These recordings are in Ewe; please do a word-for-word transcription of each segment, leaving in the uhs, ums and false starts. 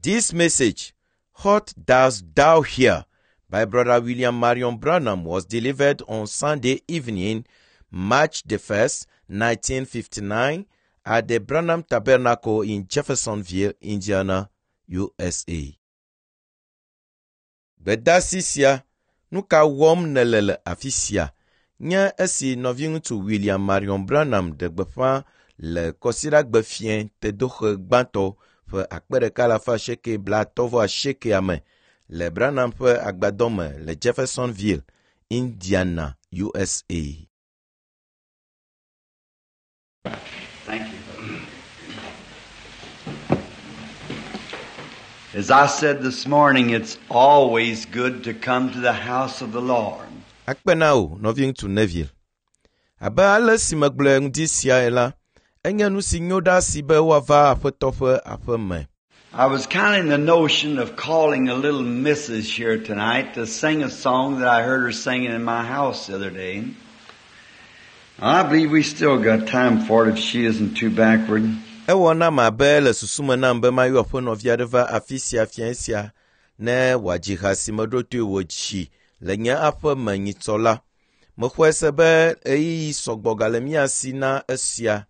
This message, What Dost Thou Here, by Brother William Marion Branham was delivered on Sunday evening, March the first, nineteen fifty-nine, at the Branham Tabernacle in Jeffersonville, Indiana, U S A. Gbedasi sia, nu ka wɔm nèle le afi sia? Nye esi nɔviŋutsu William Marion Branham ɖe gbeƒã le Kɔsiɖagbe fiẽ tedoxe gbãtɔ ƒe akpe ɖeka alafa asieke blaatɔ̃ vɔ asiekea me le Branham ƒe agbadɔ me le Jeffersonville, Indiana, U S A. Thank you. As I said this morning, it's always good to come to the house of the Lord. Akpe na wò, nɔviŋutsu Neville. Abe ale si megblɔe ŋdi siae la, enye nu si nyo ɖa si be woava Aƒetɔ ƒe aƒe me. I was kind of in the notion of calling a little missus here tonight to sing a song that I heard her singing in my house the other day. I believe we still got time for it if she isn't too backward. Ewɔ nam abe le susu me nam be mayɔ aƒenɔvi aɖe va afi sia fiẽ sia ne wòadzi ha si meɖo toe wòdzi le nye aƒe me nyitsɔ la. Mexɔe se be ɣeyiɣi sɔgbɔ gale mía si na esia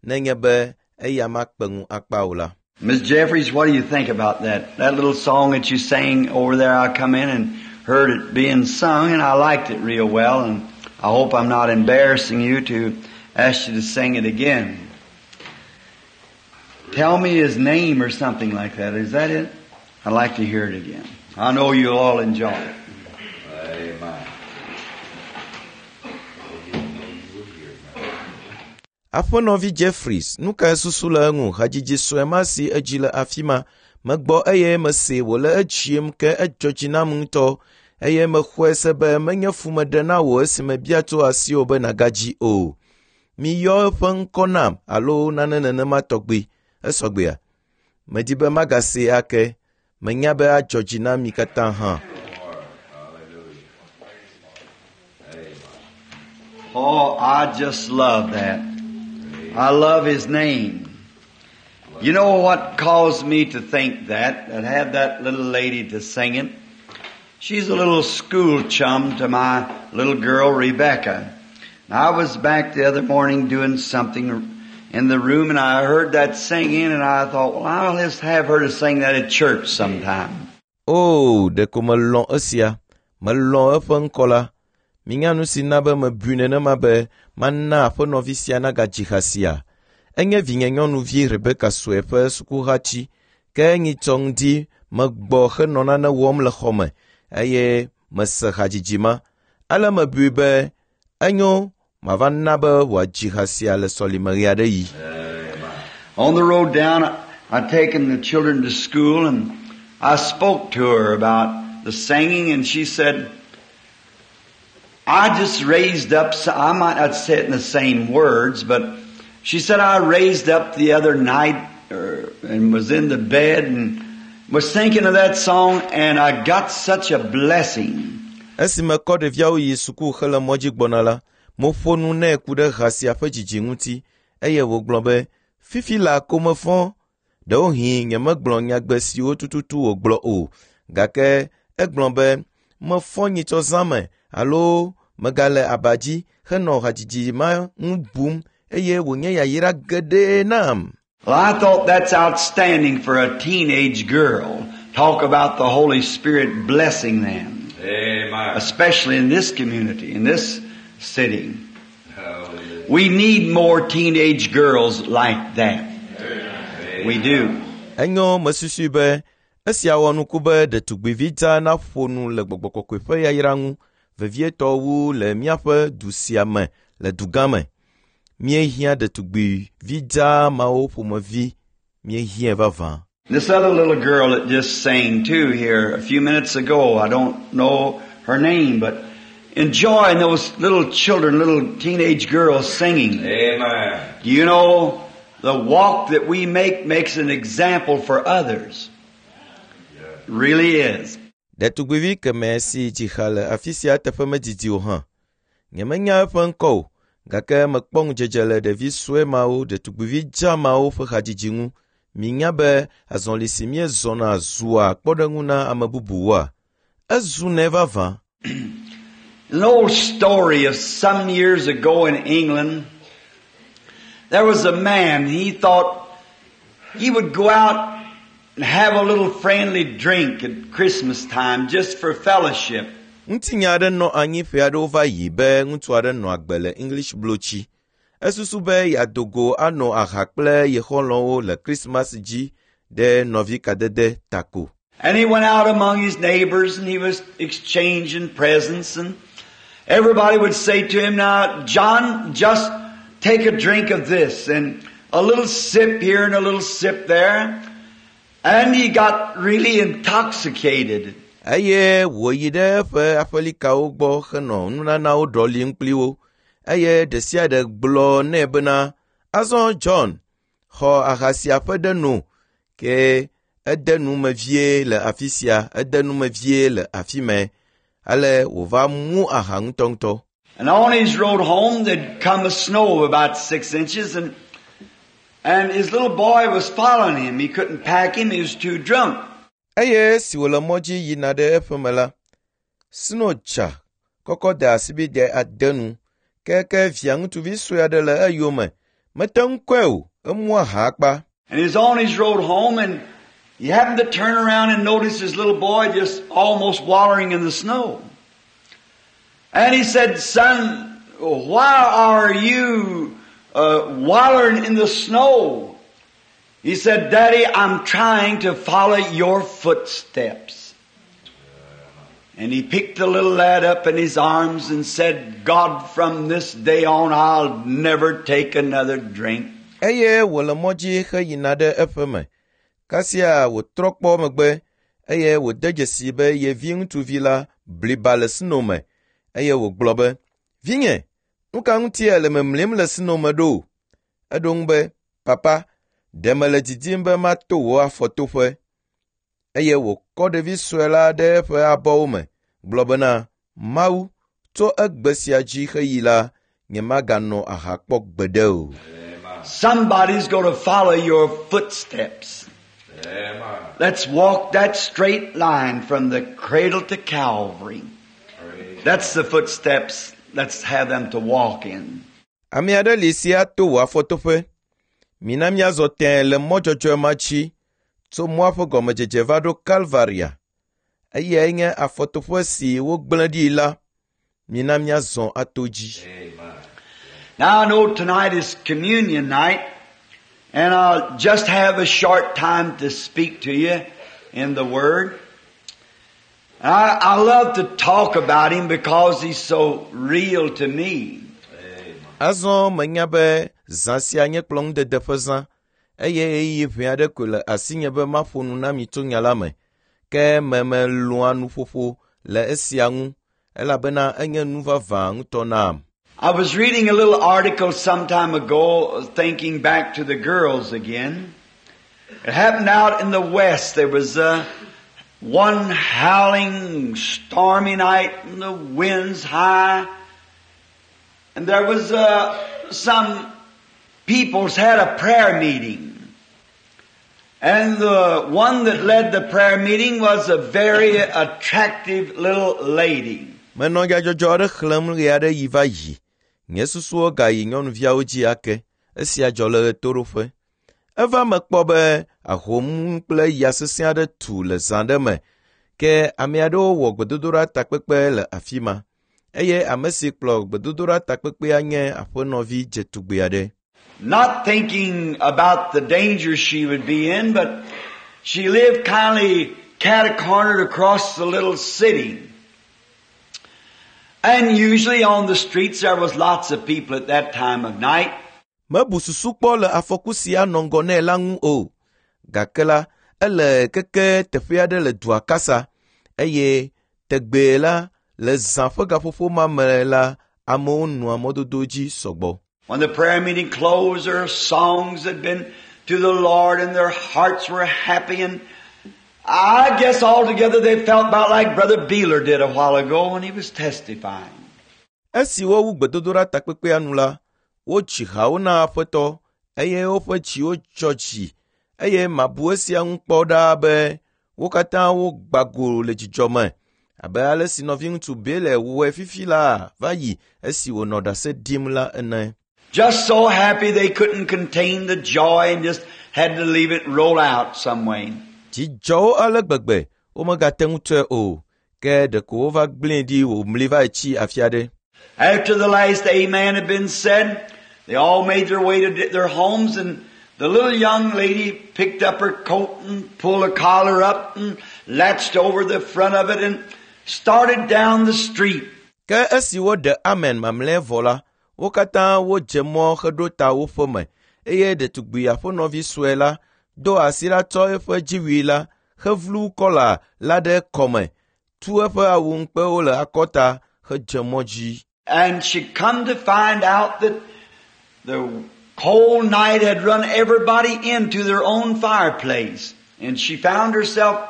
nenye be eya makpe ŋu akpa o la. Miss Jeffries, what do you think about that? That little song that you sang over there, I come in and heard it being sung, and I liked it real well, and I hope I'm not embarrassing you to ask you to sing it again. Tell me his name or something like that. Is that it? I'd like to hear it again. I know you'll all enjoy it. Amen. Aƒenɔvi Jeffries, nu kae susu le eŋu hadzidzi sue ma si edzi le afi ma megbɔ eye mese wòle edziem ke edzɔ dzi nam ŋutɔ eye mexɔe se be menye fu meɖe na wò esime bia tso asiwò be nàgadzi o. Miyɔ eƒe ŋkɔ nam alo nane nenema tɔgbi. Esɔgbea? Medi be magasee ake. Menya be adzɔ dzi na mi katã hã. Oh, I just love that. I love his name. You know what caused me to think that, that have that little lady to sing it? She's a little school chum to my little girl, Rebecca. And I was back the other morning doing something in the room, and I heard that singing, and I thought, well, I'll just have her to sing that at church sometime. Oh, ɖeko melɔ̃ esia. Melɔ̃ eƒe ŋkɔ la. Minya nu si na be mebui nenema be mana aƒenɔvi sia nagadzi ha sia. Enye vinye nyɔnuvi Rebeka sue ƒe sukuhatsi ke nyitsɔ ŋdi megbɔ henɔ nane wɔm le xɔ me eye mese hadzidzi ma. Ale mebui be enyo mava na be wòadzi ha sia le sɔlime ɣe aɖe yi. On the road down, I'd taken the children to school, and I spoke to her about the singing, and she said, I just raised up, I might not say it in the same words, but she said, I raised up the other night er, and was in the bed and was thinking of that song, and I got such a blessing. Esi mekɔ ɖeviawo yi suku hele mɔ dzi gbɔna la, meƒo nu nɛ ku ɖe ha sia ƒe dzidzi ŋuti eye wògblɔ be fifi la ko mefɔ. Ɖewohĩ nyemegblɔ nyagbe siwo tututu wògblɔ o, gake egblɔ be mefɔ nyitsɔ zã me alo megale aba dzi henɔ hadzidzi ma ŋu bum eye wònye yayra geɖe nam. Well, I thought that's outstanding for a teenage girl. Talk about the Holy Spirit blessing them. Amen. Especially in this community, in this city. Hallelujah. We need more teenage girls like that. We do. Enyo mesusui be esia wɔ nuku be ɖetugbivi dza naƒo nu le gbɔgbɔ kɔkɔe ƒe yayra ŋu vevietɔ wu le míaƒe du sia me le dugã me. Míehiã ɖetugbivi dza mawo ƒomevi míehiãe vavã. This other little girl that just sang too here a few minutes ago, I don't know her name, but enjoying those little children, little teenage girls singing. Amen. You know, the walk that we make makes an example for others. Really is. Ɖetugbivi kemɛ si dzi ha le afi sia teƒe medidi o hã. Nyemenya eƒe ŋkɔ o, gake mekpɔ ŋudzedze le ɖevi sue mawo, ɖetugbivi dza mawo ƒe hadzidzi ŋu. Minya be azɔli si míezɔna zua kpɔɖeŋu na ame bubuwoa? Ezunɛ vavã. An old story of some years ago in England. There was a man, he thought he would go out and have a little friendly drink at Christmas time just for fellowship. Ŋutinya aɖe nɔ anyi ƒe aɖewo va yi be ŋutsu aɖe nɔ agbe le English blotsi. Esusu be yeado go anɔ aha kple ye xɔlɔ̃wo le Krismas dzi ɖe nɔvikadede ta ko. And he went out among his neighbors and he was exchanging presents, and everybody would say to him, "Now, John, just take a drink of this and a little sip here and a little sip there." And he got really intoxicated. Eye wòyi ɖe eƒe aƒelikawo gbɔ henɔ nunanawo ɖɔlim kpli wo. Eye ɖe sia ɖe gblɔ nɛ bena, "Azɔ John, xɔ aha sia ƒe ɖe no." Ke ede nu me vie le afi sia, ede nu me vie le afi mɛ. Ale wòva mu aha ŋutɔŋutɔ. And on his road home, there'd come a snow of about six inches, and, and his little boy was following him. He couldn't pack him, he was too drunk. Eye esi wòle mɔ dzi yina ɖe eƒeme la, sno dza kɔkɔ de asibide ade nu. Keke via ŋutsuvi sue aɖe le eyome. Mete ŋu kɔe o, emu aha akpa. And he was on his road home, and he happened to turn around and notice his little boy just almost wallowing in the snow. And he said, "Son, why are you, uh, wallowing in the snow?" He said, "Daddy, I'm trying to follow your footsteps." And he picked the little lad up in his arms and said, "God, from this day on, I'll never take another drink." Eye wòle mɔ dzi heyina ɖe eƒeme. Kasia wòtrɔ kpɔ megbe eye wòde dzesi be ye vi ŋutsuvi la bliba le sno me. Eye wògblɔ be, "Vinye, nu ka ŋutie le memlim le sno me ɖo?" Eɖo ŋu be, "Papa, ɖe mele didim be mato wò afɔtoƒe." Eye wòkɔ ɖevi sue la ɖe eƒe abɔwo me, gblɔ bena, "Mawu, tso egbe sia dzi heyi la, nyemaganɔ aha kpɔ gbeɖe o." Somebody's gonna follow your footsteps. Amen. Let's walk that straight line from the cradle to Calvary. Praise That's the footsteps. Let's have them to walk in. Ame aɖe li si ato wò afɔtoƒe. Mina míazɔ tẽe le mɔ dzɔdzɔe ma dzi tso mɔa ƒe gɔmedzedze va ɖo Kalvaria. Eyae nye afɔtoƒe si wogblẽ ɖi la. Mina míazɔ ato dzi. Amen. Now I know tonight is communion night, and I'll just have a short time to speak to you in the Word. I, I love to talk about Him because He's so real to me. Amen. Azɔ menya be zã sia nye kplɔ̃ŋudede ƒe zã eye ɣeyiɣi ʋɛ aɖe koe le asinye be maƒo nu na mi tso nya la me. Ke memelɔ̃a nuƒoƒo le esia ŋu elabena enye nu vavã ŋutɔ nam. I was reading a little article some time ago, thinking back to the girls again. It happened out in the West. There was a one howling, stormy night, and the winds high. And there was, uh, some peoples had a prayer meeting. And the one that led the prayer meeting was a very attractive little lady. Menɔ nyadzɔdzɔ aɖe xlẽm ɣe aɖe yi va yi. Nye susuwo gayi nyɔnuviawo dzi ake. Esia dzɔ le ɣetoɖoƒe. Eva me kpɔ be ahom kple ya sesẽ aɖe tu le zã ɖe me. Ke ame aɖewo wɔ gbedodoɖa takpekpe le afi ma. Eye ame si kplɔ gbedodoɖa takpekpea nye aƒenɔvi dzetugbe aɖe. Not thinking about the danger she would be in, but she lived kindly cat-cornered across the little city. And usually on the streets there was lots of people at that time of night. Mebu susu kpɔ le afɔku si anɔ ŋgɔ nɛ la ŋu o. Gake la, ele keke teƒe aɖe le dua kasa eye tegbee la, le zã ƒe gaƒoƒo ma me la, amewo nɔa mɔdodo dzi sɔgbɔ. When the prayer meeting closed, their songs had been to the Lord and their hearts were happy, and I guess altogether they felt about like Brother Beeler did a while ago when he was testifying. Esi wowu gbedodoɖa takpekpea nu la, wotsi hawo na Aƒetɔ eye woƒe dziwo dzɔ dzi Eye mabu esia ŋu kpɔ ɖaa be wo katã wogba go le dzidzɔ me abe ale si nɔviŋutsu Bele wɔe fifi la va yi esi wònɔ ɖase ɖim la ene. Just so happy they couldn't contain the joy and just had to leave it roll out some way. Dzi dzɔ wo ale gbegbe womegate ŋu tɔe o, ke ɖeko wova gblẽe ɖi wòmli va tsi afi aɖe. After the last amen had been said, they all made their way to their homes, and the little young lady picked up her coat and pulled her collar up and latched over the front of it and started down the street. Ke esi woɖe amen mamlɛ vɔ la, wo katã wodze mɔ heɖo ta wo ƒeme eye ɖetugbi aƒenɔvi sue la do asi ɖa tsɔ eƒe dziwui la hevlu kɔla la ɖe kɔme, tu eƒe awu ŋukpewo le akɔta hedze mɔ dzi. And she come to find out that the cold night had run everybody into their own fireplace. And she found herself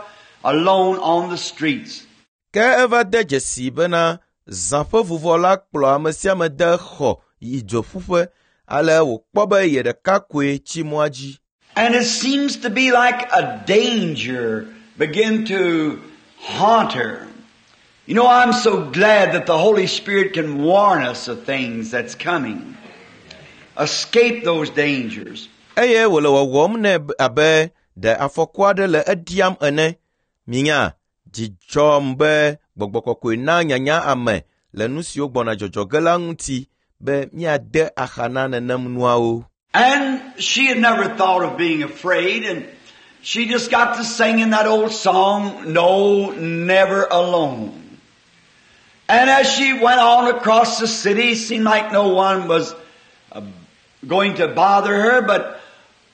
alone on the streets. Ke eva de dzesi bena zã ƒe vuvɔ la kplɔ ame sia ame de xɔ yi dzoƒuƒe ale wòkpɔ be ye ɖeka koe tsi mɔa dzi. And it seems to be like a danger begin to haunt her. You know, I'm so glad that the Holy Spirit can warn us of things that's coming. Escape those dangers. Eye wòle wɔwɔm nɛ abe ɖe afɔku aɖe le eɖiam ene. Minya, dzi dzɔm be gbɔgbɔ kɔkɔe na nyanya ame le nu siwo gbɔna dzɔdzɔ ge la ŋuti be míade axa na nenem nuawo. And she had never thought of being afraid, and she just got to singing that old song, No, Never Alone. And as she went on across the city, it seemed like no one was uh, going to bother her, but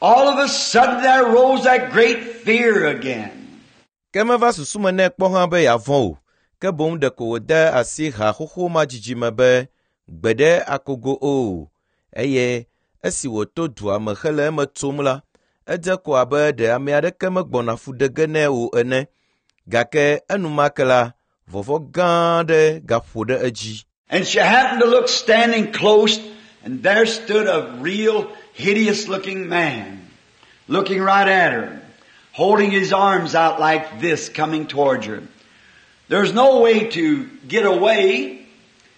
all of a sudden there rose that great fear again. Ke meva susu me nɛ kpɔ hã be yeavɔ̃ o, ke boŋ ɖeko wòde asi ha xoxo ma dzidzi me be gbe ɖe akogo o. Eye esi wòto dua me hele eme tsom la, edze ko abe ɖe ame aɖeke megbɔna fu ɖe ge nɛ o ene. Gake enumake la, vɔvɔ̃ gã aɖe gaƒo ɖe edzi. And she happened to look standing close, and there stood a real hideous looking man, looking right at her, holding his arms out like this, coming towards her. There's no way to get away,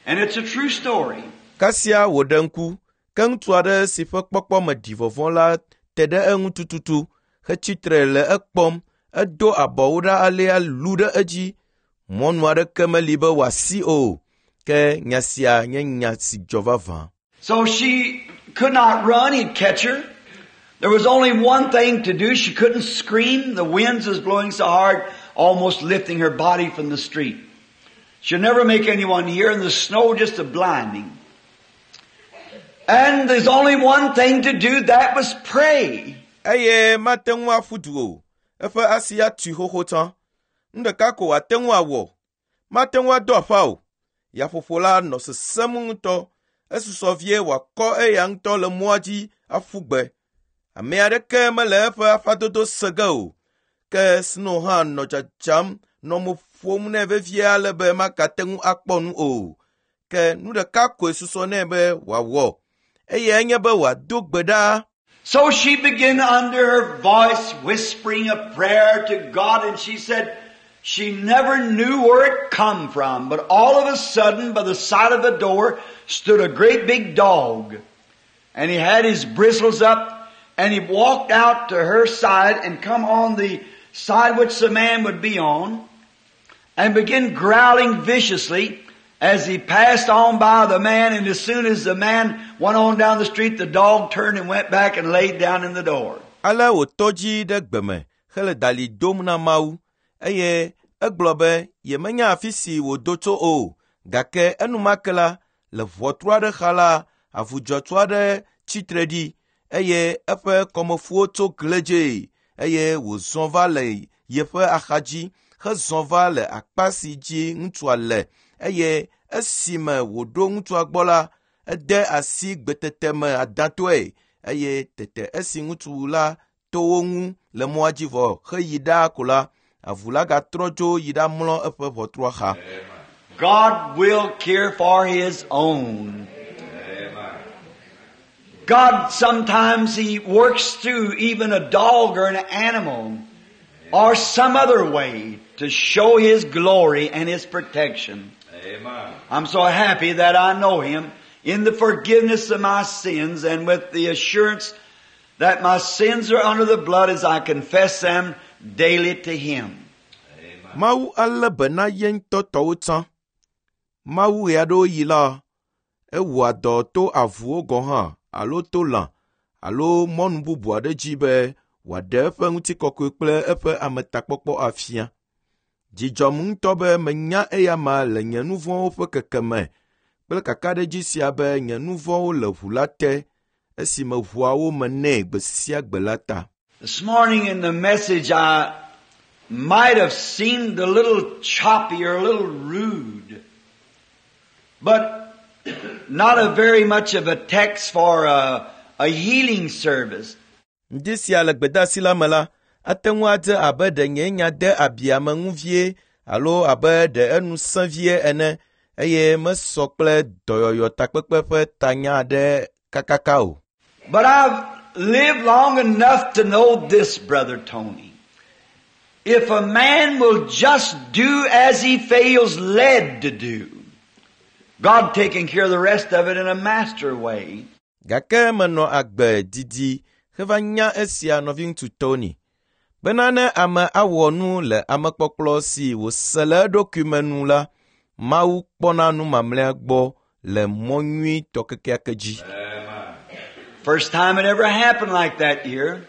and it's a true story. Kasia wòɖe ŋku, ke ŋutsu aɖe si ƒe kpɔkpɔ me ɖi vɔvɔ̃ la te ɖe eŋu tututu hetsitre le ekpɔm. Edo abɔwo ɖa alea lu ɖe edzi. Mɔnu aɖeke meli be wòasi o. Ke nya sia nye nya si dzɔ vavã. So she could not run, he'd catch her. There was only one thing to do. She couldn't scream. The winds was blowing so hard, almost lifting her body from the street. She'd never make anyone hear, and the snow just a blinding. And there's only one thing to do, that was pray. Eye mate ŋu aƒu du o. Eƒe asi atui xoxo tsã. Nu ɖeka ko wòate ŋu awɔ. Mate ŋu ado aƒa o. Yaƒoƒo la nɔ sesẽm ŋutɔ. Esusɔ vie wòakɔ eya ŋutɔ le mɔa dzi aƒu gbe. Ame aɖeke mele eƒe aƒadodo se ge o. Ke sno hã nɔ dzadzam nɔ mo ƒom nɛ vevie ale be magate ŋu akpɔ nu o. Ke nu ɖeka koe susɔ nɛ be wòawɔ. Eyae nye be wòado gbe ɖa. So she began under her voice whispering a prayer to God, and she said she never knew where it come from, but all of a sudden by the side of the door stood a great big dog. And he had his bristles up, and he walked out to her side and come on the side which the man would be on, and began growling viciously as he passed on by the man, and as soon as the man went on down the street, the dog turned and went back and laid down in the door. Ale wòtɔ dzi ɖe gbe me hele dali dom na Mawu eye egblɔ be yemenya afi si wòdo tso o gake enumake la le ʋɔtru aɖe xa la avu dzɔtsu aɖe tsitre ɖi eye eƒe kɔmefuwo tso kledzee eye wòzɔ va le yeƒe axadzi hezɔ va le akpa si dzi ŋutsua le eye esime wòɖo ŋutsua gbɔ la ede asi gbetete me adãtɔe eye tete esi ŋutsu la to wo ŋu le mɔa dzi vɔ heyi ɖaa ko la avu la gatrɔ dzo yi ɖamlɔ eƒe ʋɔtrua xa. God will care for His own. God sometimes He works through even a dog or an animal or some other way to show His glory and His protection. Amen. I'm so happy that I know Him in the forgiveness of my sins and with the assurance that my sins are under the blood as I confess them daily to Him. Amen. Mawu alé be na ye ŋutɔ tɔwo tsã. Mawu ɣe aɖewo yi la, ewɔa dɔ to avuwo gɔ̃ hã alo to lã alo mɔnu bubu aɖe dzi be wòaɖe eƒe ŋutikɔkɔe kple eƒe ametakpɔkpɔ afia. Dzidzɔm ŋutɔ be menya eya ma le nye nu vɔ̃wo ƒe kekeme kple kakaɖedzi sia be nye nu vɔ̃wo le ʋu la te esime ʋuawo me nɛ gbe sia gbe la ta. This morning in the message I might have seemed a little choppy or a little rude, but not a very much of a text for a, a healing service. Ŋdi sia le gbedeasi la me la, ate ŋu adze abe ɖe nye nya de abi ame ŋu vie alo abe ɖe enu sẽ vie ene eye mesɔ kple dɔyɔyɔ takpekpe ƒe tanya aɖe kakaka o. But I've lived long enough to know this, Brother Tony. If a man will just do as he feels led to do, God taking care of the rest of it in a master way. Gake menɔ agbe didi heva nya esia nɔviŋutsu Tony bena ne ame awɔ nu le amekpɔkplɔ si wòse le eɖokui me nu la, Mawu kpɔna nu mamlɛa gbɔ le mɔ nyuitɔ kekeake dzi. Amen. First time it ever happened like that here.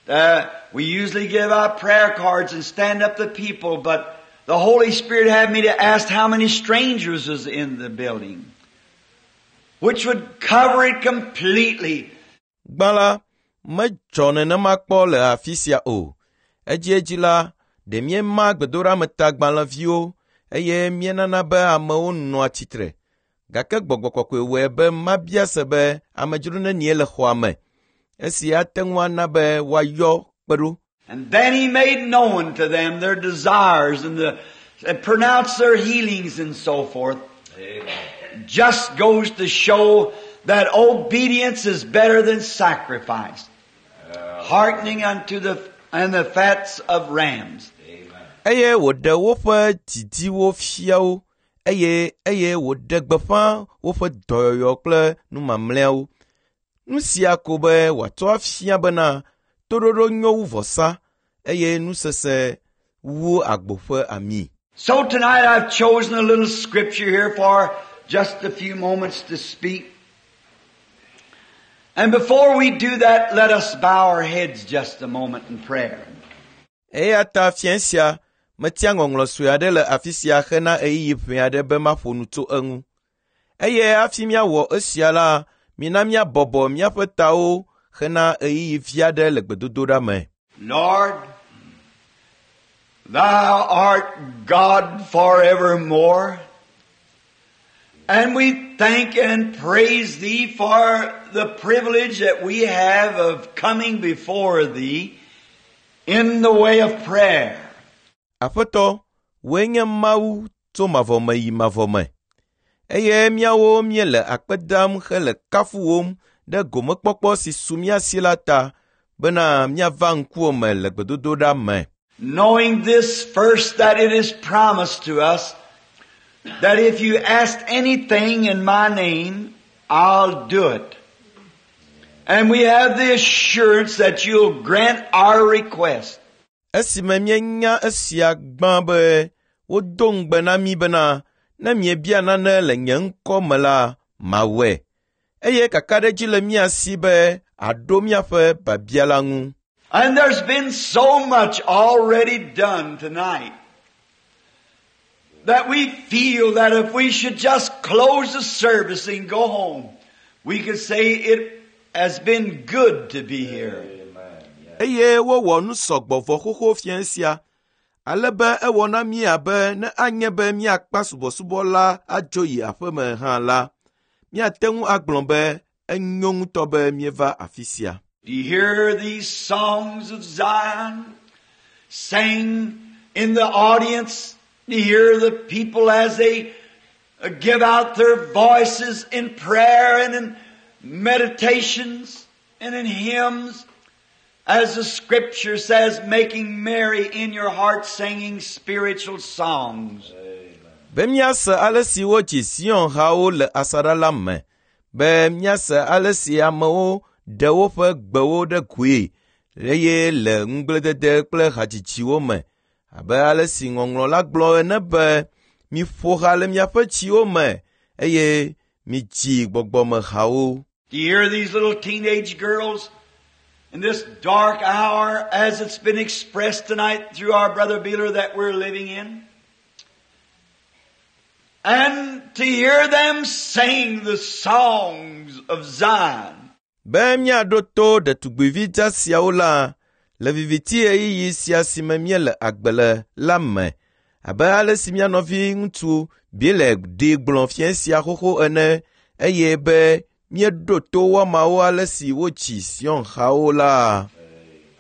Uh, we usually give out prayer cards and stand up the people, but the Holy Spirit had me to ask how many strangers was in the building, which would cover it completely. Gbã la, medzɔ nenema kpɔ le afi sia o. Edziedzi la, ɖe míema gbedoɖametagbalẽviwo eye míenana be amewo nɔa tsitre. Gake gbɔgbɔ kɔkɔe wɔe be mabia se be amedzro nenie le xɔa me. Esi ate ŋu ana be woayɔ kpe ɖo. And then He made known to them their desires and, the, and pronounced their healings and so forth. Amen. Just goes to show that obedience is better than sacrifice. Hearkening unto the, and the fats of rams. Amen. Eye wòɖe woƒe didiwo fia wo eye eye wòɖe gbeƒã woƒe dɔyɔyɔ kple nu mamlɛawo. Nu sia ko be wòatsɔ afia bena toɖoɖo nyo wu vɔsa eye nusese wu agbo ƒe ami. So tonight I've chosen a little scripture here for just a few moments to speak. And before we do that, let us bow our heads just a moment in prayer. Eya ta fiẽ sia metia ŋɔŋlɔ sue aɖe le afi sia hena ɣeyiɣi ʋɛ aɖe be maƒo nu tso eŋu. Eye hafi míawɔ esia la, mina míabɔbɔ míaƒe tawo hena ɣeyiɣi vi aɖe le gbedodoɖa me. Lord, Thou art God forevermore. And we thank and praise Thee for the privilege that we have of coming before Thee in the way of prayer. Aƒetɔ, wòe nye Mawu tso mavɔ me yi mavɔ me. Eye míawo míele akpe dam hele kafuwòm ɖe gomekpɔkpɔ si su mía si la ta bena míava ŋkuwò me le gbedodoɖa me. Knowing this first, that it is promised to us that if you ask anything in my name, I'll do it. And we have the assurance that you'll grant our request. Esime míenya esia gbã be wodo ŋugbe na mí bena ne miebia nane le nye ŋkɔ me la, mawɔe. Eye kakaɖedzi le mía si be àɖo míaƒe biabia la ŋu. And there's been so much already done tonight that we feel that if we should just close the service and go home, we could say it has been good to be here. Eye wowɔ nu sɔgbɔ vɔ xoxo fiẽ sia, ale be ewɔ na mí abe ne anye be míakpa subɔsubɔ la adzo yi aƒeme hã la, míate ŋu agblɔ be enyo ŋutɔ be míeva afi sia. Do you hear these songs of Zion sang in the audience? Do you hear the people as they uh, give out their voices in prayer and in meditations and in hymns, as the scripture says, making merry in your heart, singing spiritual songs. Be míase ale si wodzi Zion hawo le asaɖa la me, be míase ale si amewo ɖe woƒe gbewo ɖe goe eye le ŋugbledede kple hadzidziwo me abe ale si ŋɔŋlɔ la gblɔ ene be miƒo ha le miaƒe dziwo me eye midzi gbɔgbɔmehawo. Do you hear these little teenage girls in this dark hour as it's been expressed tonight through our brother Beeler that we're living in? And to hear them sing the songs of Zion. Be míaɖo to ɖetugbivi dza siawo la le viviti ɣeyiɣi sia si me míele agbe le la me abe ale si mía nɔvi ŋutsu Bile ɖi gblɔ fiẽ sia xoxo ene eye be míeɖo to woamawo ale si wodzi Zion hawo la.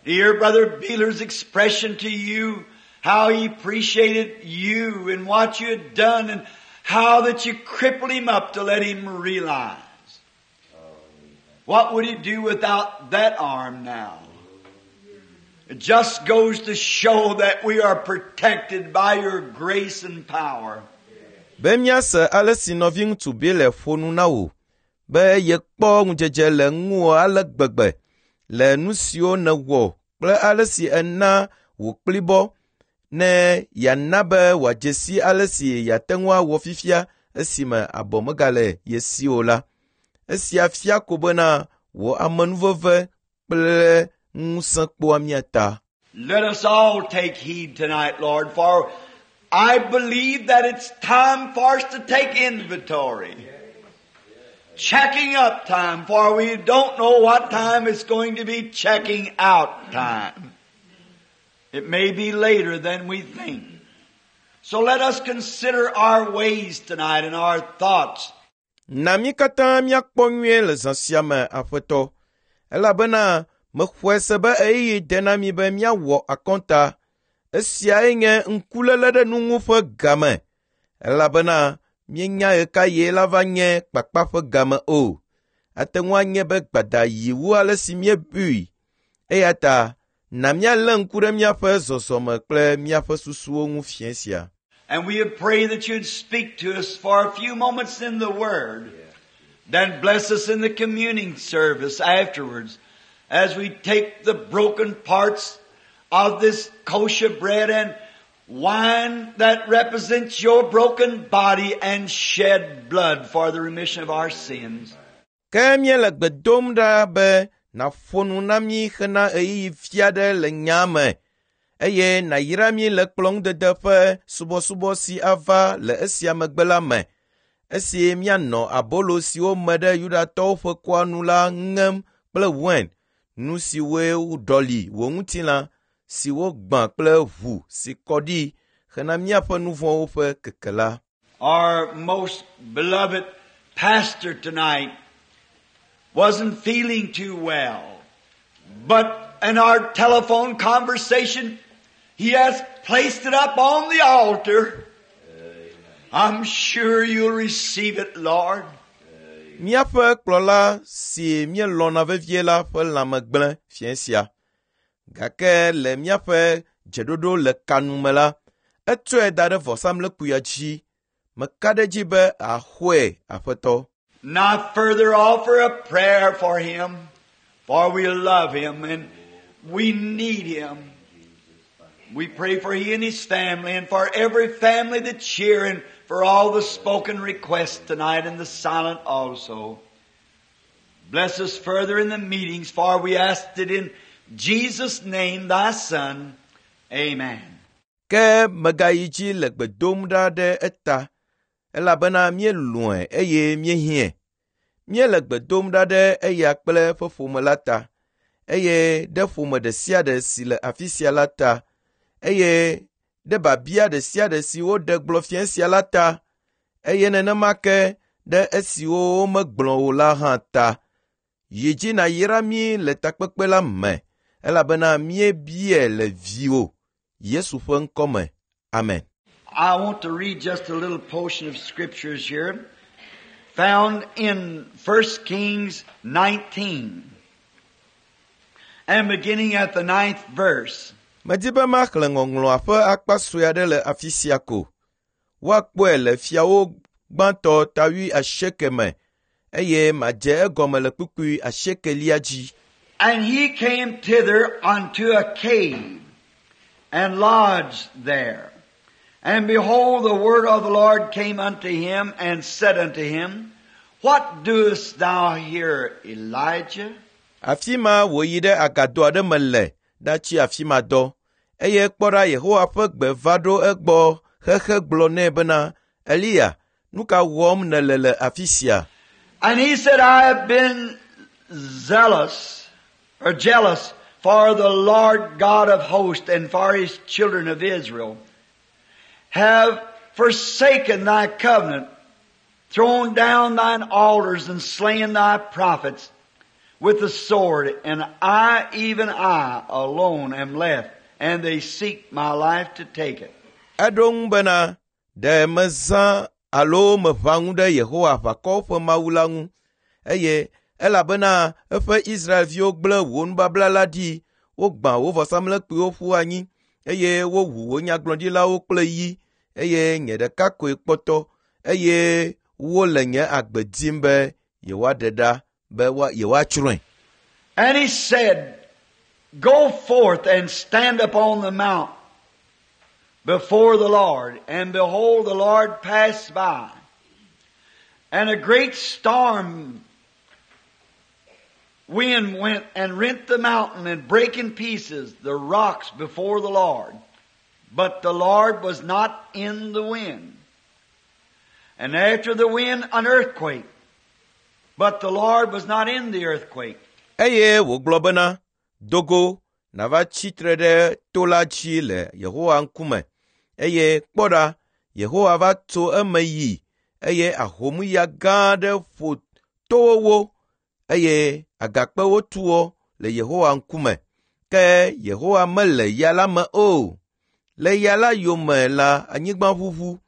To hear Brother Beeler's expression to you, how he appreciated you and what you had done and how that you crippled him up to let him realize. What would he do without that arm now? It just goes to show that we are protected by your grace and power. Be míase ale si nɔvi ŋutsu Bile ƒo nu na wò be yekpɔ ŋudzedze le ŋuwò ale gbegbe le nu siwo nèwɔ kple ale si ena wò kplibɔ ne yeana be wòadze si ale si yeate ŋu awɔ fifia esime abɔ megale ye si o la. Esia fia ko bena wò amenuveve kple ŋusẽ kpɔa mía ta. Let us all take heed tonight, Lord, for I believe that it's time for us to take inventory. Checking up time, for we don't know what time it's going to be checking out time. It may be later than we think. So let us consider our ways tonight and our thoughts. Na mí katã míakpɔ nyuie le zã sia me, Aƒetɔ, elabena mexɔe se be ɣeyiɣi de na mí be míawɔ akɔnta. Esiae nye ŋkuléle ɖe nu ŋu ƒe game, elabena míenya ɣe ka ɣie la va nye kpakpa ƒe game o. Ate ŋu anye be gbada yi wu ale si míebui. Eya ta na míalé ŋku ɖe míaƒe zɔzɔme kple míaƒe susuwo ŋu fiẽ sia. And we would pray that you'd speak to us for a few moments in the Word. Then bless us in the communing service afterwards as we take the broken parts of this kosher bread and wine that represents your broken body and shed blood for the remission of our sins. Ke míele gbe dom ɖa be nàƒo nu na mí hena ɣeyiɣi vi aɖe le nyaa me eye nàyra mí le kplɔ̃ŋudede ƒe subɔsubɔ si ava le esia megbe la me esi míanɔ abolo siwo me ɖe Yudatɔwo ƒe kɔa nu la ŋem kple wain, nu siwoe ɖɔli wò ŋutilã si wogbã kple ʋu si kɔ ɖi hena míaƒe nu vɔ̃wo ƒe keke la. Our most beloved pastor tonight wasn't feeling too well, but in our telephone conversation, he has placed it up on the altar. I'm sure you'll receive it, Lord. Míaƒe kplɔla si míelɔ̃na vevie la ƒe lãme gblẽ fiẽ sia. Gake le míaƒe dzeɖoɖo le kanu me la, etsɔe da ɖe vɔsamlekpuia dzi. Meka ɖe edzi be àxɔe, Aƒetɔ. Now further offer a prayer for him, for we love him and we need him. We pray for he and his family and for every family that's here and for all the spoken requests tonight and the silent also. Bless us further in the meetings, for we asked it in Jesus' name, thy Son. Amen. Ke megayi dzi le gbe dom ɖa ɖe eta, elabena míelɔ̃e eye míehiãe. Míele gbe dom ɖa ɖe eya kple eƒe ƒome la ta, eye ɖe ƒome ɖe sia ɖe si le afi sia la ta, eye ɖe biabia ɖe sia ɖe si woɖe gblɔ fiẽ sia la ta, eye nenema ke ɖe esiwo womegblɔ o la hã ta. Yi dzi nàyra mí le takpekpe la me, elabena míebiae le viwò, Yesu ƒe ŋkɔ me. Amen. I want to read just a little portion of scriptures here found in First Kings nineteen and beginning at the ninth verse. Medi be maxlẽ ŋɔŋlɔa ƒe akpa sue aɖe le afi sia ko. Woakpɔe le fiawo gbãtɔ ta wui asieke me eye madze egɔme le kpukpui asiekelia dzi. And he came thither unto a cave and lodged there. And behold, the word of the Lord came unto him and said unto him, What doest thou here, Elijah? Afi ma wòyi ɖe agado aɖe me le ɖatsi afi ma dɔ eye kpɔ ɖa Yehowa ƒe gbe va ɖo egbɔ xexe gblɔ nɛ bena, Eliya, nu ka wɔm nèle le afi sia? And he said, I have been zealous or jealous for the Lord God of hosts and for his children of Israel. Have forsaken thy covenant, thrown down thine altars and slain thy prophets with the sword, and I, even I, alone am left, and they seek my life to take it. Eɖo ŋu bena, ɖe mezã alo meʋã ŋu ɖe Yehowa aʋakɔwo ƒe Mawu la ŋu eye elabena eƒe Israelviwo gblẽ wò nubabla la ɖi, wogbã wò vɔsamlekpuiwo ƒu anyi eye wowu wò nyagblɔɖilawo kple yi eye nye ɖeka koe kpɔtɔ eye wole nye agbe dim be yewoaɖe ɖa be yewoatsrɔ̃e. And he said, Go forth and stand upon the mount before the Lord. And behold, the Lord passed by. And a great storm wind went and rent the mountain and brake in pieces the rocks before the Lord. But the Lord was not in the wind. And after the wind, an earthquake. But the Lord was not in the earthquake. Eye wògblɔ bena, do go, nàva tsitre ɖe to la dzi le Yehowa ŋkume. Eye kpɔ ɖa, Yehowa va tso eme yi eye ahomuya gã aɖe ƒo towo wo eye agakpewo tu wo le Yehowa ŋkume. Ke Yehowa mele ya la me o. Le ya la yome la anyigba ʋuʋu.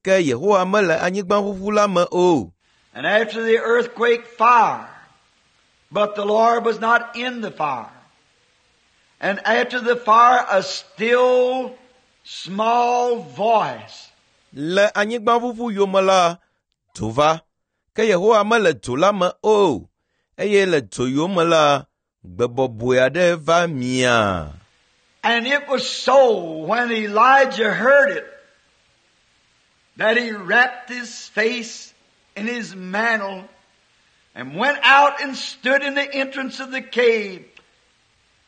Ke Yehowa mele anyigba ʋuʋu la me o. And after the earthquake, fire. But the Lord was not in the fire. And after the fire, a still small voice. Le anyigba ʋuʋu yome la, dzo va. Ke Yehowa mele dzo la me o. Eye le dzo yome la, gbe bɔbɔe aɖe va mia. And it was so when Elijah heard it that he wrapped his face in his mantle and went out and stood in the entrance of the cave.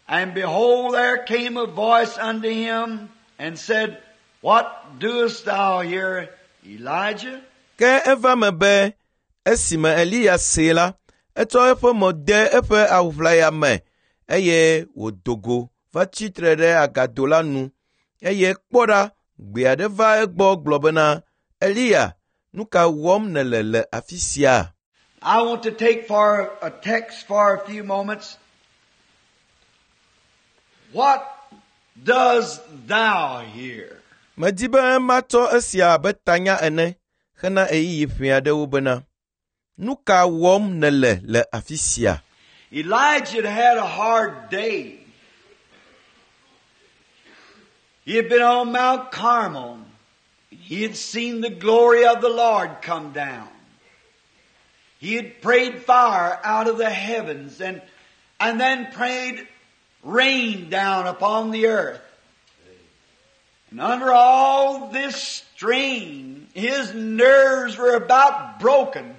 And behold, there came a voice unto him and said, What doest thou here, Elijah? Ke eva me be esime Eliya see la, etsɔ eƒe mo de eƒe awuʋlaya me eye wòdo go va tsitre ɖe agado la nu. Eye kpɔ ɖa, gbe aɖe va egbɔ gblɔ bena, Eliya, nu ka wɔm nèle le afi sia? I want to take for a text for a few moments. What does thou hear? Medi be matsɔ esia abe tanya ene hena ɣeyiɣi ƒe aɖewo bena, nu ka wɔm nèle le afi sia? Elijah had had a hard day. He had been on Mount Carmel. He had seen the glory of the Lord come down. He had prayed fire out of the heavens and, and then prayed rain down upon the earth. And under all this strain, his nerves were about broken.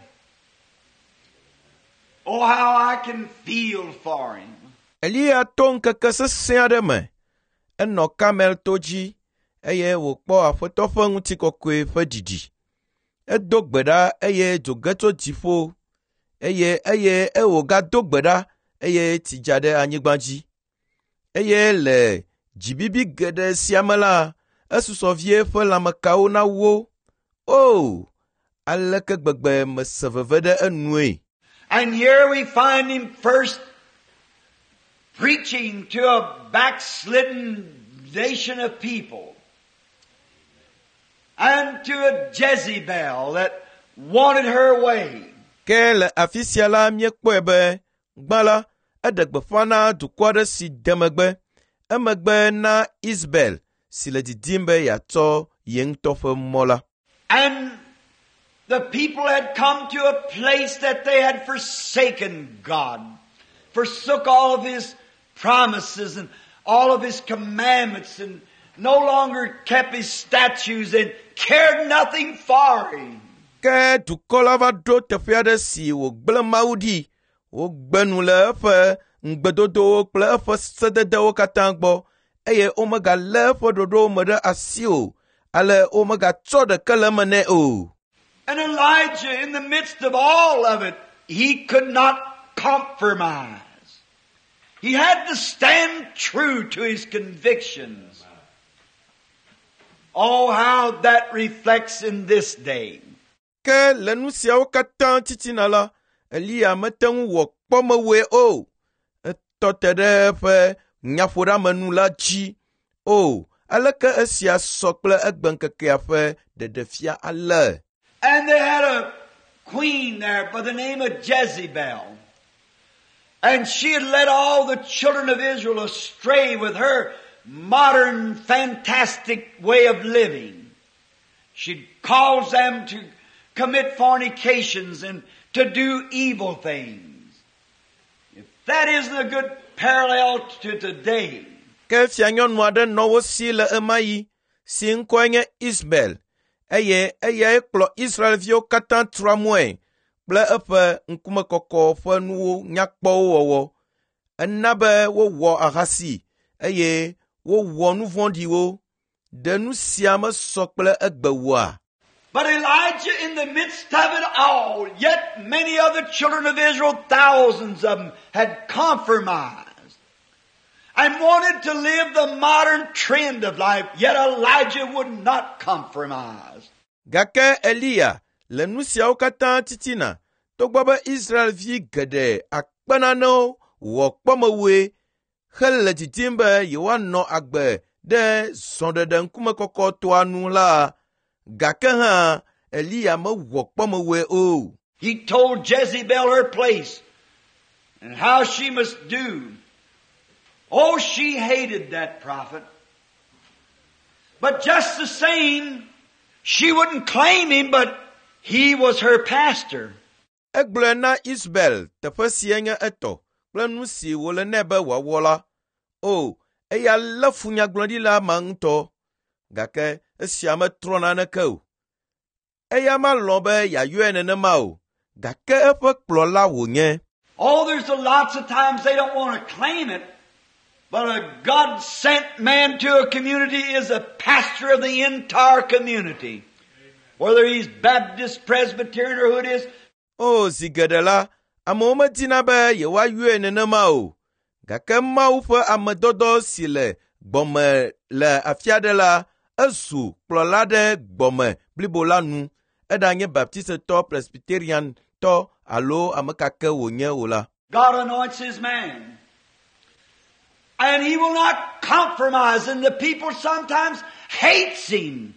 Oh, how I can feel for him. Eliya to ŋkeke sesẽ aɖe me. Enɔ Karmel to dzi eye wòkpɔ Aƒetɔ ƒe ŋutikɔkɔe ƒe ɖiɖi. Edo gbe ɖa eye dzo ge tso dziƒo eye eye wògado gbe ɖa eye tsi dza ɖe anyigba dzi. Eye le dzibibi geɖe sia me la, esusɔ vie eƒe lãmekawo nawo. O, aleke gbegbe mese veve ɖe enue. And here we find him first preaching to a backslidden nation of people and to a Jezebel that wanted her way. Ke le afi sia la míekpɔe be gbã la, eɖe gbeƒã na dukɔ aɖe si de megbe, emegbe na Isabel si le didim be yeatsɔ ye ŋutɔ ƒe mɔ la. And the people had come to a place that they had forsaken God, forsook all of His promises and all of His commandments and no longer kept His statutes and cared nothing for Him. Ke dukɔ la va ɖo teƒe aɖe si wògblẽ Mawu ɖi. Wogbe nu le eƒe ŋugbedodowo kple eƒe sededewo katã gbɔ eye womegalé eƒe ɖoɖowo me ɖe asi o. Ale womegatsɔ ɖeke le eme nɛ o. And Elijah, in the midst of all of it, he could not compromise. He had to stand true to his convictions. Oh, how that reflects in this day. Ke le nu siawo katã titina la, Eliya mete ŋu wɔ kpɔmewɔe o. Etɔ te ɖe eƒe nyaƒoɖeamenu la dzi. O, aleke esia sɔ kple egbeŋkekea ƒe ɖeɖefia ale. And they had a queen there by the name of Jezebel. And she had led all the children of Israel astray with her modern, fantastic way of living. She'd caused them to commit fornications and to do evil things. If that isn't a good parallel to today, Ke fianyɔnu aɖe nɔ wo si le ɣemaɣi si ŋkɔe nye Isabel eye eyae kplɔ Israelviwo katã tra mɔe kple eƒe ŋkumekɔkɔ ƒe nuwo nyakpɔwo wɔwɔ. Ena be wowɔ ahasi eye wowɔ nu vɔ̃ɖiwo. Ɖe nu sia mesɔ kple egbe oa? But Elijah, in the midst of it all, yet many of the children of Israel, thousands of them, had compromised and wanted to live the modern trend of life, yet Elijah would not compromise. Gake Eliya le nu siawo katã titina togbɔ be Israelvi geɖe akpe nanewo wɔ kpɔmewɔe hele didim be yewoanɔ agbe ɖe zɔɖeɖe ŋkumekɔkɔtɔa nu la, gake hã Eliya mewɔ kpɔmewɔe o. He told Jezebel her place and how she must do. Oh, she hated that prophet. But just the same, she wouldn't claim him, but he was her pastor. Egblɔe na Isabel teƒe si nye etɔ kple nu si wòle nɛ be wòawɔ la. O, eya lé fu nyagblɔɖila ma ŋutɔ. Gake esia metrɔ naneke o. Eya malɔ̃ be yeayɔe nenema o. Gake eƒe kplɔla wònye. Oh, there's a lots of times they don't want to claim it, but a God sent man to a community is a pastor of the entire community. Whether he's Baptist, Presbyterian, or who it is, O, zi geɖe la, amewo medina be yewoayɔe nenema o. Gake Mawu ƒe amedɔdɔ si le gbɔme le afi aɖe la, ezu kplɔla ɖe gbɔme blibo la nu. Eɖanye Baptistetɔ, Presbyteriantɔ alo ame ka ke wònye o la. God anoints his man. And he will not compromise, and the people sometimes hates him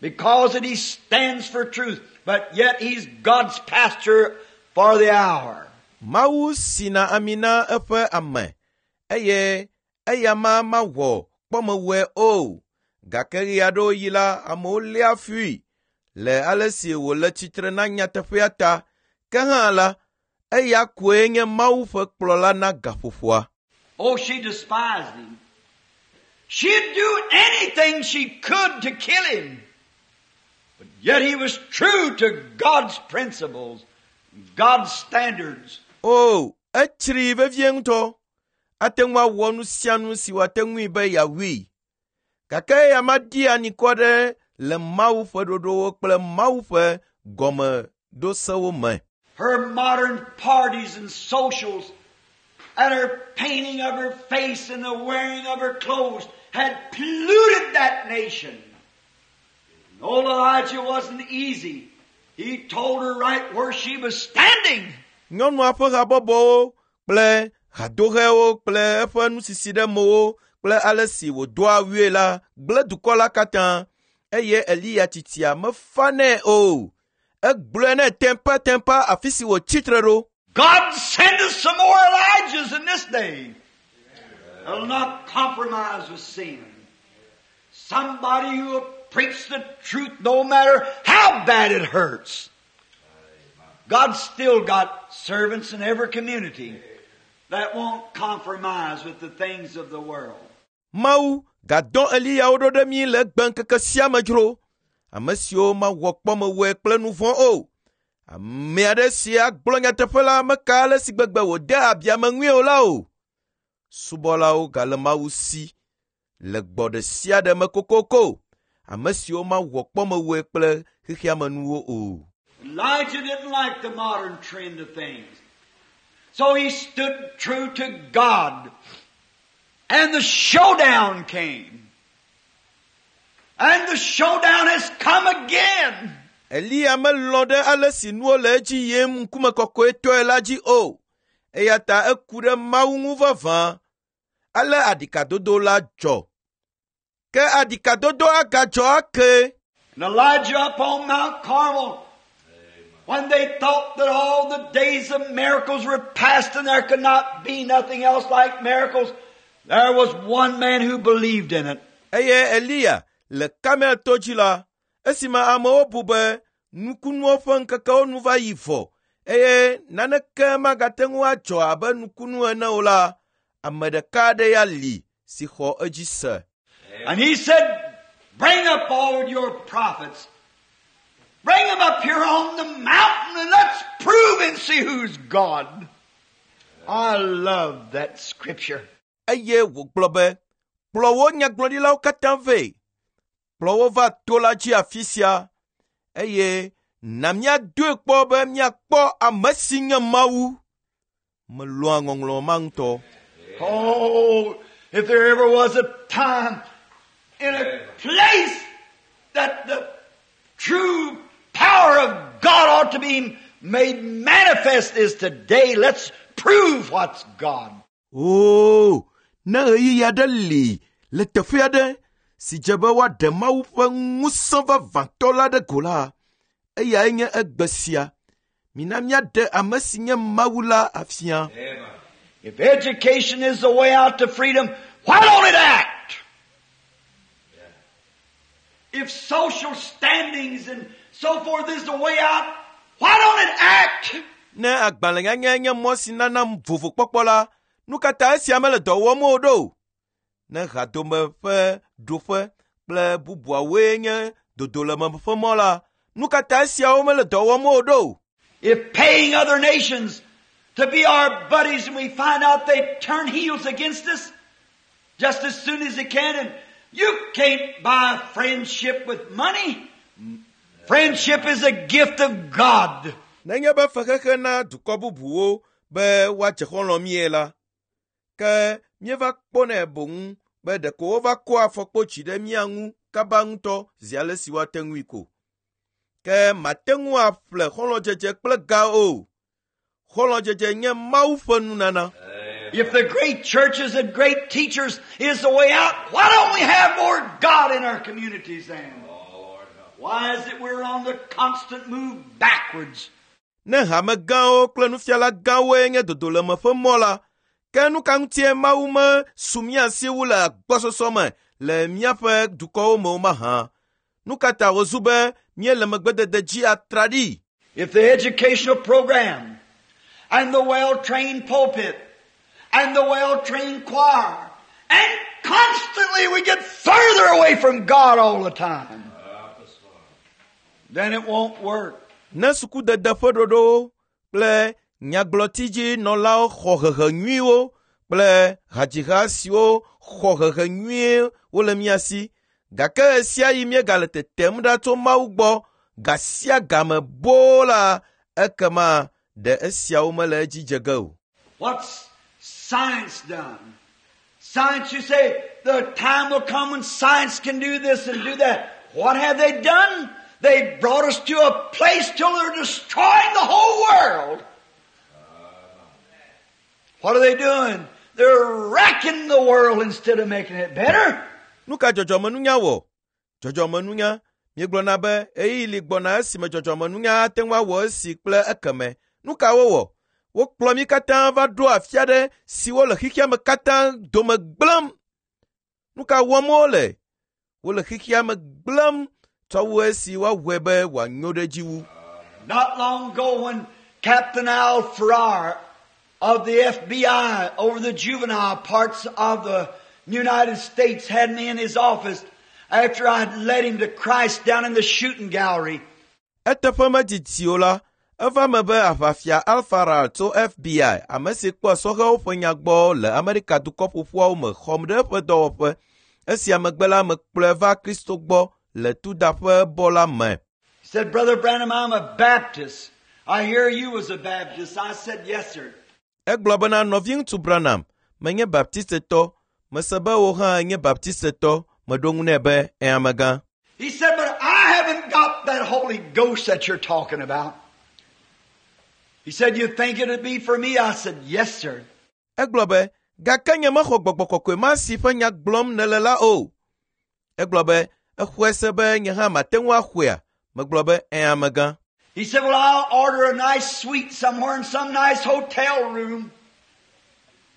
because that he stands for truth, but yet he's God's pastor for the hour. Mawu sina ami na eƒe ame eye eya ma mawɔ kpɔmewɔe o. Gake ɣe aɖewo yi la, amewo léa fui le ale si wòle tsitre na nyateƒea ta. Ke hã la, eya koe nye Mawu ƒe kplɔla na gaƒoƒoa. Oh, she despised him. She'd do anything she could to kill him. But yet he was true to God's principles, God's standards. O, etsri vevie ŋutɔ. Ate ŋu awɔ nu sia nu si wòate ŋui be yeawui. Gake eya maɖi anikɔ ɖe le Mawu ƒe ɖoɖowo kple Mawu ƒe gɔmeɖosewo me. Her modern parties and socials and her painting of her face and the wearing of her clothes had polluted that nation. And old Elijah wasn't easy. He told her right where she was standing. Nyɔnua ƒe habɔbɔwo kple hadohewo kple eƒe nusisi ɖe mowo kple ale si wòdoa awue la gblẽ dukɔ la katã eye Eliya tsitsia mefa nɛ o. Egblɔe nɛ teƒeteƒe afi si wòtsi tre ɖo. God send us some more Elijahs in this day. That'll not compromise with sin. Somebody who will preach the truth no matter how bad it hurts. God's still got servants in every community that won't compromise with the things of the world. Mawu gadɔ Eliyawo ɖo ɖe mí le egbeŋkeke sia me dzro. Ame siwo mawɔ kpɔmewɔe kple nu vɔ̃ o. Ame aɖe si agblɔ nyateƒe la meka ale si gbegbe wòde abi ame ŋui o la o. Subɔlawo gale Mawu si le gbɔ ɖe sia ɖe me kokoko. Ame siwo mawɔ kpɔmewɔe kple xexea me nuwo o. Elijah didn't like the modern trend of things. So he stood true to God. And the showdown came. And the showdown has come again. Eliya melɔ̃ ɖe ale si nuwo le edzi yim ŋkume kɔkɔetɔe la dzi o. Eya ta eku ɖe Mawu ŋu vavã. Ale aɖikadodo la dzɔ. Ke aɖikadodo agadzɔ ake. And Elijah up on Mount Carmel, when they thought that all the days of miracles were past and there could not be nothing else like miracles, there was one man who believed in it. Eye Eliya le Karmel to dzi la, esime amewo bu be nukunuwo ƒe ŋkekewo nu va yi vɔ eye naneke magate ŋu adzɔ abe nukunu ene o la, ame ɖeka aɖe ya li si xɔ edzi se. And he said, Bring up all your prophets. Bring them up here on the mountain and let's prove and see who's God. I love that scripture. Eye wògblɔ be, kplɔ wo nyagblɔɖilawo katã vɛ. Kplɔ wo va to la dzi afi sia eye na míadoe kpɔ be míakpɔ ame si nye Mawu. Melɔ̃a ŋɔŋlɔ ma ŋutɔ. Oh, if there ever was a time in a place that the true power of God ought to be made manifest is today. Let's prove what's God. Oo, ne ɣeyiɣi aɖe li le teƒe aɖe si dze be woaɖe Mawu ƒe ŋusẽ vavãtɔ la ɖe go la, eyae nye egbe sia. Mina míaɖe ame si nye Mawu la afia. Amen. If education is the way out to freedom, why don't it act? If social standings and so forth is the way out, why don't it act? Ne agbalẽnyanya nye mɔ si nana vovokpɔkpɔ la, nu ka ta esia mele dɔ wɔm o ɖo? Ne hadome ƒe ɖoƒe kple bubuawoe nye dodoleme ƒe mɔ la, nu ka ta esiawo mele dɔ wɔm o ɖo? If paying other nations to be our buddies and we find out they turn heels against us just as soon as they can, and you can't buy friendship with money. Friendship is a gift of God. Nenye be fexexe na dukɔ bubuwo be woadze xɔlɔ̃ mie la, ke míeva kpɔnɛ boŋ be ɖeko wova kɔa afɔkpo dzi ɖe mía ŋu kaba ŋutɔ zi ale si woate ŋui ko. Ke mate ŋu aƒle xɔlɔ̃dzedze kple ga o. Xɔlɔ̃dzedze nye Mawu ƒe nunana. If the great churches and great teachers is the way out, why don't we have more God in our communities then? Why is it we're on the constant move backwards? Ne hame gãwo kple nufiala gãwoe nye dodoleme ƒe mɔ la, ke nu ka ŋutie Mawu me su mía si wu le agbɔsɔsɔ me le míaƒe dukɔwo me o mahã? Nu ka ta wòzu be míele megbedede dzi atraɖii? If the educational program and the well-trained pulpit and the well-trained choir and constantly we get further away from God all the time, then it won't work. Ne sukudede ƒe ɖoɖowo kple nyagblɔtidzinɔlawo xɔ hehe nyuiwo kple hadziha siwo xɔ hehe nyuie wole mía si, gake ɣe sia ɣi míegale tetem ɖa tso Mawu gbɔ ga sia game boo la, ekema ɖe esiawo mele edzi dze ge o. What's science done? Science, you say, the time will come when science can do this and do that. What have they done? They brought us to a place till they're destroying the whole world. What are they doing? They're wrecking the world instead of making it better. Nu ka dzɔdzɔmenunya wɔ? Dzɔdzɔmenunya, Miegblɔna be ɣeyiɣi li gbɔna esime dzɔdzɔmenunya ate ŋu awɔ esi kple ekeme. Nu ka wowɔ? Wokplɔ mí katã va ɖo afi aɖe siwo le xexea me katã dome gblẽm. Nu ka wɔm wole? Wole xexea me gblẽm tsɔ wu esi woawɔe be wòanyo ɖe edzi wu. Not long ago when Captain Al Farrar of the FBI over the juvenile parts of the United States had me in his office after I had led him to Christ down in the shooting gallery. Eteƒe medidi o la, eva me be aʋafia Al Farrar tso FBI, ame si kpɔa sɔhɛwo ƒe nya gbɔ le Amerika Dukɔ Ƒoƒuawo me xɔm ɖe eƒe dɔwɔƒe. Esia megbe la, mekplɔe va Kristo gbɔ le tudaƒe bɔ la me. He said, Brother Branham, I'm a Baptist. I hear you was a Baptist. I said, Yes, sir. Egblɔ bena nɔviŋutsu Branham, menye Baptistetɔ, mese be wò hã enye Baptistetɔ, meɖo ŋu nɛ be ẽ amegã. He said, But I haven't got that Holy Ghost that you're talking about. He said, You think it'd be for me? I said, Yes, sir. Egblɔ be, gake nye mexɔ gbɔgbɔ kɔkɔe ma si ƒe nya gblɔm nèle la o. Egblɔ be, exɔe se be nye hã mate ŋu axɔea? Megblɔ be, ẽ amegã. He said, Well, I'll order a nice suite somewhere in some nice hotel room.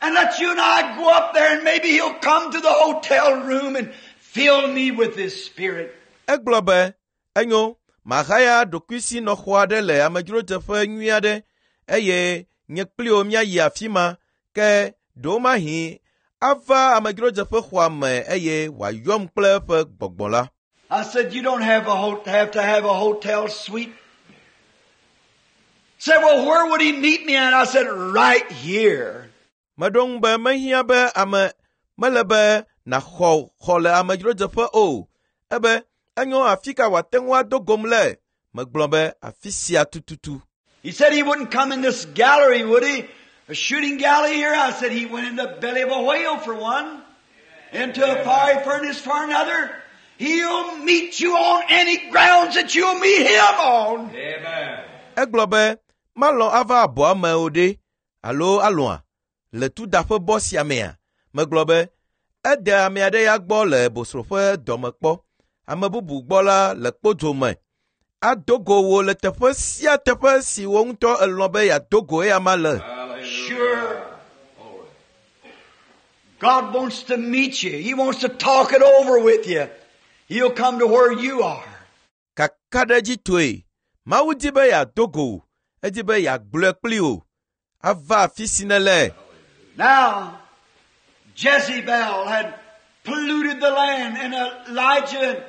And let you and I go up there and maybe he'll come to the hotel room and fill me with his spirit. Egblɔ be, enyo, mahaya ɖokuisinɔxɔ aɖe le amedzrodzeƒe nyui aɖe eye nye kpli wò míayi afi ma ke ɖewomahi ava amedzrodzeƒe xɔa me eye wòayɔm kple eƒe gbɔgbɔ la. I said, You don't have, a ho- have to have a hotel suite. Said, Well, where would he meet me at? I said, Right here. Meɖo ŋu be mehiã be ame mele be nàxɔ xɔ le amedzrodzeƒe o. Ebe enyo afi ka wòate ŋu ado gom le? Megblɔ be afi sia tututu. He said he wouldn't come in this gallery, would he? A shooting gallery here? I said he went in the belly of a whale for one, into a fiery furnace for another. He'll meet you on any grounds that you'll meet him on. Amen. Egblɔ be malɔ̃ ava abɔa me o ɖe alo alɔ̃a le tudaƒe bɔ sia mea? Megblɔ be ede ame aɖe ya gbɔ le bosro ƒe dɔme kpɔ, ame bubu gbɔ la le kpodzo me. Ado go wò le teƒe sia teƒe si wò ŋutɔ elɔ̃ be yeado go eya ma le. Hallelujah. Sure. God wants to meet you. He wants to talk it over with you. He'll come to where you are. Kakaɖedzitɔe, Mawu di be yeado go wò, edi be yeagblɔe kpli wò, ava afi si nèle. Now, Jezebel had polluted the land and Elijah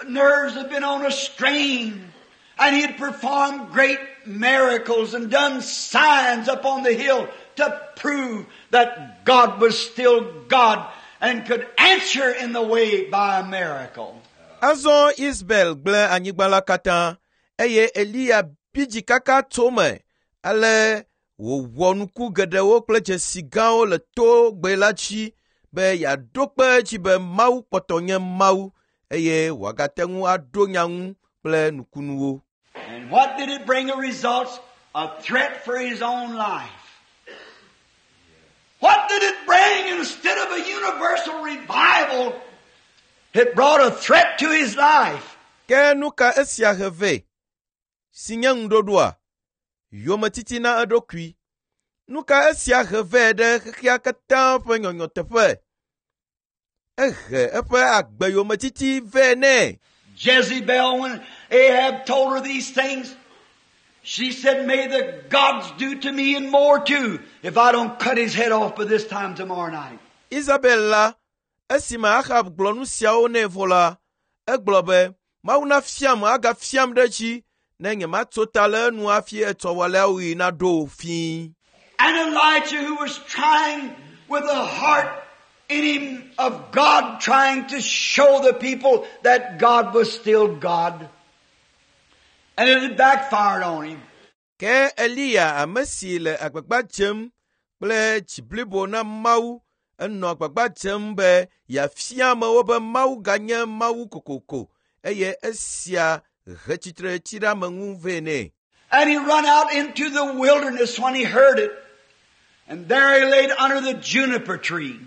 nerves had been on a strain and he had performed great miracles and done signs up on the hill to prove that God was still God and could answer in the way by a miracle. Azɔ Isabel gblẽ anyigba la katã eye Eliya bi dzi kaka tso me ale wòwɔ nuku geɖewo kple dzesi gãwo le togbe la dzi be yeaɖo kpe edzi be Mawu kpɔtɔ nye Mawu eye wòagate ŋu aɖo nya ŋu kple nukunuwo. And what did it bring a results? A threat for his own life. What did it bring instead of a universal revival? It brought a threat to his life. Ke nu ka esia he vɛ? Si nye ŋuɖoɖoa? Yometiti na eɖokui. Nu ka esia he vɛ ɖe xexea katã ƒe nyɔnyɔ teƒe? Ehe eƒe agbe yometiti vɛ nɛ. Jezebel, when Ahab told her these things, she said, May the gods do to me and more too, if I don't cut his head off by this time tomorrow night. Isabel la, esime Ahab gblɔ nu siawo nɛ vɔ la, egblɔ be, Mawu nafiam agafiam ɖe edzi ne nyematso ta le enu hafi etsɔ waleawoɣi naɖo fĩi. And Elijah, who was trying with a heart in him of God, trying to show the people that God was still God. And it had backfired on him. Ke Eliya ame si le agbagba dzem kple dzi blibo na Mawu enɔ agbagba dzem be yeafia amewo be Mawu ganye Mawu kokoko eye esia he tsitretsiɖeameŋu vɛ nɛ. And he run out into the wilderness when he heard it. And there he laid under the juniper tree.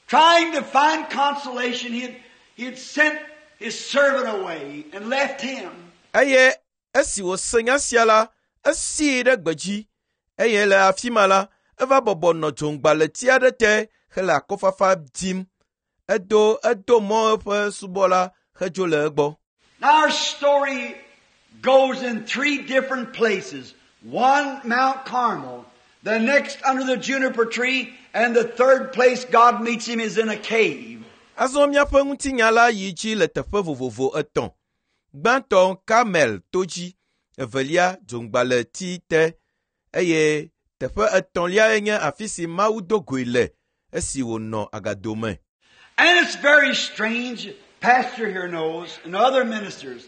Trying to find consolation, he had, he had sent his servant away and left him. Eye esi wòse nya sia la, esii ɖe gbedzi eye le afi ma la, eva bɔbɔ nɔ dzoŋgbalẽti aɖe te hele akɔfafa dim. Edo edo mɔ eƒe subɔla hedzo le egbɔ. Now our story goes in three different places. One, Mount Carmel. The next under the juniper tree. And the third place God meets him is in a cave. Azɔ míaƒe ŋutinya la yi dzi le teƒe vovovo etɔ̃. Gbãtɔ Karmel to dzi, evelia dzoŋgbalẽti te eye teƒe etɔ̃liae nye afi si Mawu do goe le esi wònɔ agado me. And it's very strange, Pastor here knows, and other ministers.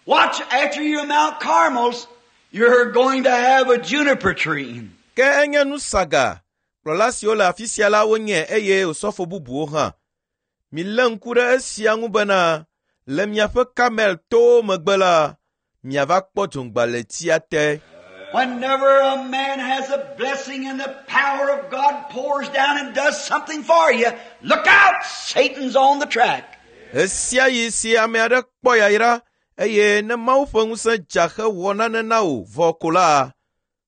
Watch, after you're Mount Carmel's, you're going to have a juniper tree. Ke enye nu saga, kplɔla siwo le afi sia la wonye eye osɔfo bubuwo hã. Milé ŋku ɖe esia ŋu bena le miaƒe Karmel towo megbe la, miava kpɔ dzoŋgbalẽtia te. Whenever a man has a blessing and the power of God pours down and does something for you, look out! Satan's on the track. Ɣe sia ɣi si ame aɖe kpɔ yayra eye ne Mawu ƒe ŋusẽ dza hewɔ nane na wò vɔ ko la,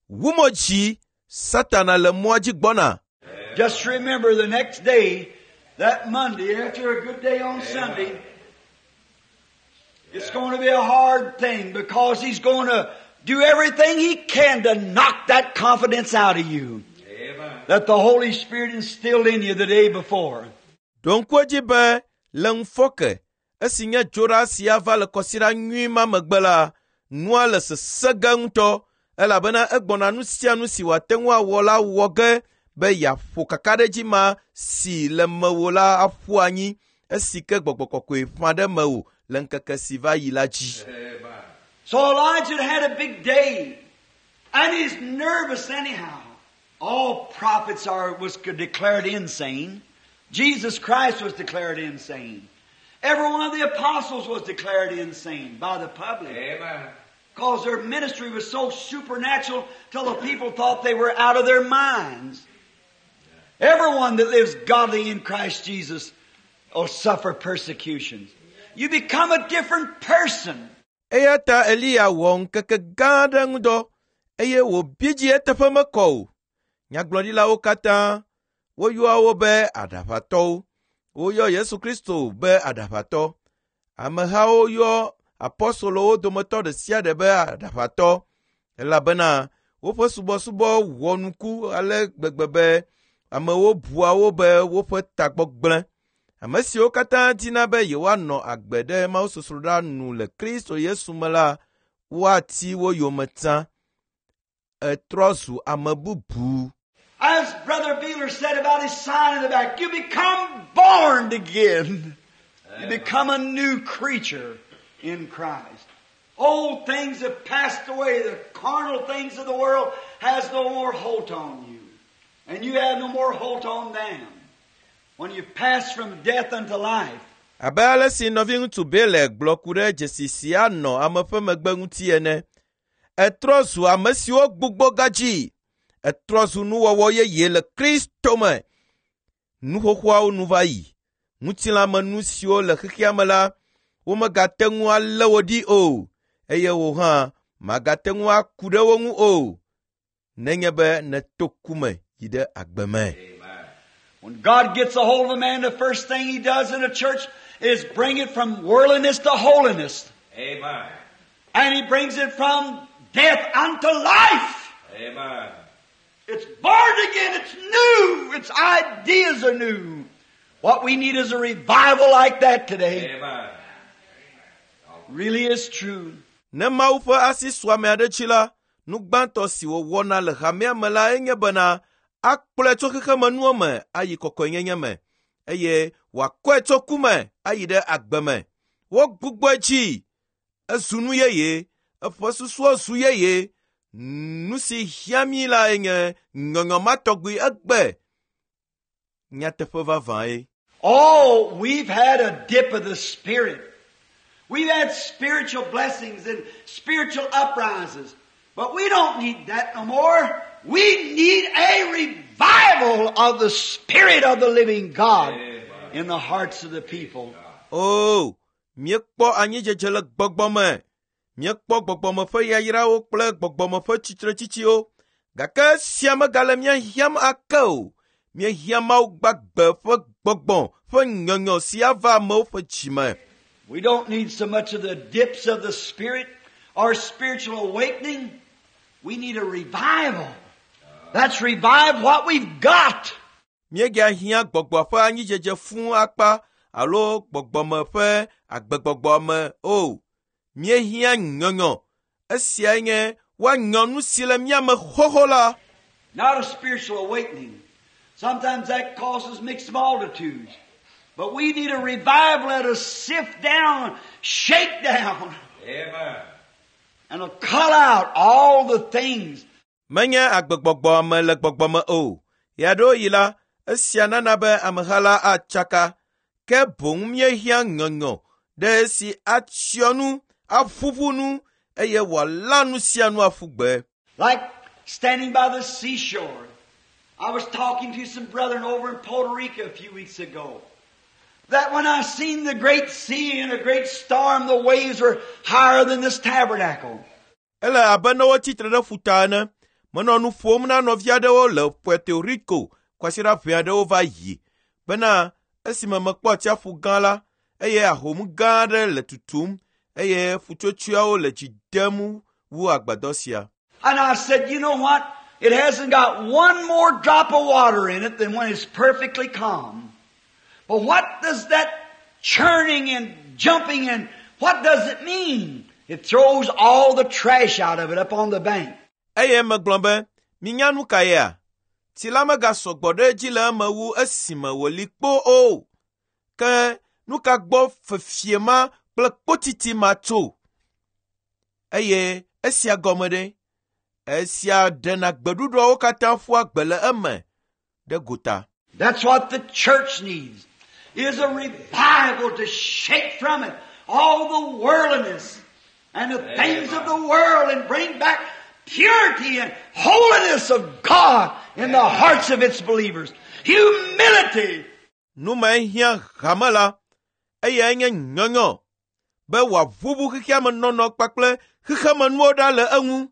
wu mo dzi, Satana le mɔa dzi gbɔna. Just remember the next day, that Monday, after a good day on Sunday, it's going to be a hard thing because he's going to do everything he can to knock that confidence out of you Amen. that the Holy Spirit instilled in you the day before. Ɖo ŋku edzi be le ŋufɔke esi nye dzoɖa sia va le kɔsiɖa nyui ma megbe la, nua le sesẽ ge ŋutɔ elabena egbɔna nu sia nu si wòate ŋu awɔ la wɔ ge be yeaƒo kakaɖedzi ma si le mewò la aƒu anyi esi ke gbɔgbɔ kɔkɔe ƒã ɖe mewò le ŋkeke si va yi la dzi. Amen. So Elijah had a big day, and he's nervous anyhow. All prophets are was declared insane. Jesus Christ was declared insane. Every one of the apostles was declared insane by the public. Amen. Because their ministry was so supernatural till the people thought they were out of their minds. Everyone that lives godly in Christ Jesus will suffer persecutions. You become a different person. Eya ta Eliya wɔ ŋkeke gã aɖe ŋudɔ eye wòbi dzi eteƒe mekɔ o. Nyagblɔɖilawo katã, woyɔa wo be aɖaʋatɔwo. Woyɔ Yesu Kristo be aɖaʋatɔ. Amehawo yɔ apɔstolowo dometɔ ɖe sia ɖe be aɖaʋatɔ elabena woƒe subɔsubɔ wɔ nuku ale gbegbe be amewo bua wo be woƒe tagbɔ gblẽ. Ame siwo katã dina be yewoanɔ agbe ɖe mawusosroɖa nu le Kristo Yesu me la, woati wo yome tsã. Etrɔ zu ame bubu. As Brother Beeler said about his sign in the back, you become born again. You become a new creature in Christ. Old things have passed away. The carnal things of the world has no more hold on you. And you have no more hold on them. When you pass from death unto life, Abe ale si nɔviŋutsu Bele gblɔ ku ɖe dzesi si anɔ ame ƒe megbe ŋuti ene. Etrɔ zu ame siwo gbugbɔ gadzi. Etrɔ zu nuwɔwɔ yeye le Kristo me. Nu xoxoawo nu va yi. Ŋutilãmenu siwo le xexea me la, womegate ŋu alé wo ɖi o eye wò hã màgate ŋu aku ɖe wo ŋu o nenye be nèto ku me yi ɖe agbe me. Amen. when God gets a hold of a man, the first thing He does in a church is bring it from worldliness to holiness. Amen. And He brings it from death unto life. Amen. It's born again. It's new. Its ideas are new. What we need is a revival like that today. Amen. Really is true. Ne Mawu ƒe asi su ame aɖe dzi la, nu gbãtɔ si wòwɔna le hamea me la enye bena akplɔe tso xexemenuwo me ayi kɔkɔenyenye me eye wòakɔe tso ku me ayi ɖe agbe me. Wogbugbɔe dzi, ezu nu yeye, eƒe susuwo zu yeye. Nu si hiã mí la enye nyɔnyɔ ma tɔgbi egbe. Nyateƒe vavãe. Oh, we've had a dip of the Spirit. We've had spiritual blessings and spiritual uprises. But we don't need that no more. We need a revival of the Spirit of the living God in the hearts of the people. O, Míekpɔ anyidzedze le gbɔgbɔ me. Míekpɔ gbɔgbɔme ƒe yayrawo kple gbɔgbɔme ƒe tsitretsitsiwo. Gake esia megale mía hiãm ake o. Míehiã Mawu gbagbe ƒe gbɔgbɔ ƒe nyɔnyɔ si ava amewo ƒe dzime. We don't need so much of the dips of the Spirit or spiritual awakening. We need a revival. That's revive what we've got. Míegahiã gbɔgbɔ ƒe anyidzedze fũu akpa alo gbɔgbɔme ƒe agbegbɔgbɔ me o. Míehiã nyɔnyɔ. Esiae nye woanyɔ nu si le mía me xoxo la. Not a spiritual awakening. Sometimes that causes mixed multitudes. But we need a revival that'll sift down, shake down, Amen. and will cut out all the things. Menye agbegbɔgbɔ me le gbɔgbɔ me o. Ɣeaɖewoɣi la, esia nana be ameha la atsaka. Ke boŋ míehiã nyɔnyɔ ɖe esi atsyɔ nu, aƒuƒu nu eye wòala nu sia nu aƒu gbe. Like standing by the seashore. I was talking to some brethren over in Puerto Rico a few weeks ago. That when I seen the great sea and a great storm, the waves were higher than this tabernacle. Ele abe ne wotsi tre ɖe ƒuta ene. Menɔ nu ƒom na nɔvi aɖewo le Puerto Rico kwasiɖa ʋɛ aɖewo va yi bena esime mekpɔ atsiaƒu gã la eye ahom gã aɖe le tutum eye ƒutsotsoeawo le dzi dem wu agbadɔ sia. And I said, you know what? It hasn't got one more drop of water in it than when it's perfectly calm. But what does that churning and jumping and what does it mean? It throws all the trash out of it up on the bank. Eye megblɔ be, minya nu ka yea? Tsi la megasɔ gbɔ ɖe edzi le eme wu esime wòli kpo o. Ke nu ka gbɔ fefie ma kple kpotiti ma tso? Eye esia gɔme ɖe? Esia ɖena gbeɖuɖɔwo katã ƒua gbe le eme ɖe gota. That's what the church needs, is a revival to shake from it all the worldliness and the things of the world and bring back purity and holiness of God in the hearts of its believers. Humility. Nu mae hiã hame la, eyae nye nyɔnyɔ be wòaʋuʋu xexea me nɔnɔ kpakple xexemenuwo ɖa le eŋu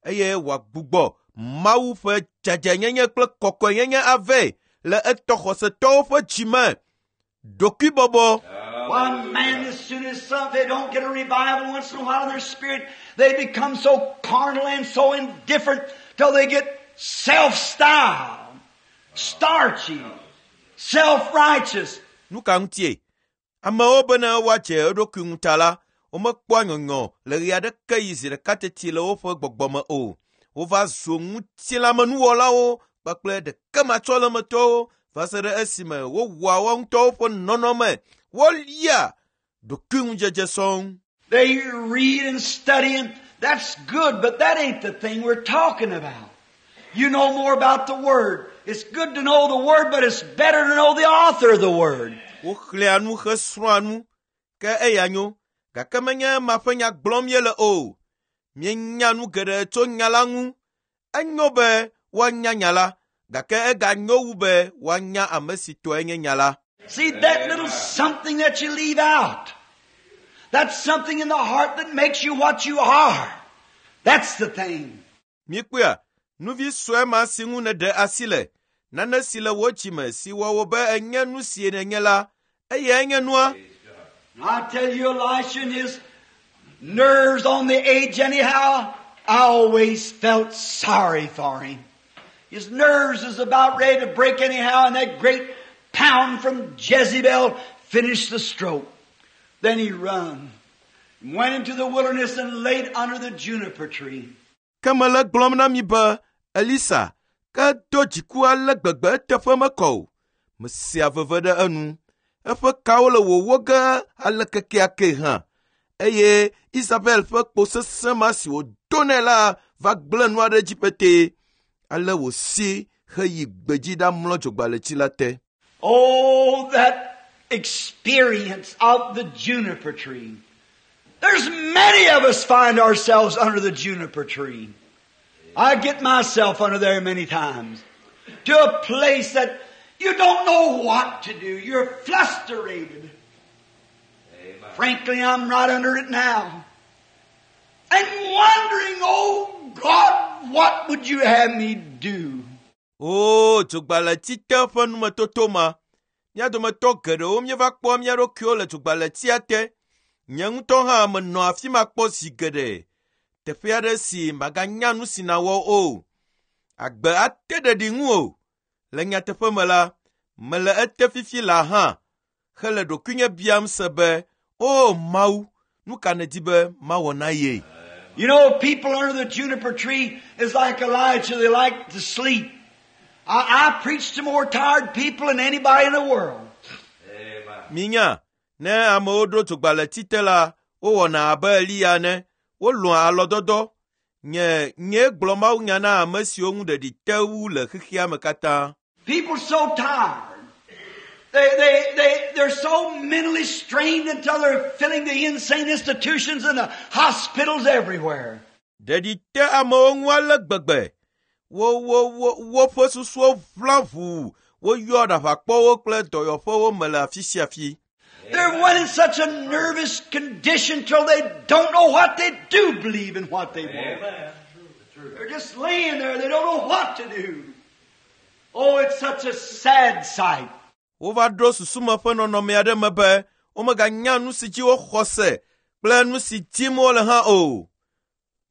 eye wòagbugbɔ Mawu ƒe dzadzɛnyenye kple kɔkɔenyenye avɛ le etɔ xɔsetɔwo ƒe dzime. Ɖokuibɔbɔ. Why, man, as soon as some, they don't get a revival once in a while in their spirit, they become so carnal and so indifferent till they get self-styled, starchy, self-righteous. Nu ka ŋutie? Amewo bene woadze eɖokui ŋu ta la, womekpɔa nyɔnyɔ le ɣe aɖeke yi zi ɖeka teti le woƒe gbɔgbɔ me o. Wova zu ŋutilãmenuwɔlawo kpakple ɖekematsɔlemetɔwo va se ɖe esime wowɔa woa ŋutɔwo ƒe nɔnɔme. Wolia ɖokuiŋudzedze sɔŋ. They read and study, and that's good, but that ain't the thing we're talking about. You know more about the Word. It's good to know the Word, but it's better to know the author of the Word. Woxlẽa nu hesrɔ̃a nu, ke eya nyo, gake menye ema ƒe nya gblɔm míele o. Míenya nu geɖe tso nya la ŋu. Enyo be woanya nya la, gake eganyo wu be woanya ame si tɔe nye nya la. See, that little something that you leave out, that's something in the heart that makes you what you are. That's the thing. Míekpɔea, nuvi sue ma si ŋu nèɖe asi le, nane si le wò dzime si wɔ wò be enye nu si nènye la, eyae nye nua. And I tell you, Elisha and his nerves on the edge anyhow, I always felt sorry for him. His nerves is about ready to break anyhow, and that great pound from Jezebel finished the stroke. Then he run, went into the wilderness and laid under the juniper tree. Ke mele gblɔm na mi be Elisa ke do dziku ale gbegbe eteƒe mekɔ o. Mesea veve ɖe enu. Eƒe kawo le wòwó ge ale kekeake hã. Eye Isabel ƒe kpo sesẽ ma si wòdo nɛ la va gblẽ nua ɖe dzi petee. Ale wòsi heyi gbedzi ɖamlɔ dzogbaletsi la te. Oh, that experience of the juniper tree. There's many of us find ourselves under the juniper tree. I get myself under there many times. To a place that you don't know what to do. You're flusterated. Amen. Frankly, I'm right under it now. And wondering, oh God, what would you have me do? O dzogbalẽti te ƒe numetoto ma, mía dometɔ geɖewo míeva kpɔ mía ɖokuiwo le dzogbalẽtia te. Nye ŋutɔ hã menɔ afi ma kpɔ zi geɖe. Teƒe aɖe si màganya nu si nàwɔ o. Agbe ate ɖeɖi ŋuwò. Le nyateƒe me la, mele ete fifi laa hã hele ɖokuinye biam se be, o Mawu, nu ka nèdi be mawɔ na ye? You know, people under the juniper tree is like Elijah. They like to sleep. I, I preach to more tired people than anybody in the world. Amen. Minya, ne amewo ɖo dzogbalẽti te la, wowɔna abe Eliya ene. Wolɔ̃a alɔ̃dɔdɔ. Nye nyee gblɔ mawunya na ame siwo ŋu ɖeɖi te wu le xexea me katã. People so tired. They, they, they, they're so mentally strained until they're filling the insane institutions and the hospitals everywhere. Ɖeɖi te amewo ŋu ale gbegbe. Wo wo wo woƒe susuwo ʋla ʋuu. Woyɔ ɖaʋakpɔwo kple dɔyɔƒewo me le afi sia afi. They're one in such a nervous condition till they don't know what they do believe and what they want. Amen. True. They're just laying there. They don't know what to do. Oh, it's such a sad sight. Wova ɖo susume ƒe nɔnɔme aɖe me be womeganya nu si dzi woxɔ se kple nu si dim wole hã o.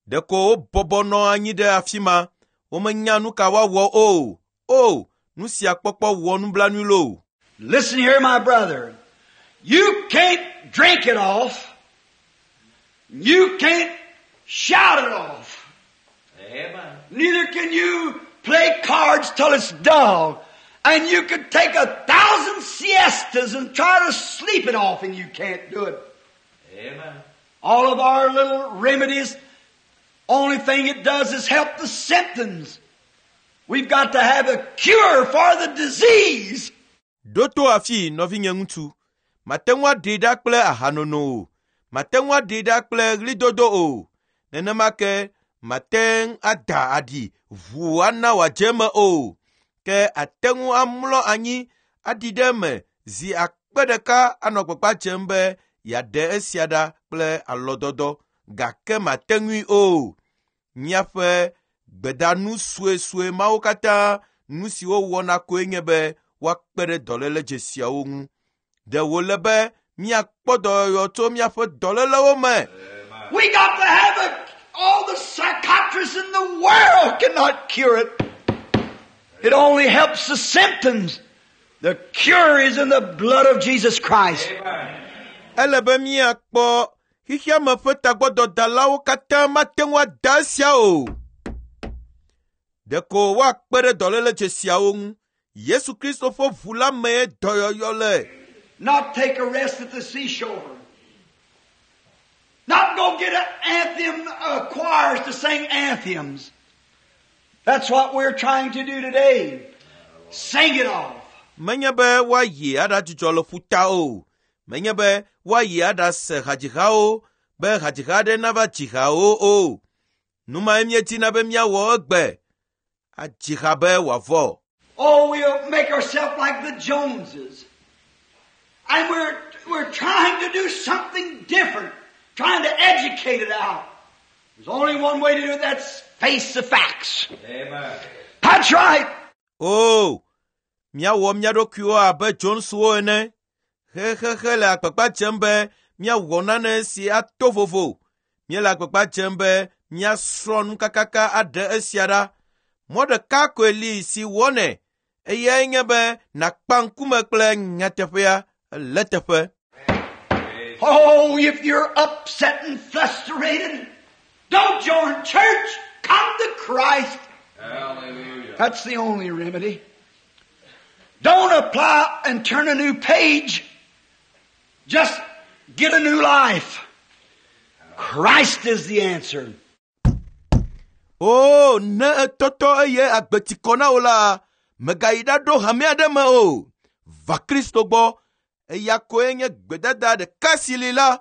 Ɖeko wobɔbɔ nɔ anyi ɖe afi ma. Womenya nu ka woawɔ o. O, nu sia kpɔkpɔ wɔ nublanui loo. Listen here, my brother. You can't drink it off. You can't shout it off. Amen. Neither can you play cards till it's dull. And you could take a thousand siestas and try to sleep it off and you can't do it. Amen. All of our little remedies, only thing it does is help the symptoms. We've got to have a cure for the disease. Ɖo to afii, nɔvinye ŋutsu. Mate ŋu aɖee ɖa kple ahanono o. Mate ŋu aɖee ɖa kple ɣlidodo o. Nenema ke mate ŋu ada aɖi ʋuu ana wòadze eme o. Ke ate ŋu amlɔ anyi aɖi ɖe eme zi akpe ɖeka anɔ gbagba dzem be yeaɖe esia ɖa kple alɔ̃dɔdɔ gake mate ŋui o. Míaƒe gbedanu suesue mawo katã nu si wowɔna koe nye be woakpe ɖe dɔléle dzesiawo ŋu. Ɖe wòle be míakpɔ dɔyɔyɔ tso míaƒe dɔlélewo me. We got to have a, all the psychiatrists in the world cannot cure it. It only helps the symptoms. The cure is in the blood of Jesus Christ. Amen. Ele be míakpɔ xexeame ƒe tagbɔdɔdalawo katã mate ŋu ada esia o. Ɖeko woakpe ɖe dɔléle dzesiawo ŋu. Yesu Kristo ƒe ʋu la mee dɔyɔyɔ le. Not take a rest at the seashore. Not go get an anthem uh, choirs to sing anthems. That's what we're trying to do today. Sing it off. Menye be woayi aɖadzudzɔ le ƒuta o. Menye be woayi aɖase hadzihawo be hadziha aɖe nava dzi hawo o. Nu mae míedina be míawɔ egbe. Adzi ha be wòavɔ. Oh, we'll make ourselves like the Joneses. And we're, we're trying to do something different, trying to educate it out. There's only one way to do it, that's face the facts. Amen. That's right. O, míawɔ mía ɖokuiwo abe Joneswo ene. Xexexe le agbagba dzem be míawɔ nane si ato vovo. Míele agbagba dzem be míasrɔ̃ nu kakaka aɖe esia ɖa. Mɔ ɖeka koe li si wɔnɛ. Eyae nye be nàkpa ŋkume kple nyateƒea le teƒe. Oh, if you're upset and frustrated, don't join church. Come to Christ. Hallelujah. That's the only remedy. Don't apply and turn a new page. Just get a new life. Christ is the answer. O, ne etɔtɔ eye agbe ti kɔ na wò la, mègayi ɖaɖo hame aɖe me o. Va Kristo gbɔ. Eya koe nye gbedada ɖeka si li la.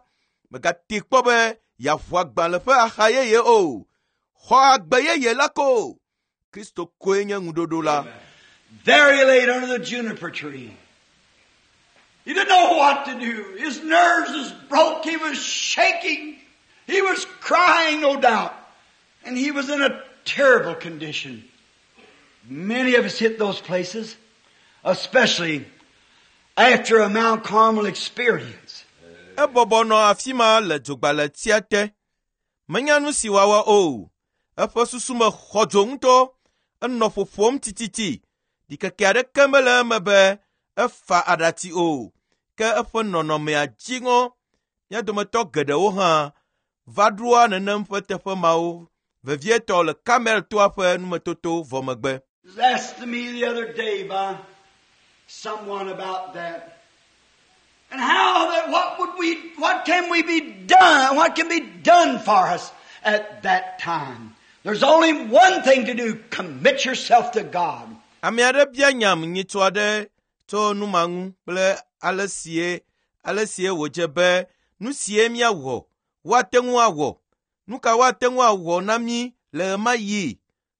Mègate kpɔ be yeaʋu agbalẽ ƒe axa yeye o. Xɔ agbe yeye la ko. Kristo koe nye ŋuɖoɖo la. There he laid under the juniper tree. He didn't know what to do. His nerves was broke. He was shaking. He was crying, no doubt. And he was in a terrible condition. Many of us hit those places, especially after a Mount Carmel experience. Ebɔbɔ nɔ afi ma le dzogbaletsia te. Menya nu si wòawɔ o. Eƒe susu me xɔ dzo ŋutɔ. Enɔ ƒoƒom tititi. Ɖikeke aɖeke mele eme be efa aɖatsi o. Ke eƒe nɔnɔmea dzi ŋɔ. Mía dometɔ geɖewo hã va ɖoa nenem ƒe teƒe mawo, vevietɔ le Karmel toa ƒe numetoto vɔ megbe. It was asked to me the other day by someone about that. And how that what would we what can we be done? What can be done for us at that time? There's only one thing to do, commit yourself to God. Ame aɖe bia nyam nyitsɔ aɖe tso nu ma ŋu kple ale sie ale sie wòdze be nu sie míawɔ, woate ŋu awɔ. Nu ka woate ŋu awɔ na mí le ɣemaɣi?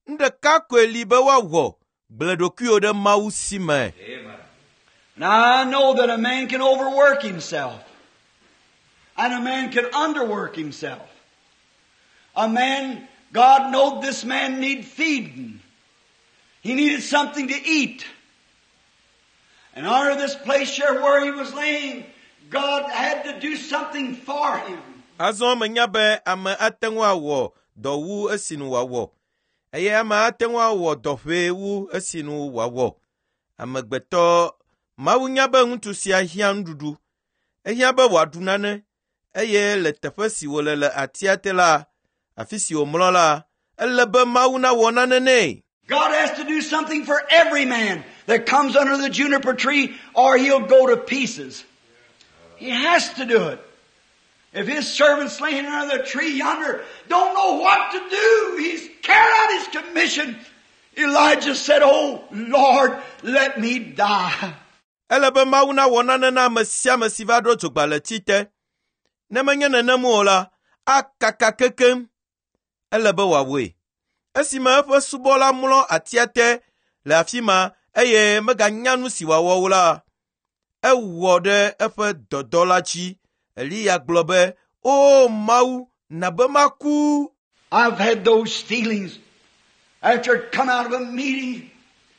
Nu ɖeka koe li be woawɔ, gblẽ ɖokuiwò ɖe Mawu si me. Amen. Now I know that a man can overwork himself. And a man can underwork himself. A man, God knowed this man need feeding. He needed something to eat. And under this place here where he was laying, God had to do something for him. Azɔ menya be ame ate ŋu awɔ dɔ wu esinu wòawɔ eye ame ate ŋu awɔ dɔ ʋɛ wu esinu wòawɔ. Amegbetɔ Mawu nya be ŋutsu sia hiã nuɖuɖu. Ehiã be wòaɖu nane eye le teƒe si wòle le atia te la, afi si wòmlɔ la, ele be Mawu nawɔ nane nɛ. God has to do something for every man that comes under the juniper tree or he'll go to pieces. He has to do it. If his servant's laying under the tree yonder, don't know what to do, he's carried out his commission. Elijah said, Oh Lord, let me die. Ele be Mawu nawɔ nane na ame sia ame si va ɖo dzogbaletsi te. Ne menye nenem o la, akaka kekem. Ele be wòawɔe. Esime eƒe subɔla mlɔ atia te le afi ma eye meganya nu si wòawɔ o la, ewɔ ɖe eƒe dɔdɔ la dzi. Eliya gblɔ be, “O Mawu, na be maku.” I've had those feelings after I'd come out of a meeting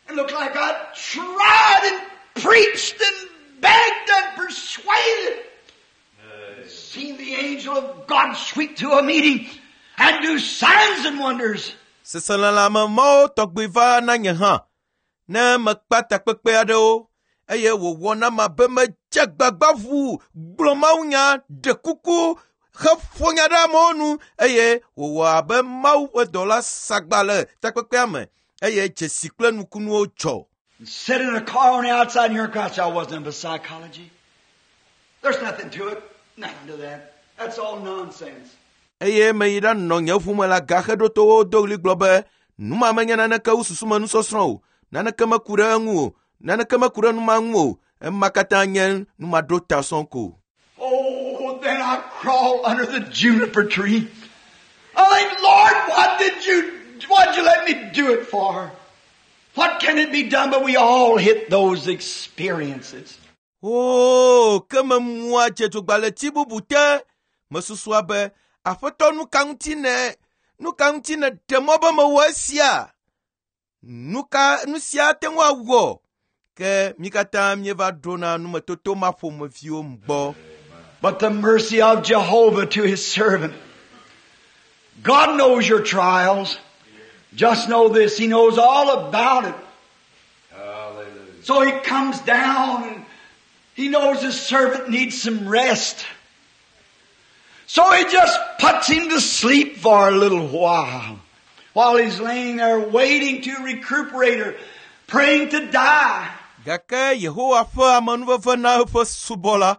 and looked like I tried and preached and begged and persuaded. Seen the angel of God sweep through a meeting and do signs and wonders. Seselelãme mawo tɔgbi va na nye hã ne mekpa takpekpe aɖewo eye wòwɔ nam abe medze agbagba ʋuu gblɔ mawunya, ɖe kuku, heƒo nya ɖe amewo nu eye wòwɔ abe Mawu ƒe dɔla sagba le takpekpea me eye dzesi kple nukunuwo dzɔ. And sit in a car on the outside and hear cry, I wasn't into psychology. There's nothing to it. Nothing to that. That's all nonsense. Eye meyi ɖanɔ nye ʋu me le agaxeɖotowo do ɣli gblɔ be nu ma menye naneke wu susume nusɔsrɔ̃ o, naneke meku ɖe eŋu o, naneke meku ɖe nu ma ŋu o, ema katã nye numaɖota sɔŋ ko. Oh, then I crawl under the juniper tree. I think, Lord, what did you, what'd you let me do it for? What can it be done? But we all hit those experiences. Oo, ke memua dze dzogbaletsi bubu te. Mesusua be, Aƒetɔ nu ka ŋuti ne, nu ka ŋuti ne ɖe mɔ be mewɔ esia? Nu ka, nu sia ate ŋu awɔ? Ke mí katã míeva ɖona numetoto ma ƒomeviwo gbɔ. But the mercy of Jehovah to his servant. God knows your trials. Just know this, He knows all about it. Hallelujah. So He comes down and He knows His servant needs some rest. So He just puts him to sleep for a little while. While he's laying there waiting to recuperate or praying to die. Gake Yehowa ƒe amenuveve na eƒe subɔla.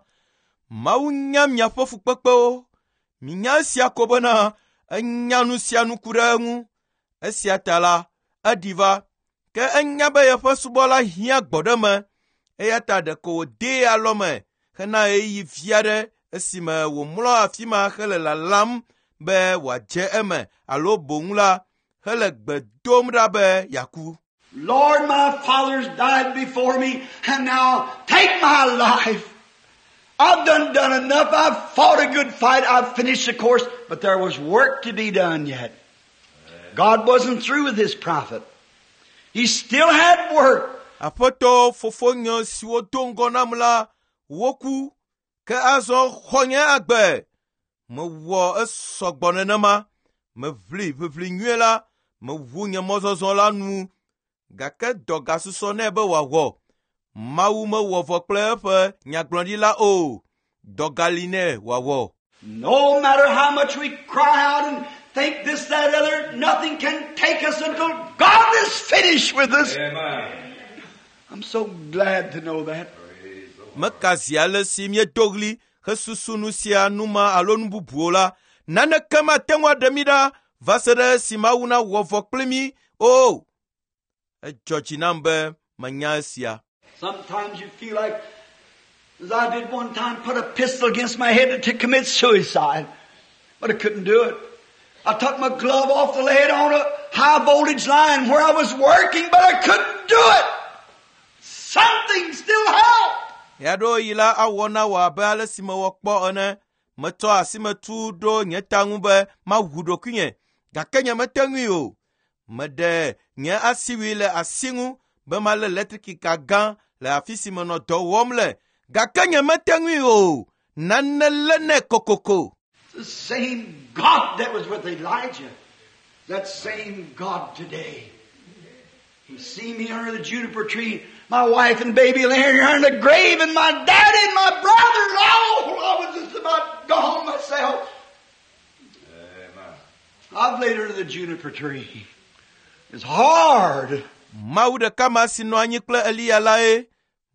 Mawu nya miaƒe fukpekpewo. Minya esia ko bena enya nu sia nu ku ɖe eŋu. Esia ta la, eɖi va. Ke enya be yeƒe subɔla hiã gbɔɖeme. Eya ta ɖeko wòdee alɔme hena ɣeyiɣi vi aɖe esime wòmlɔ afi ma hele lalam be wòadze eme alo boŋ la, hele gbe dom ɖa be yeaku. Lord, my fathers died before me, and now take my life. I've done done enough. I've fought a good fight. I've finished the course. But there was work to be done yet. God wasn't through with his prophet. He still had work. Aƒetɔ fofonye siwo do ŋgɔ nam la woku ke azɔ xɔ nye agbe. Mewɔ esɔgbɔ nenema. Meʋli ʋiʋli nyuie la, mewu nye mɔzɔzɔ la nu gake dɔ gasusɔ nɛ be wòawɔ. Mawu mewɔ vɔ kple eƒe nyagblɔɖila o. Dɔ gali nɛ wòawɔ. No matter how much we cry out and think this, that, other, nothing can take us until God is finished with us. Amen. I'm so glad to know that. Praise the Lord. Meka zi ale si míedo ɣli hesusu nu sia nu ma alo nu bubuwo la, naneke mate ŋu aɖe mí ɖa va se ɖe esi Mawu nawɔ vɔ kpli mí o. Edzɔ dzi nam be menya esia. Sometimes you feel like, as I did one time, put a pistol against my head to commit suicide. But I couldn't do it. I took my glove off to lay it on a high voltage line where I was working, but I couldn't do it. Something still helped. Ɣeaɖewoɣi la awɔ na wò abe ale si mewɔ kpɔ ene. Metsɔ asimetu ɖo nye ta ŋu be mawu ɖokuinye gake nyemete ŋui o. Meɖe nye asiwui le asi ŋu be malé letrikika gã le afi si menɔ dɔ wɔm le gake nyemete ŋui o. Nane lé nɛ kokoko. The same God that was with Elijah, that same God today. He seen me under the juniper tree, my wife and baby laying here in the grave, and my daddy and my brothers, all I was just about gone myself. Amen. I've laid under the juniper tree. It's hard. Mawu ɖeka ma si nɔ anyi kple Eliya lae,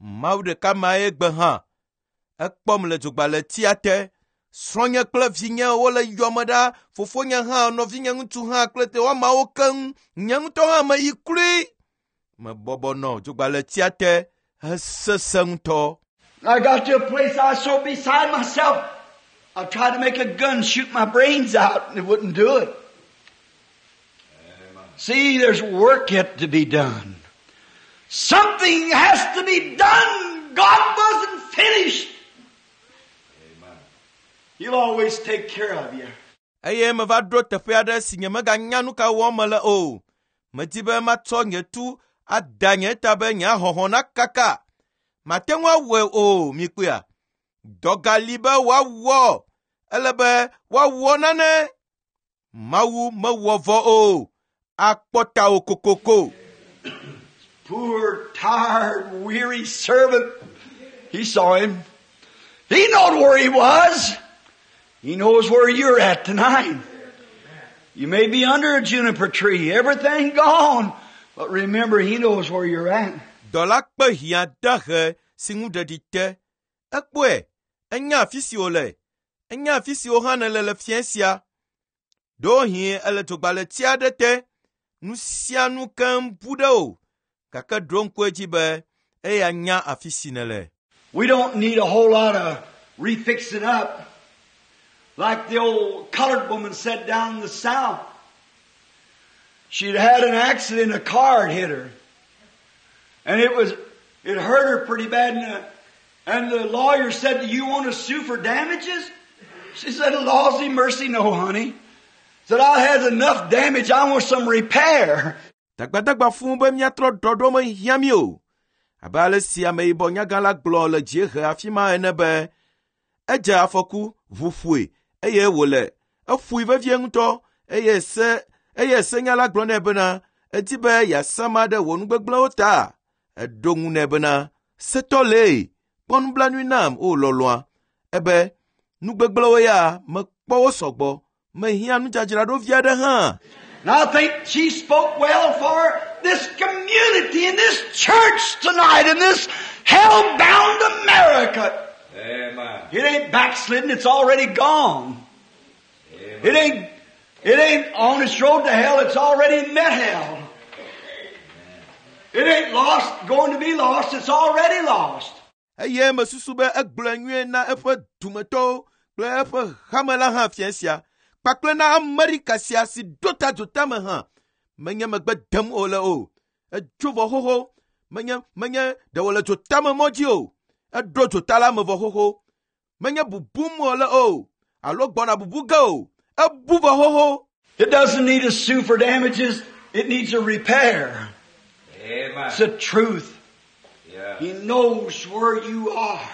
Mawu ɖeka mae gbe hã. Ekpɔm le dzogbalẽtia te. Srɔ̃nye kple vinye wole yɔme ɖa, fofonye hã, nɔvinye ŋutsu hã kple woamawo keŋ. Nye ŋutɔ hã meyi kloe. Mebɔbɔ nɔ dzogbalẽtia te hesesẽ ŋutɔ. I got to a place I was so beside myself. I tried to make a gun shoot my brains out, and it wouldn't do it. Amen. See, there's work yet to be done. Something has to be done. God wasn't finished. Amen. He'll always take care of you. Eye meva ɖo teƒe aɖe si nyemeganya nu ka wɔm mele o. Medi be matsɔ nye tu ada nye ta be nye ahɔhɔ̃ nakaka. Mate ŋu awɔe o, mikpɔea. Dɔ gali be woawɔ. Ele be woawɔ nane. Mawu mewɔ vɔ o. Akpɔ tawò kokoko. Poor, tired, weary servant. He saw him. He knowed where he was. He knows where you're at tonight. You may be under a juniper tree, everything gone. But remember, He knows where you're at. Dɔla kpe hiã dahe si ŋu ɖeɖi te. Ekpɔe, enya afi si wòle. Enya afi si wò hã nèle le fiẽ sia. Ɖewohĩ ele dzogbalẽti aɖe te. Nu sia nu keŋ bu ɖe wò. Gake ɖo ŋku edzi be eya nya afi si nèle. We don't need a whole lot of refixing up. Like the old colored woman said down in the South. She'd had an accident, a car had hit her. And it was, it hurt her pretty bad. And the, and the lawyer said, do you want to sue for damages? She said, lawsy mercy, no, honey. Said, I had enough damage, I want some repair. Dagbadagba fũu be míatrɔ ɖɔɖɔ mehiã mí o. Abe ale si ameyibɔ nyagã la gblɔ le dziehe afi ma ene be edze afɔku, ʋu ƒoe eye wòle eƒoe vevie ŋutɔ eye se eye senyala gblɔ nɛ bena edi be yeasama ɖe wò nugbegblẽwo ta. Eɖo ŋu nɛ bena setɔ lee, kpɔ nublanui nam o lɔlɔ̃a. Ebe nugbegblẽwo ya mekpɔ wo sɔgbɔ, mehiã nudzadzraɖo vi aɖe hã. And I think she spoke well for this community and this church tonight in this hell-bound America. Amen. It ain't backslidden, it's already gone. Amen. It ain't, it ain't on its road to hell, it's already met hell. It ain't lost, going to be lost, it's already lost. Eye mesusu be egblɔe nyuie na eƒe dumetɔwo kple eƒe hame la hã fiẽ sia kpakple na Amerika sia si ɖo ta dzotame hã. Menye megbe dem wòle o. Edzo vɔ xoxo. Menye menye ɖe wòle dzotame mɔ dzi o. Eɖo dzota la me vɔ xoxo. Menye bubum wòle o alo gbɔna bubu ge o. Ebu vɔ xoxo. It doesn't need a sue for damages. It needs a repair. Amen. It's the truth. Yeah. He knows where you are.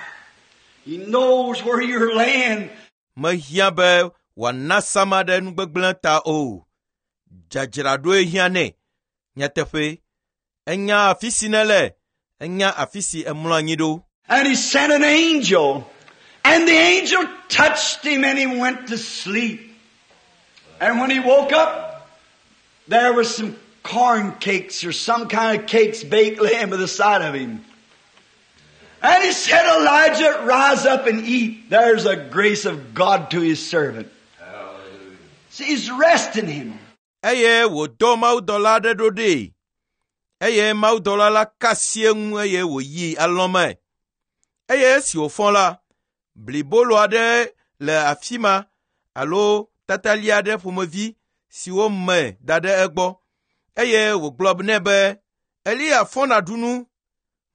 He knows where you're laying. Mehiã be wòana sama ɖe nugbegblẽ ta o. Dzadzraɖoe hiã nɛ. Nyateƒe, enya afi si nèle, enya afi si emlɔ anyi ɖo. And he sent an angel. And the angel touched him and he went to sleep. And when he woke up, there was some corn cakes or some kind of cakes baked laying by the side of him. And he said, Elijah, rise up and eat. There's a grace of God to his servant. Hallelujah. See, he's resting him. Eye wòdɔ mawudɔla aɖe ɖo ɖee. Eye mawudɔla la ka asi eŋu eye wòyi alɔ̃ me. Eye esi wòfɔ la, blibolo aɖe le afi ma alo tatali aɖe ƒomevi si wome da ɖe egbɔ. Eye wògblɔ nɛ be, Eliya fɔ nàɖu nu.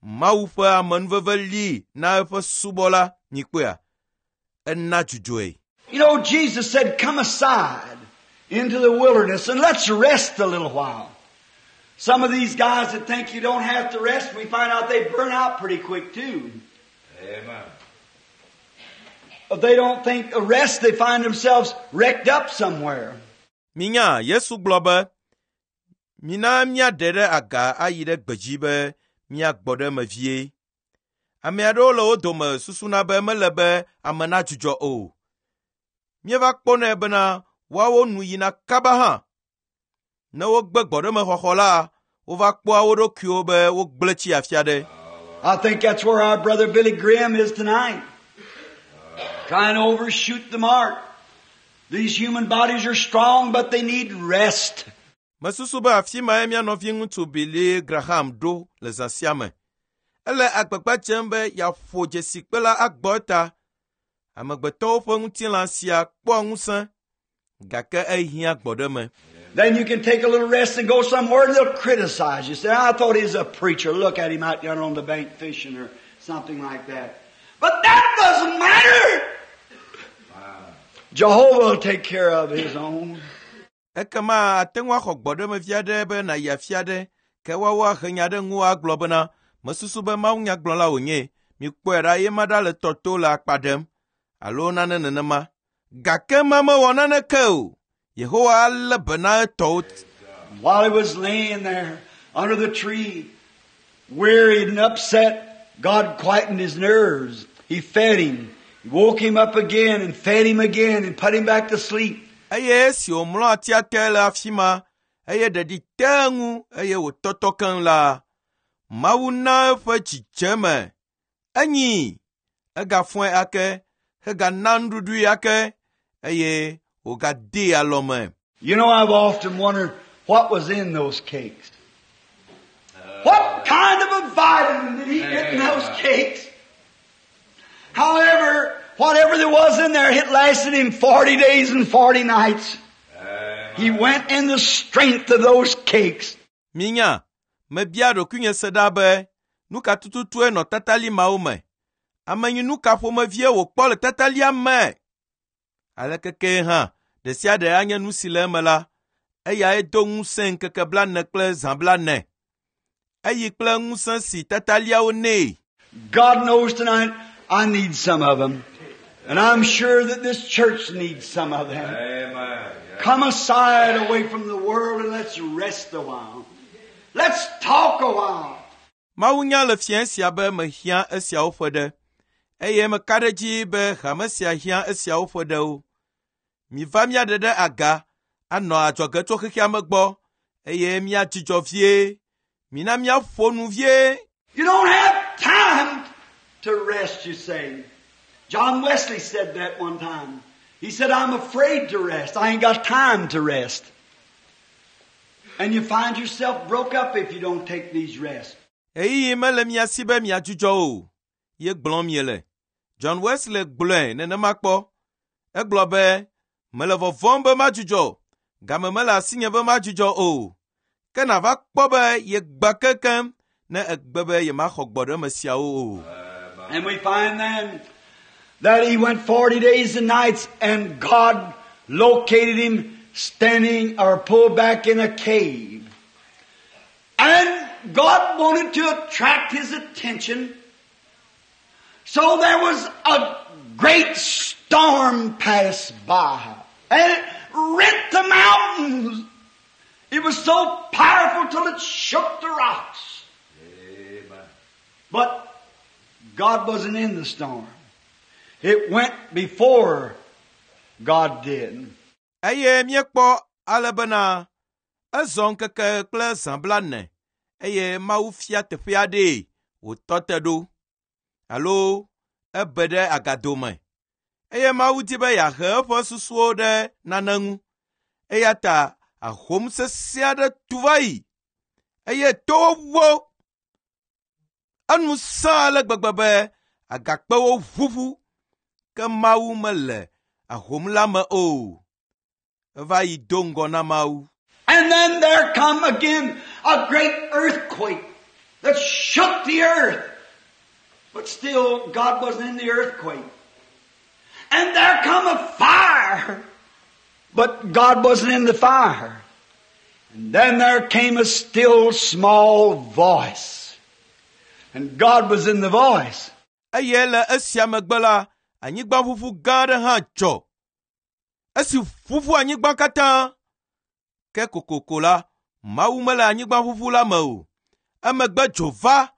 Mawu ƒe amenuveve li na eƒe subɔla nyikpɔea. Ena dzudzɔe. You know, Jesus said, come aside into the wilderness and let's rest a little while. Some of these guys that think you don't have to rest, we find out they burn out pretty quick too. Amen. If they don't think a rest, they find themselves wrecked up somewhere. Minya Yesu gblɔ be, mina míaɖe ɖe aga ayi ɖe gbedzi be míagbɔ ɖe eme vie. Ame aɖewo le wo dome susuna be mele be ame nadzudzɔ o. Míeva kpɔnɛ bena woawo nu yina kaba hã. Ne wogbe gbɔɖemexɔxɔ la, wova kpɔa wo ɖokuiwo be wogblẽ tsi afi aɖe. I think that's where our brother Billy Graham is tonight. Trying to overshoot the mark. These human bodies are strong, but they need rest. Mesusu be afi mae mía nɔviŋutsu Billy Graham ɖo le zã sia me. Ele agbagba dzem be yeaƒo dzesikpe la agbɔ eta. Amegbetɔwo ƒe ŋutilã sia kpɔa ŋusẽ, gake ehiã gbɔɖeme. Then you can take a little rest and go somewhere and they'll criticize you. Say, I thought he was a preacher. Look at him out yonder on the bank fishing or something like that. But that doesn't matter. Jehovah will take care of his own. Ekema ate ŋu axɔ gbɔɖeme vi aɖe be nàyi afi aɖe ke woawo ahe nya ɖe ŋuwò agblɔ bena mesusu be mawunyagblɔla wònye. Mikpɔe ɖa ye ma ɖa le tɔ to le akpa ɖem alo nane nenema. Gake ma mewɔ naneke o. Yehowa alé be na etɔwo. While he was laying there under the tree, wearied and upset, God quietened his nerves. He fed him. He woke him up again and fed him again and put him back to sleep. Eye esi wòmlɔ atia te le afi ma eye ɖeɖi te eŋu eye wòtɔtɔ keŋ la, Mawu na eƒe dzidzeme. Enyi, egafɔe ake, hegana nuɖuɖui ake eye wògadee alɔme. You know, I've often wondered what was in those cakes. What kind of a vitamin did he get in those cakes? However, whatever there was in there, it lasted him forty days and forty nights. He went in the strength of those cakes. Minya, mebia ɖokuinye se ɖa be, nu ka tututue nɔ tatali mawo me? Amenyinu ka ƒomevie wòkpɔ le tatalia me? Aleke kee hã, ɖe sia ɖe anye nu si le eme la, eyae do ŋusẽ ŋkeke blaene kple zã blaene. Eyi kple ŋusẽ si tataliawo nɛ. God knows tonight I need some of them. And I'm sure that this church needs some of them. Amen. Yeah. Come aside away from the world and let's rest a while. Let's talk a while. Mawu nya le fiẽ sia be mehiã esiawo ƒe ɖe eye meka ɖe edzi be hame sia hiã esiawo ƒe ɖewo. Miva míaɖe ɖe aga anɔ adzɔge tso xexea me gbɔ eye míadzudzɔ vie. Mina míaƒo nu vie. You don't have time to rest, you say. John Wesley said that one time. He said, I'm afraid to rest. I ain't got time to rest. And you find yourself broke up if you don't take these rests. Ɣeyiɣi mele mia si be miadzudzɔ o, ye gblɔm miele. John Wesley gblɔe nenema kpɔ. Egblɔ be, mele vɔvɔ̃m be madzudzɔ, game mele asinye be madzudzɔ o. Ke nàva kpɔ be yegbã kekem ne egbe be yemaxɔ gbɔɖeme siawo o. And we find then that he went forty days and nights and God located him standing or pulled back in a cave. And God wanted to attract his attention. So there was a great storm passed by and it rent the mountains. It was so powerful till it shook the rocks. Amen. But God wasn't in the storm. It went before God did. Eye míekpɔ ale bena ezɔ ŋkeke kple zã blaene eye Mawu fia teƒe aɖee wòtɔ te ɖo alo ebe ɖe agado me. Eye Mawu di be yeahe eƒe susuwo ɖe nane ŋu. Eya ta ahom sesẽ aɖe tu va yi eye towo wo. Enu sẽ ale gbegbe be agakpewo ʋuʋu ke Mawu mele ahom la me o. Eva yi do ŋgɔ na Mawu. And then there come again a great earthquake that shook the earth. But still, God wasn't in the earthquake. And there come a fire. But God wasn't in the fire. And then there came a still small voice. And God was in the voice. Eye le esia megbe la, anyigbaʋuʋu gã aɖe hã dzɔ. Esi ʋuʋu anyigba katã. Ke kokoko la, Mawu mele anyigbaʋuʋu la me o. Emegbe dzo va,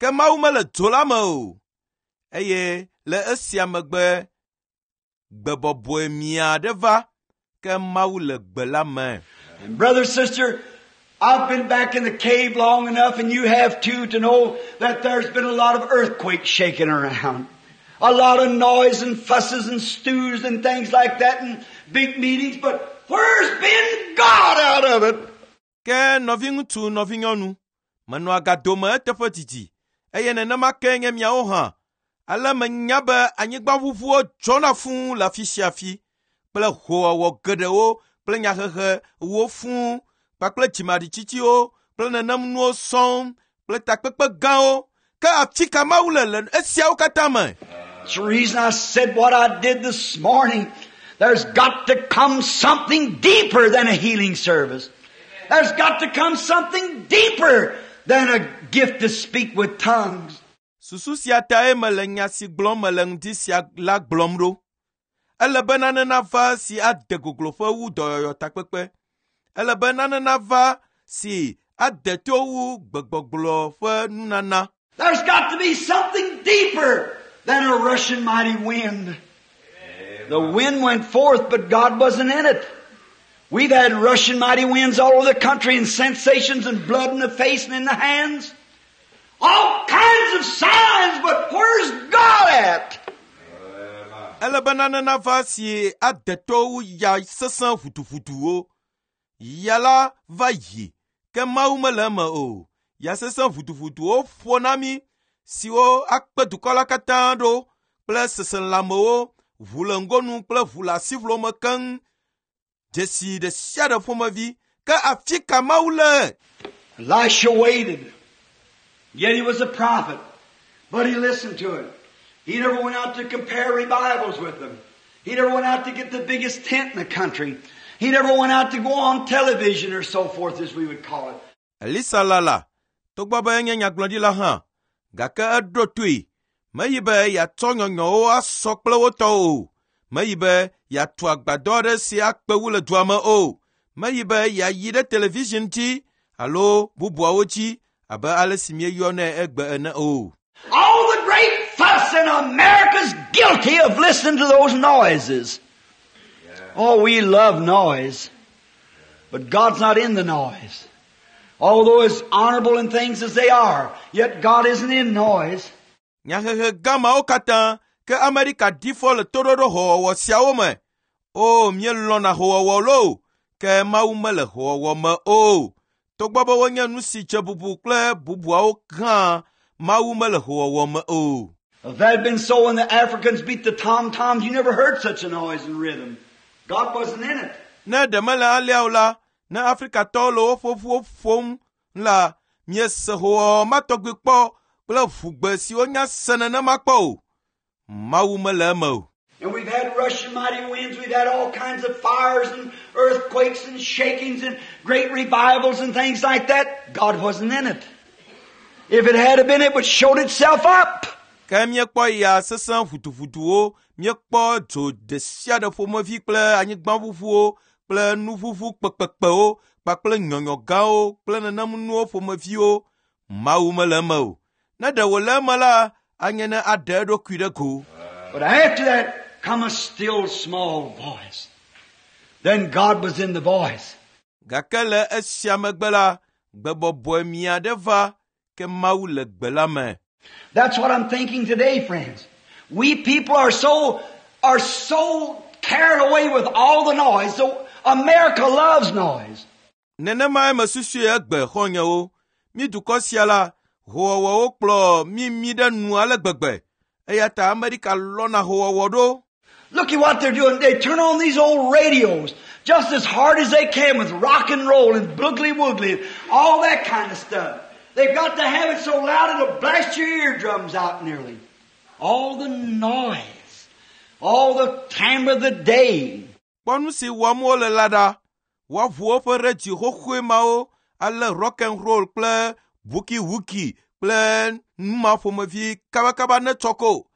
ke Mawu mele dzo la me o. Eye le esia megbe, gbe bɔbɔe mia aɖe va, ke Mawu le gbe la me. And brother, sister, I've been back in the cave long enough, and you have too, to know that there's been a lot of earthquakes shaking around. A lot of noise and fusses and stews and things like that and big meetings, but where's been God out of it? Ke nɔviŋutsu, nɔvinyɔnu, menɔ agado me eteƒe didi eye nenema ke nye miawo hã. Ale menya be anyigbaʋuʋuwo dzɔna fũu le afi sia afi kple hoowɔwɔ geɖewo kple nyahehewo fũu kpakple dzimaɖitsitsiwo kple nenem nuwo sɔŋ kple takpekpe gãwo. Ke afi ka Mawu le le esiawo katã me? It's the reason I said what I did this morning. There's got to come something deeper than a healing service. There's got to come something deeper than a gift to speak with tongues. Susu sia tae mele nya si gblɔm mele ŋdi sia la gblɔm ɖo. Ele be nane nava si ade gogloƒe wu dɔyɔyɔ takpekpe. Ele be nane nava si ade to wu gbegbɔgblɔ ƒe nunana. There's got to be something deeper than a rushing mighty wind. The wind went forth, but God wasn't in it. We've had rushing mighty winds all over the country and sensations and blood in the face and in the hands. All kinds of signs, but where's God at? Ele be nane nava si ade to wu ya sesẽ ʋuduʋuduwo. Ya la va yi, ke Mawu mele eme o. Ya sesẽ ʋuduʋuduwo ƒo na mí siwo akpe dukɔ la katã ɖo kple seselãmewo, ʋu le ŋgonu kple ʋu le asiʋlo me keŋ. Dzesi ɖe sia ɖe ƒomevi. Ke afi ka Mawu le? Elisha waited. Yet he was a prophet. But he listened to it. He never went out to compare revivals with them. He never went out to get the biggest tent in the country. He never went out to go on television or so forth, as we would call it. Elisa lala, togbɔ be enye nyagblɔɖila hã, gake eɖo toe. Meyi be yeatsɔ nyɔnyɔwo asɔ kple wo tɔwo o. Meyi be yeatu agbadɔ aɖe si akpe wu le dua me o. Meyi be yeayi ɖe television dzi alo bubuawo dzi abe ale si míeyɔnɛ egbe ene o. All the great fuss in America's guilty of listening to those noises. Oh, we love noise. But God's not in the noise. Although as honorable in things as they are, yet God isn't in noise. Nyahehe gã mawo katã ke Amerika ɖi fɔ le toɖoɖo hoowɔwɔ siawo me. O, míelɔ̃na hoowɔwɔ loo, ke Mawu mele hoowɔwɔ me o. Togbɔ be wonye nu si dze bubu kple bubuawo hã, Mawu mele hoowɔwɔ me o. If that had been so when the Africans beat the tom-toms, you never heard such a noise and rhythm. God wasn't in it. Ne ɖe mele alea o la, ne Afrikatɔwo le woƒe ʋuwo ƒom la, miese hoowɔwɔ ma tɔgbi kpɔ kple ʋugbe siwo nya se nenema kpɔ o. Mawu mele eme o. And we've had rushing mighty winds, we've had all kinds of fires and earthquakes and shakings and great revivals and things like that. God wasn't in it. If it had been, it would showed itself up. Ke míekpɔ ya sesẽ ʋuduʋuduwo, míekpɔ dzo ɖe sia ɖe ƒomevi kple anyigbaʋuʋuwo kple nuʋuʋu kpekpekpewo kpakple nyɔnyɔ gãwo kple nenem nuwo ƒomeviwo. Mawu mele eme o. Ne ɖe wòle eme la, anye ne aɖe eɖokui ɖe go. But after that come a still small voice. Then God was in the voice. Gake le esia megbe la, gbe bɔbɔe mia ɖe va, ke Mawu le gbe la me. That's what I'm thinking today, friends. We people are so, are so carried away with all the noise. So America loves noise. Nenemae mesusui egbe xɔ̃nyewo. Mí dukɔ sia la, hoowɔwɔwo kplɔ mí mí ɖe nu ale gbegbe. Eya ta Amerika lɔ̃na hoowɔwɔ ɖo. Look at what they're doing. They turn on these old radios just as hard as they can with rock and roll and boogly woogly and all that kind of stuff. They've got to have it so loud it'll blast your eardrums out nearly. All the noise. All the time of the day. Kpɔ nu si wɔm wole la ɖa. Woaʋu woƒe redio xoxoe mawo ale rock and roll kple buki-wuki kple nu ma ƒomevi kabakaba ne tsɔ ko.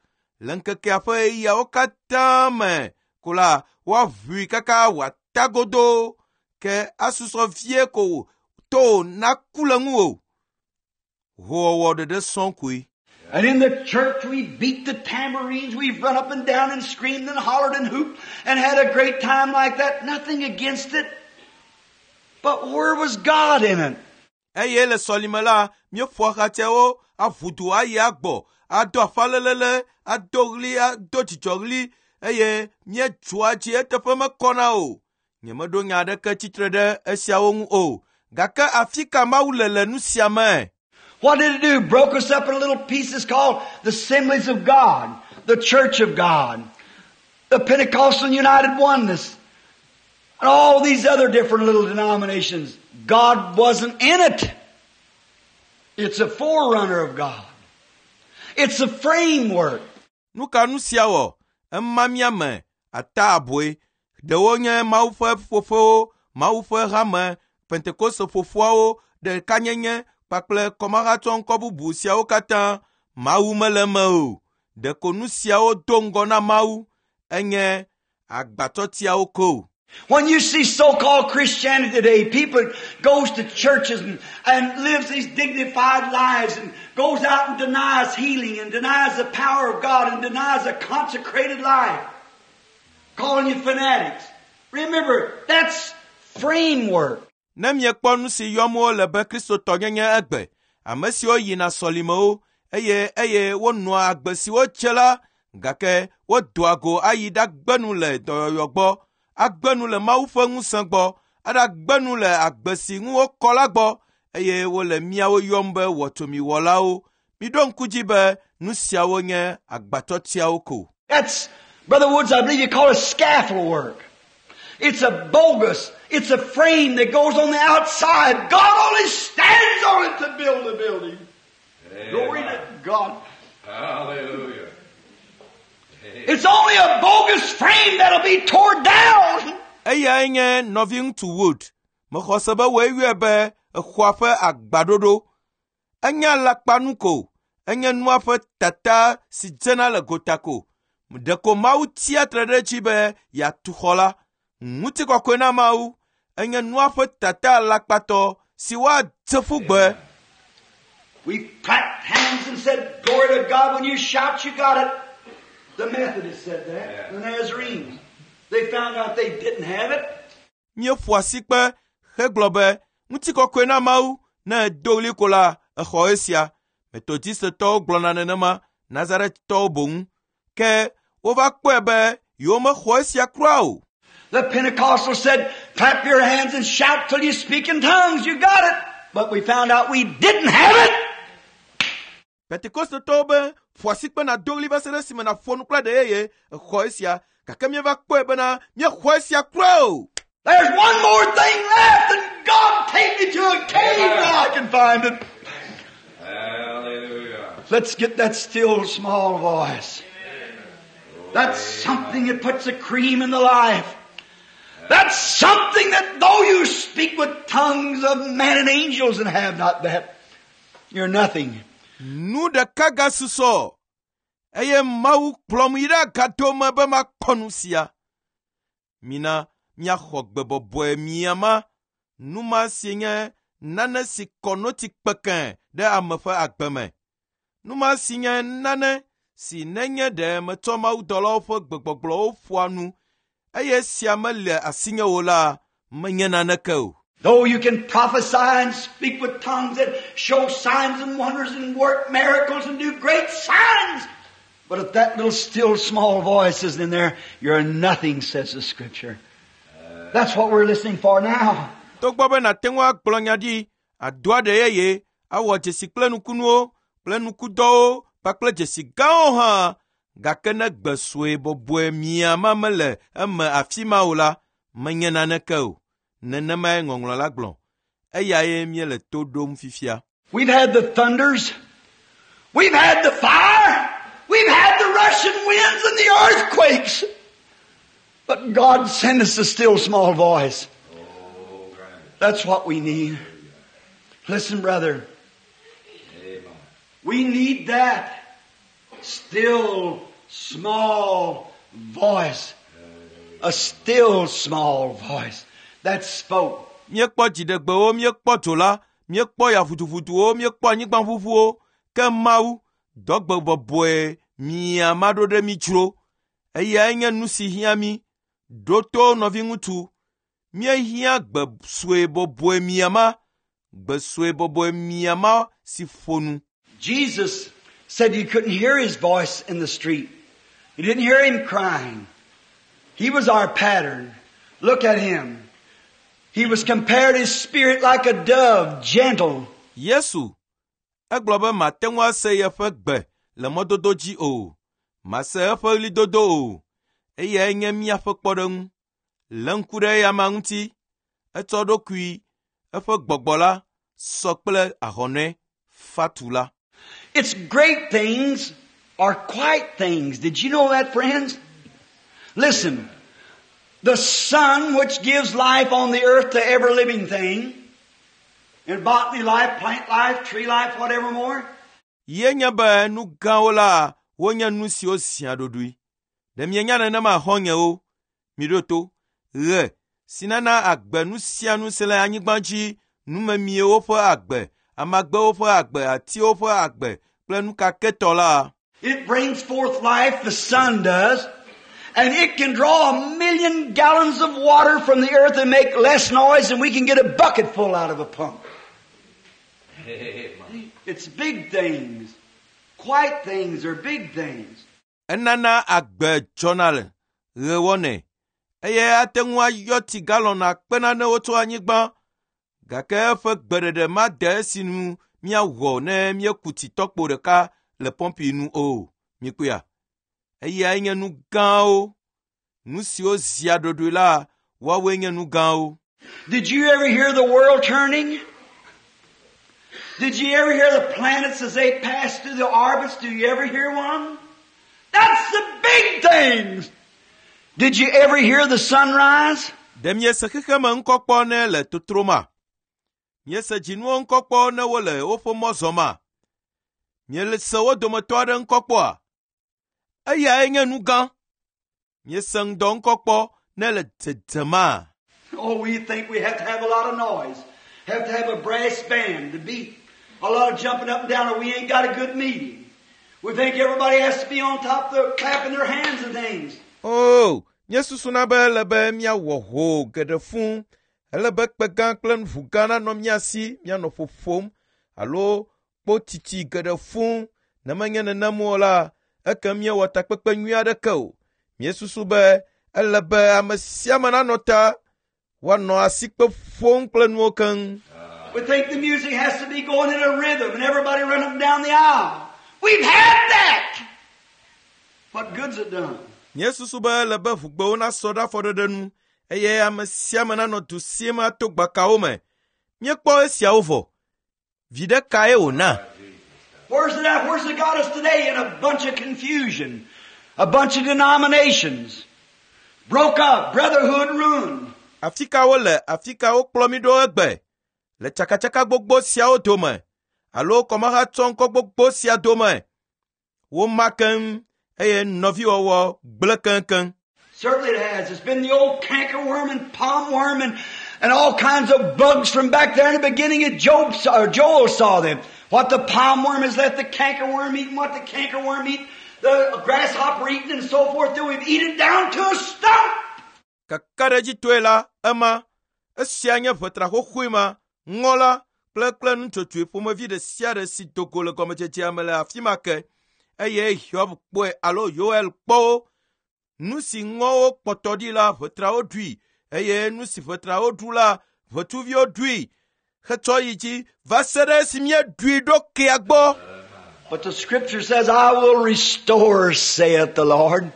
Le ŋkekea ƒe ɣeyiɣiawo katã me ko la, woaʋui kaka wòata godoo ke asusɔ vie ko to naku le ŋuwò. Hoowɔwɔ ɖeɖe sɔŋ koe. And in the church we beat the tambourines, we've run up and down and screamed and hollered and hooped and had a great time like that. Nothing against it. But where was God in it? Eye le sɔlime la, míeƒo axatsɛwo aʋu du ayi agbɔ, ado afalelele, ado ɣli, ado dzidzɔɣli eye míedzɔa dzi eteƒe mekɔna o. Nyemeɖo nya aɖeke tsitre ɖe esiawo ŋu o. Gake afi ka Mawu le le nu sia me? What did it do? Broke us up in little pieces called the Assemblies of God, the Church of God, the Pentecostal United Oneness, and all these other different little denominations. God wasn't in it. It's a forerunner of God. It's a framework. Nu ka nu sia wɔ? Ema mía me ata aboe. Ɖewo nye Mawu ƒe ƒuƒoƒewo, Mawu ƒe hame, Pentekoste ƒoƒoawo, ɖekanyenye kpakple kɔmahatsɔ ŋkɔ bubu siawo katã. Mawu mele eme o. Ɖeko nu siawo do ŋgɔ na Mawu enye agbatsɔtiawo ko. When you see so-called Christianity today, people goes to churches and, and lives these dignified lives and goes out and denies healing and denies the power of God and denies a consecrated life, calling you fanatics. Remember, that's framework. Ne miekpɔ nu si yɔm wole be kristotɔnyenye egbe, ame siwo yina sɔlimewo eye eye wonɔa agbe si wotse la, gake wodoa go ayi ɖagbe nu le dɔyɔyɔ gbɔ, agbe nu le Mawu ƒe ŋusẽ gbɔ, aɖagbe nu le agbe si ŋu wokɔ la gbɔ eye wole míawo yɔm be wɔtsomiwɔlawo. Miɖo ŋku dzi be nu siawo nye agbatsɔtiawo ko. That's, Brother Woods, I believe you call it scaffold work. It's a bogus, it's a frame that goes on the outside. God only stands on it to build a building. Glory to God. Hallelujah. It's only a bogus frame that'll be torn down. Eyae nye nɔviŋutsu Wood. Mexɔ se be woe yɔe be exɔa ƒe agbaɖoɖo. Enye alakpanu ko. Enye nua ƒe tata si dzena le gota ko. Ɖeko Mawu tsia tre ɖe edzi be yeatu xɔ la. Ŋutikɔkɔe na Mawu. Enye nua ƒe tata alakpatɔ si woadze ƒu gbe. We clapped hands and said, Glory to God. When you shout, you got it. The Methodists said that. The Nazarenes. They found out they didn't have it. Míeƒo asikpe hegblɔ be ŋutikɔkɔe na Mawu ne edo ɣli ko la exɔ esia. Metodistetɔwo gblɔna nenema, Nazaretɔwo boŋ. Ke wova kpɔe be yewomexɔ esia kura o. The Pentecostals said, clap your hands and shout till you speak in tongues. You got it. But we found out we didn't have it. Pentekostetɔwo be ƒo asikpe nàdo ɣli va se ɖe esime nàƒo nu kple ɖe yeye exɔ esia gake míeva kpɔe bena míexɔ esia kura o. There's one more thing left, and God take me to a cave where I can find it. Hallelujah. Let's get that still small voice. That's something that puts the cream in the life. That's something that though you speak with tongues of men and angels and have not that, you're nothing. Nu ɖeka gasusɔ eye Mawu kplɔm yi ɖe agado me be makpɔ nu sia. Mina míaxɔ gbe bɔbɔe miama. Nu ma si nye nane si kɔ notsi kpekẽ ɖe ame ƒe agbe me. Nu ma si nye nane si nenye ɖe metsɔ mawudɔlawo ƒe gbegbɔgblɔwo ƒoa nu eye sia mele asinye o la, menye naneke o. Though you can prophesy and speak with tongues and show signs and wonders and work miracles and do great signs, but if that little still small voice isn't in there, you're nothing, says the Scripture. That's what we're listening for now. Togbɔ be nàte ŋu agblɔ nya ɖi, ado aɖe yeye, awɔ dzesi kple nukunuwo kple nukudɔwo kpakple dzesi gãwo hã, gake ne gbe sue bɔbɔe miama mele eme afi ma o la, menye naneke o. Nenemae ŋɔŋlɔ la gblɔ. Eyae míele to ɖom fifia. We've had the thunders. We've had the fire. We've had the rushing winds and the earthquakes. But God sent us a still small voice. That's what we need. Listen, brother. We need that still small voice. A still small voice that spoke. Míekpɔ dziɖegbewo, míekpɔ dzo la, míekpɔ ya ʋuduʋuduwo, míekpɔ anyigbaʋuʋuwo, ke Mawu dɔ gbe bɔbɔe miama ɖo ɖe mí dzro. Eyae nye nu si hiã mí. Ɖo to nɔviŋutsu. Míehiã gbe sue bɔbɔe miama, gbe sue bɔbɔe miama si ƒo nu. Jesus said you couldn't hear his voice in the street. You didn't hear him crying. He was our pattern. Look at him. He was compared his spirit like a dove, gentle. Yesu egblɔ be mate ŋu ase yeƒe gbe le mɔdodo dzi o. Mase eƒe ɣlidodo o. Eyae nye míaƒe kpɔɖeŋu. Lé ŋku ɖe eyama ŋuti. Etsɔ eɖokui, eƒe gbɔgbɔ la sɔ kple ahɔnɛ fatu la. It's great things are quiet things. Did you know that, friends? Listen. The sun which gives life on the earth to every living thing, in botany life, plant life, tree life, whatever more. Ye nye be nu gãwo la wonye nu siwo zia ɖoɖoe. Ɖe mienya nenema xɔ̃nyewo? Miɖo to. Ɣe si nana agbe nu sia nu si le anyigba dzi, numemiewo ƒe agbe, amagbewo ƒe agbe, atiwo ƒe agbe kple nu kakɛtɔ la. It brings forth life, the sun does, and it can draw a million gallons of water from the earth and make less noise than we can get a bucket full out of a pump. It's big things. Quiet things are big things. Enana agbe dzɔna le ɣe wɔnɛ eye ate ŋu ayɔ tsi galɔn akpe nanewo tso anyigba gake eƒe gbeɖeɖe made esi nu míawɔ ne míeku tsi tɔkpo ɖeka le pɔmpi nu o. Mikpɔea? Eyae nye nu gãwo. Nu siwo zia ɖoɖoe la, woawoe nye nu gãwo. Did you ever hear the world turning? Did you ever hear the planets as they pass through the orbits? Do you ever hear one? That's the big things. Did you ever hear the sunrise? Ɖe miese xexeme ŋkɔ kpɔ ne le totroma? Miese dzinuwo ŋkɔ kpɔ ne wole woƒe mɔ zɔma? Miese wo dometɔ aɖe ŋkɔ kpɔa? Eyae nye nu gã. Miese ŋdɔ ŋkɔ kpɔ ne le dzedzema? Oh, we think we have to have a lot of noise. Have to have a brass band to beat. A lot of jumping up and down or we ain't got a good meeting. We think everybody has to be on top of the, clapping their hands and things. Oh, míesusuna be ele be míawɔ ho geɖe fũu. Ele be kpe gã kple ʋu gã nanɔ mía si míanɔ ƒoƒom alo kpotiti geɖe fũu. Ne menye nenem o la, eke míewɔ takpekpe nyui aɖeke o. Míesusu be ele be ame sia ame nanɔ ta woanɔ asikpe ƒom kple nuwo keŋ. We think the music has to be going in a rhythm and everybody run up and down the aisle. We've had that. What good's it done? Míesusu be ele be ʋugbewo nasɔ ɖe afɔɖeɖe nu eye ame sia ame nanɔ du sim ato gbakawo me. Míekpɔ esiawo vɔ. Viɖe kae wòna? Where's it at? Where's it got us today? In a bunch of confusion. A bunch of denominations broke up, brotherhood ruined. Afi ka wole afi ka wokplɔ mí ɖo egbe le tsakatsaka gbogbo siawo dome alo kɔmahatsɔŋkɔ gbogbo sia dome. Woma keŋ eye nɔviwɔwɔ gblẽ keŋkeŋ. Certainly it has. It's been the old cankerworm and palm worm and, and all kinds of bugs from back there in the beginning of Job saw, or Joel saw them. What the palm worm has left the cankerworm eating, what the cankerworm eat, the grasshopper eating and so forth, till we've eaten it down to a stump. Kakaɖedzitɔe la ema esia nye ʋetra xoxoe ma ŋɔ la kple kple nutsotsoe ƒomevi ɖe sia ɖe si do go le gɔmedzedzea me le afi ma ke eye Hiob kpɔe alo Yoel kpɔ wo. Nu si ŋɔwo kpɔtɔ ɖi la ʋetrawo ɖui eye nu si ʋetrawo ɖu la ʋetsuviwo ɖui hetsɔ yi dzi va se ɖe esi míeɖui ɖo kea gbɔ. But the scripture says, I will restore, saith the Lord.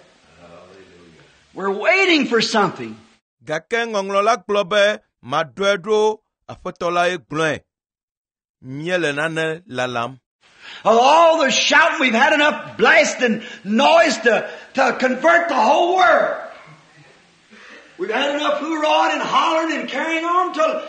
We're waiting for something. Gake ŋɔŋlɔ la gblɔ be maɖɔe ɖo aƒetɔ la ye gblɔe. Míele nane lalam. Of all the shouting, we've had enough blast and noise to, to convert the whole world. We've had enough hoorahing and hollering and carrying on till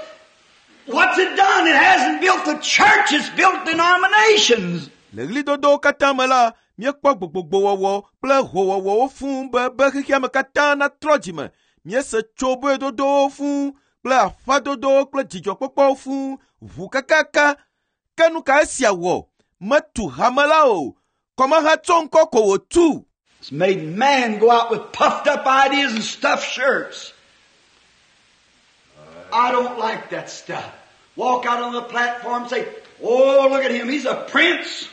what's it done? It hasn't built the church, it's built denominations. Le ɣlidodowo katã me la, míekpɔ gbogbogbowɔwɔ kple howɔwɔwo fũu be be xexea me katã natrɔ dzime. Míese tsoboedodowo fũu kple aƒadodowo kple dzidzɔkpɔkpɔwo fũu ʋu kakaka. Ke nu ka esia wɔ? Metu hame la o. Kɔmahatsɔŋkɔ ko wòtu. It's made man go out with puffed up ideas and stuffed shirts. I don't like that stuff. Walk out on the platform and say, oh, look at him. He's a prince.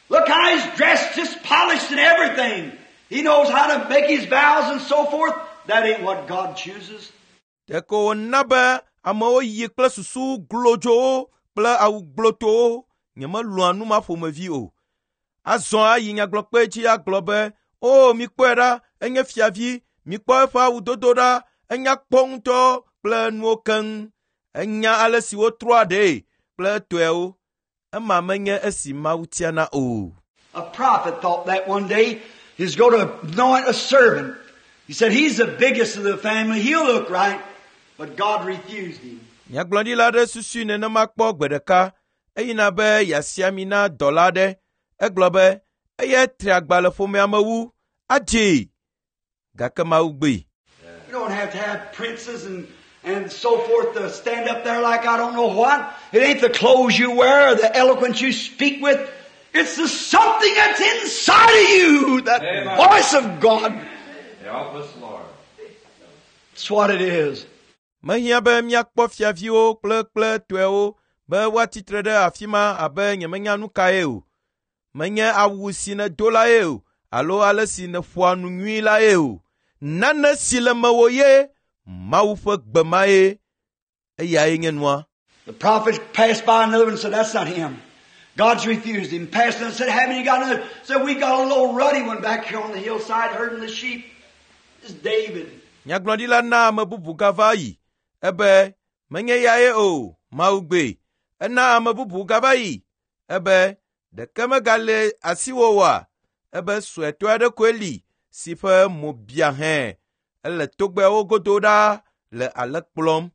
Look how he's dressed, just polished and everything. He knows how to make his vows and so forth. That ain't what God chooses. Ɖeko wòna be amewo yi kple susu glodzowo kple awu gblotowo. Nyemelɔ̃a nu ma ƒomevi o. Azɔ ayi nyagblɔkpe dzi agblɔ be, o mikpɔe ɖa, enye fiavi, mikpɔ eƒe awudodo ɖa, enya kpɔ ŋutɔ kple nuwo keŋ. Enya ale si wotrɔa ɖee kple etɔewo. Ema menye esi Mawu tiana o. A prophet thought that one day he's going to anoint a servant. He said he's the biggest of the family. He'll look right. But God refused him. Nyagblɔɖila aɖe susui nenema kpɔ gbe ɖeka. Eyina be yeasi ami na dɔla aɖe. Egblɔ be eya tri agba le ƒomea me wu. Adzee. Gake Mawu gbee. You don't have to have princes and, and so forth to stand up there like I don't know what. It ain't the clothes you wear or the eloquence you speak with. It's the something that's inside of you, that Amen. voice of God. Help us, Lord. That's what it is. Mehiã be míakpɔ fiaviwo kple kple tɔewo be woatsitre ɖe afi ma abe nyemenya nu kae o. Menye awu si nèdo la ye o alo ale si nèƒoa nu nyui la ye o. Nane si le mewò ye Mawu ƒe gbe ma ye eyae nye nua. The prophet passed by another one and said, that's not him. God's refused him. Passed and said, haven't you got another? Said, we got a little ruddy one back here on the hillside herding the sheep. It's David. Nyagblɔɖila na ame bubu gava yi ebe menye yae o Mawu gbee. Ena ame bubu gava yi ebe ɖeke megale asiwò oa? Ebe suetɔ aɖe koe li si ƒe mo bia hẽ. Ele togbɛawo godo ɖaa le ale kplɔm.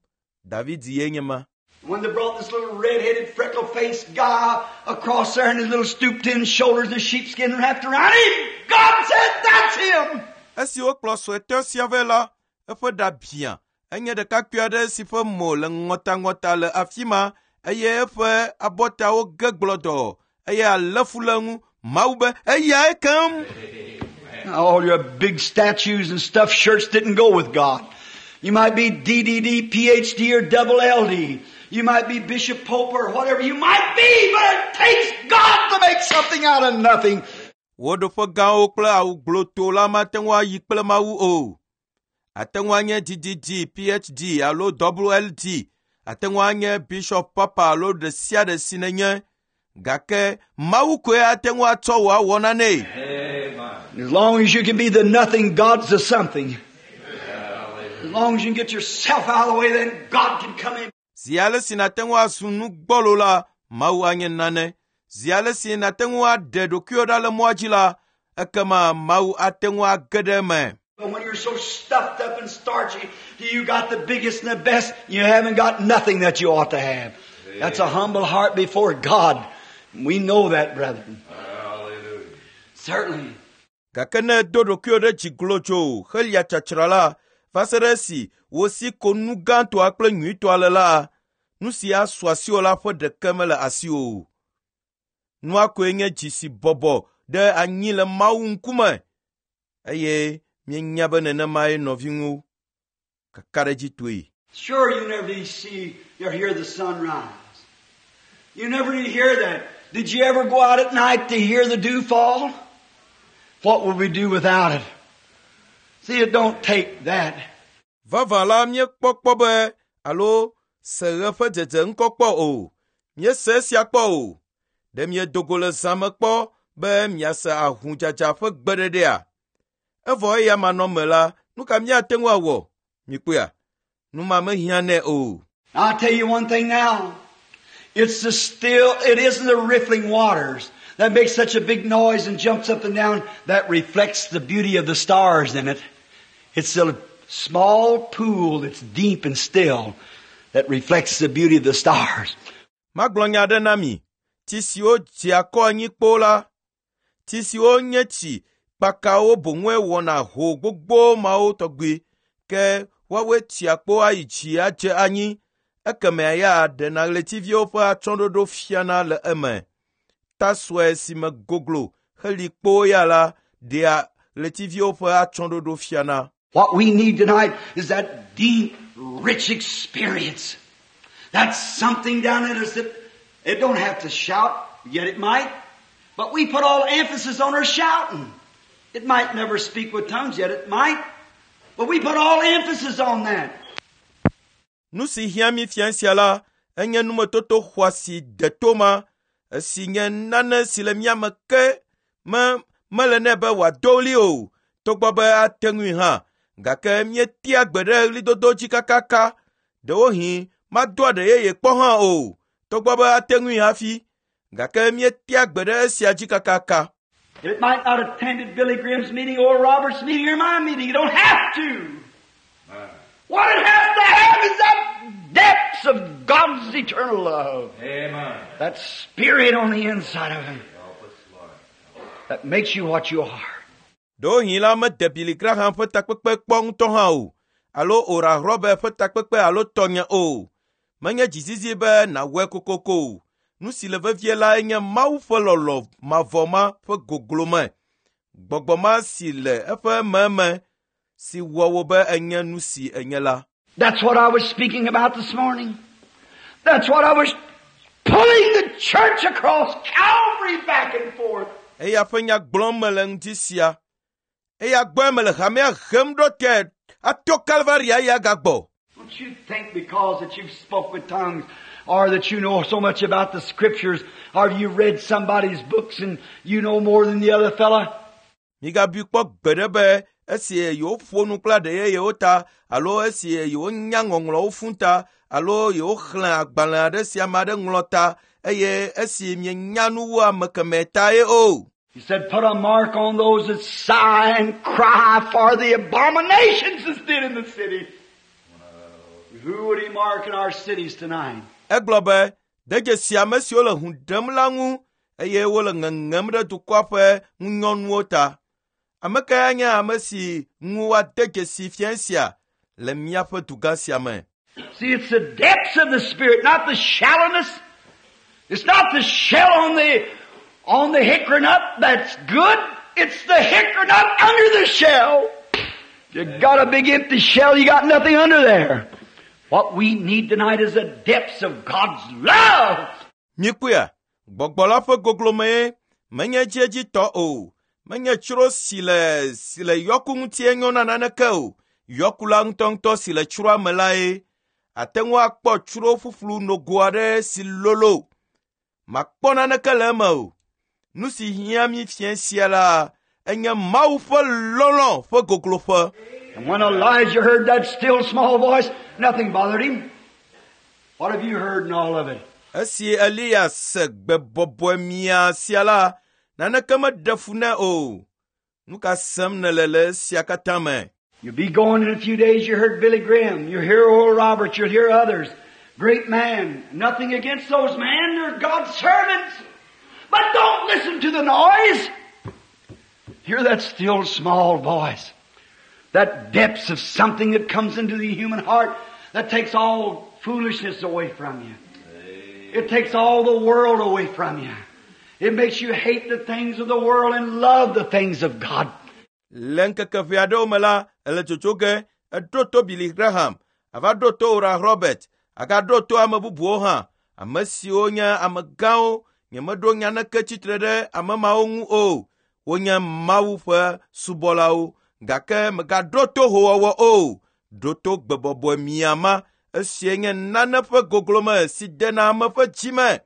David ye nye ma. When they brought this little red-headed, freckle-faced guy across there and his little stooped-in shoulders and sheepskin wrapped around him, God said, that's him! Esi wokplɔ suetɔ sia vɛ la, eƒe ɖa biã. Enye ɖekakpui aɖe si ƒe mo le ŋɔtaŋɔta le afi ma eye eƒe abɔtawo ge gblɔdɔ eye alẽfu le eŋu. Mawu be eyae keŋ. All your big statues and stuffed shirts didn't go with God. You might be D D D, P H D, or double L D. You might be Bishop Pope or whatever you might be, but it takes God to make something out of nothing. Wò ɖoƒe gãwo kple awu gblɔto la mate ŋu ayi kple Mawu o. Ate ŋu anye D D D, P H D alo double L D. Ate ŋu anye Bishop Papa alo ɖe sia ɖe si nenye. Gake Mawu koe ate ŋu atsɔ wò awɔ nane. Amen. As long as you can be the nothing, God's the something. As long as you can get yourself out of the way, then God can come in. Zi ale si nàte ŋu azu nu gbɔlo la, Mawu anye nane. Zi ale si nàte ŋu aɖe ɖokuiwò ɖa le mɔa dzi la, ekema Mawu ate ŋu age ɖe eme. But when you're so stuffed up and starchy, you got the biggest and the best, you haven't got nothing that you ought to have. That's a humble heart before God. We know that, brethren. Hallelujah. Certainly. Gake ne èdo ɖokuiwò ɖe dzi glodzo helia tsatsra la, va se ɖe esi wò si ko nu gãtɔa kple nyuitɔa le la, nu si asu asiwò la ƒe ɖeke mele asiwò o. Nua koe nye dzi si bɔbɔ ɖe anyi le Mawu ŋkume eye míenya be nenemae nɔviwo kakaɖedzitɔe. Sure, you never did see or hear the sun rise. You never did hear that. Did you ever go out at night to hear the dew fall? What would we do without it? See, it don't take that. Vavã la míekpɔ kpɔ be alo se ɣe ƒe dzedze ŋkɔ kpɔ o. Míese esia kpɔ o. Ɖe miedo go le zã me kpɔ be miase ahudzadza ƒe gbeɖeɖea? Evɔ eya manɔme la, nu ka míate ŋu awɔ? Mikpɔea? Nu ma mehiã nɛ o. I'll tell you one thing now. It's the still, it isn't the riffling waters that makes such a big noise and jumps up and down that reflects the beauty of the stars in it. It's the small pool that's deep and still that reflects the beauty of the stars. Magblɔ nya aɖe na mi. Tsi siwo dzea kɔ anyi kpoo la, tsi siwo nye tsi kpakawo boŋue wɔna ho gbogbo mawo tɔgbi ke woawoe tsia kpo ayi dzi adze anyi ekemea ya ɖena ɣletiviwo ƒe atsyɔ̃ɖoɖo fiana le eme. Ta sue si me goglo heli kpoo ya la ɖea ɣletiviwo ƒe atsyɔ̃ɖoɖo fiana. What we need tonight is that deep, rich experience. That's something down in us that it don't have to shout, yet it might. But we put all emphasis on her shouting. It might never speak with tongues, yet it might. But we put all emphasis on that. Nu si hiã mí fia sia la, enye numetoto xɔasi deto ma, esi nye nane si le mía me ke me mele nɛ be wòado ɣli o, togbɔ be ate ŋui hã, gake míetea gbe ɖe ɣlidodo dzi kakaka. Ɖewohĩ mado aɖe yeye kpɔ hã o, togbɔ be ate ŋui hafi, gake míetea gbe ɖe esia dzi kakaka. It might not attended Billy Graham's meeting or Robert's meeting or my meeting. You don't have to. What it has to have is that depths of God's eternal love. Amen. That spirit on the inside of him Help us, Lord. that makes you what you are. Ɖewohĩ la mede Billy Graham ƒe takpekpe kpɔ ŋutɔ hã o, alo Oral Robert ƒe takpekpe alo tɔnye o. Menye dzizizi be nàwɔe kokoko o. Nu si le vevie lae nye Mawu ƒe lɔlɔ̃ mavɔ ma ƒe goglome. Gbɔgbɔ ma si le eƒe meme si wɔ wò be enye nu si enye la. That's what I was speaking about this morning. That's what I was pulling the church across Calvary back and forth. Eya ƒe nya gblɔm mele ŋdi sia. Eya gbɔe mele hamea hem ɖo te ato Kalvaria ya gagbɔ. Don't you think because that you've spoke with tongues or that you know so much about the scriptures or you read somebody's books and you know more than the other fella? Migabui kpɔ gbeɖe be esi yewoƒo nu kple aɖe yeyewo ta alo esi yewonya ŋɔŋlɔwo fũ ta alo yewoxlẽ agbalẽ aɖe si ame aɖe ŋlɔ ta eye esi mienya nu wu ame kemɛ ta ye o. He said, put a mark on those that sigh and cry for the abominations that's did in the city. Who would he mark in our cities tonight? Egblɔ be, de dzesi ame siwo le hũ ɖem la ŋu eye wole ŋeŋem ɖe dukɔa ƒe ŋunyɔnuwo ta. Ame kae nye ame si ŋu woade dzesi fia sia le míaƒe dugã sia me? See, it's the depths of the Spirit, not the shallowness. It's not the shell on the, on the hickory nut that's good. It's the hickory nut under the shell. You got a big empty shell, you got nothing under there. What we need tonight is the depths of God's love. Mikpɔea, gbɔgbɔ la ƒe goglomee menye edziedzitɔ o. Menye tsro si le si le yɔku ŋutie nyo na naneke o. Yɔku la ŋutɔŋutɔ si le tsroa me lae. Ate ŋu akpɔ tsro ƒuƒlu nogo aɖe si lolo. Makpɔ naneke le eme o. Nu si hiã mí fia sia la, enye Mawu ƒe lɔlɔ̃ ƒe gogloƒe. And when Elijah heard that still small voice, nothing bothered him. What have you heard in all of it? Esi Eliya se gbe bɔbɔe mia sia la, naneke meɖe fu nɛ o. Nu ka sem nèle le esia katã me? You'll be going in a few days. You heard Billy Graham. You'll hear Oral Roberts. You'll hear others. Great man. Nothing against those men. They're God's servants. But don't listen to the noise. Hear that still small voice. That depths of something that comes into the human heart that takes all foolishness away from you. It takes all the world away from you. It makes you hate the things of the world and love the things of God. Le ŋkeke ʋɛ aɖewo me la, ele dzodzo ge, eɖo to Billy Graham, ava ɖo to Oral Robert, agaɖo to ame bubuwo hã, ame siwo nye amegãwo, nyemeɖo naneke tsitre ɖe ame mawo ŋu o. Wonye Mawu ƒe subɔlawo, gake megaɖo to howɔwɔ o. Ɖo to gbebɔbɔe miama, esie nye nane ƒe goglome si dena ame ƒe dzi me.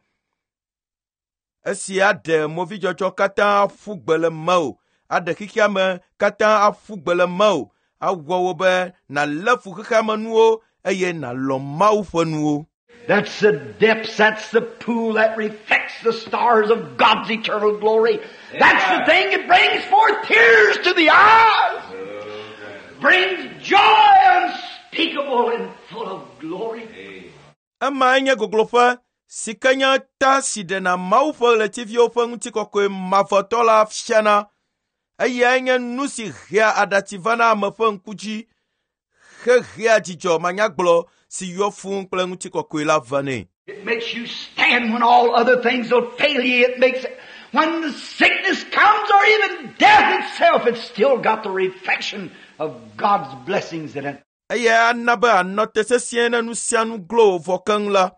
Esi aɖe movidzɔdzɔ katã aƒu gbe le mewò, aɖe xexea me katã aƒu gbe le mewò, awɔ wò be nàlé fu xexea me nuwo eye nàlɔ̃ Mawu ƒe nuwo. That's the depths, that's the pool that reflects the stars of God's eternal glory. That's the thing that brings forth tears to the eyes. Brings joy unspeakable and full of glory. Emae nye gogloƒe si ke nye ta si ɖena Mawu ƒe ɣletiviwo ƒe ŋutikɔkɔe mavɔtɔ la fiana. Eyae nye nu si hea aɖatsi vana ame ƒe ŋku dzi, hehea dzidzɔ manyagblɔ si yɔ fũu kple ŋutikɔkɔe la vanɛ. It makes you stand when all other things will fail you. It makes it, when the sickness comes or even death itself, it's still got the reflection of God's blessings in it. Eya ana be ànɔ te sesĩe ne nu sia nu glo wò vɔ keŋ la,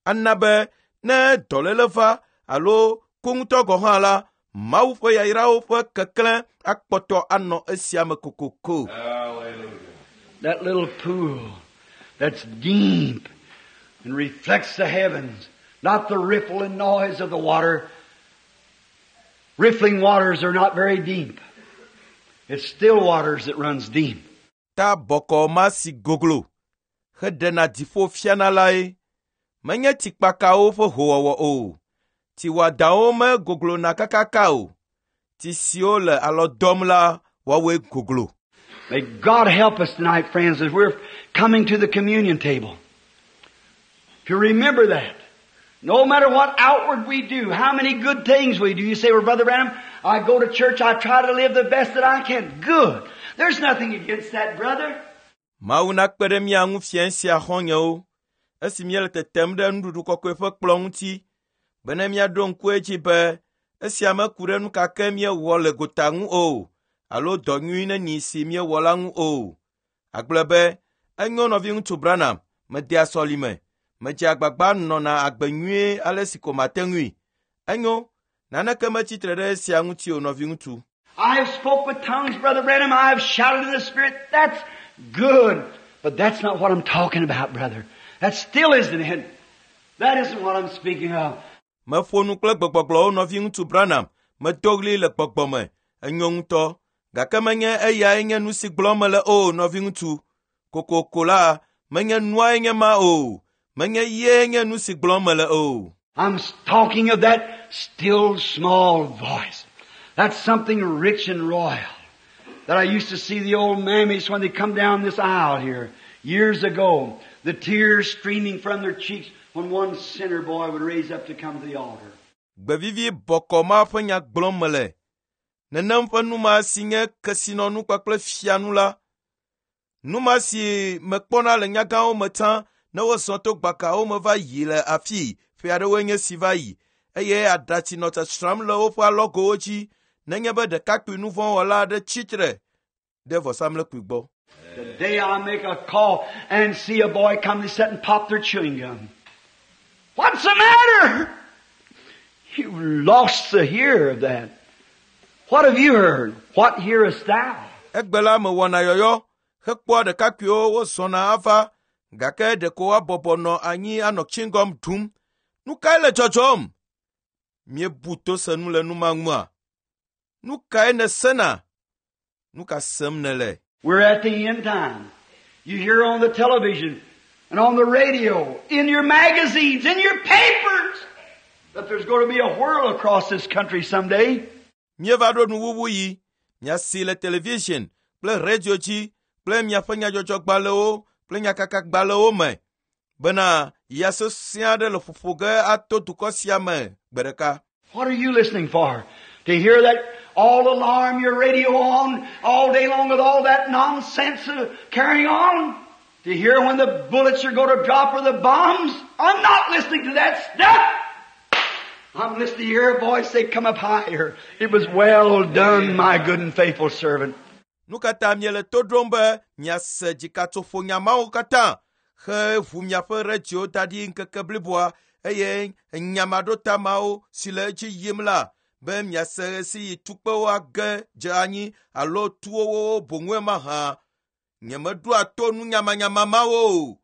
ana be ne dɔléle va alo ku ŋutɔ gɔ̃ hã la, Mawu ƒe yayrawo ƒe keklẽ akpɔtɔ anɔ esia me kokoko. Hallelujah. That little pool that's deep and reflects the heavens, not the ripple and noise of the water. Riffling waters are not very deep. It's still waters that runs deep. Ta bɔkɔ ma si goglo heɖena dziƒo fiana lae. Menye tsikpakawo ƒe howɔwɔ o. Tsi wɔadawo megoglona kakaka o. Tsi siwo le alɔ dɔm la, woawoe goglo. May God help us tonight, friends, as we're coming to the communion table. To remember that. No matter what outward we do, how many good things we do, you say, well, Brother Branham, I go to church, I try to live the best that I can. Good. There's nothing against that, brother. Mawu nakpe ɖe mía ŋu fiẽ sia xɔ̃nyewo, esi míele tetem ɖe nuɖuɖu kɔkɔe ƒe kplɔ̃ ŋuti, bene míaɖo ŋku edzi be esia meku ɖe nu ka ke míewɔ le gota ŋu o, alo dɔ nyui neni si míewɔ la ŋu o. Agblɔ be, enyo nɔviŋutsu Branham, medea sɔlime, medze agbagba nɔna agbe nyuie ale si ko mate ŋui. Enyo, naneke metsitre ɖe esia ŋuti o nɔviŋutsu. I have spoke with tongues, Brother Branham. I have shouted in the Spirit. That's good. But that's not what I'm talking about, brother. That still isn't it. That isn't what I'm speaking of. Meƒo nu kple gbegbɔgblɔwo nɔviŋutsu Branham, medo ɣli le gbɔgbɔ me, enyo ŋutɔ. Gake menye eyae nye nu si gblɔm mele o nɔviŋutsu. Kokoko la, menye nuae nye ma o. Menye ye nye nu si gblɔm mele o. I'm talking of that still small voice. That's something rich and royal that I used to see the old mammies when they come down this aisle here years ago, the tears streaming from their cheeks when one sinner boy would raise up to come to the altar. Gbevivi bɔkɔ ma ƒe nya gblɔm mele. Nenem ƒe nu ma si nye kesinɔnu kpakple fianu la. Nu ma si mekpɔna le nyagãwo me tsã ne wozɔ to gbakawo me va yi le afii ƒe aɖewoe nye si va yi eye aɖatsi nɔ tsatsram le woƒe alɔgowo dzi nenye be ɖekakpui nuvɔ̃wɔla aɖe tsitre ɖe vɔsamlekpui gbɔ. Today I make a call and see a boy come to sit and pop their chewing gum. What's the matter? You lost the hear of that. What have you heard? What hearest thou? Egbe la mewɔna yɔyɔ hekpɔa ɖekakpuiwo wozɔna ava gake ɖeko woabɔbɔ nɔ anyi anɔ chewing gum ɖum. Nu kae le dzɔdzɔm? Míebu to se nu le nu ma ŋua? Nu kae nèsena? Nu ka sem nèle? We're at the end time. You hear on the television and on the radio, in your magazines, in your papers, that there's going to be a whirl across this country someday. Míeva ɖo nuwuwu yi. Miasi le television kple radio dzi kple miaƒe nyadzɔdzɔgbalẽwo kple nyakakagbalẽwo me bena ya sesẽ aɖe le ƒoƒo ge ato dukɔ sia me gbe ɖeka. What are you listening for? To hear that all alarm your radio on all day long with all that nonsense uh, carrying on? To hear when the bullets are going to drop or the bombs? I'm not listening to that stuff. I'm listening to hear a voice say, come up higher. It was well done, my good and faithful servant. Nu ka ta miele to ɖom be miase dzikatsoƒonya mawo katã he ʋu miaƒe radio da ɖi ŋkeke bliboa eye nyamaɖota mawo si le edzi yim la be miase ɣe si yi tukpewo age dze anyi alo tuwo boŋue mahã. Nyemeɖoa to nu nyamanyama mawo o.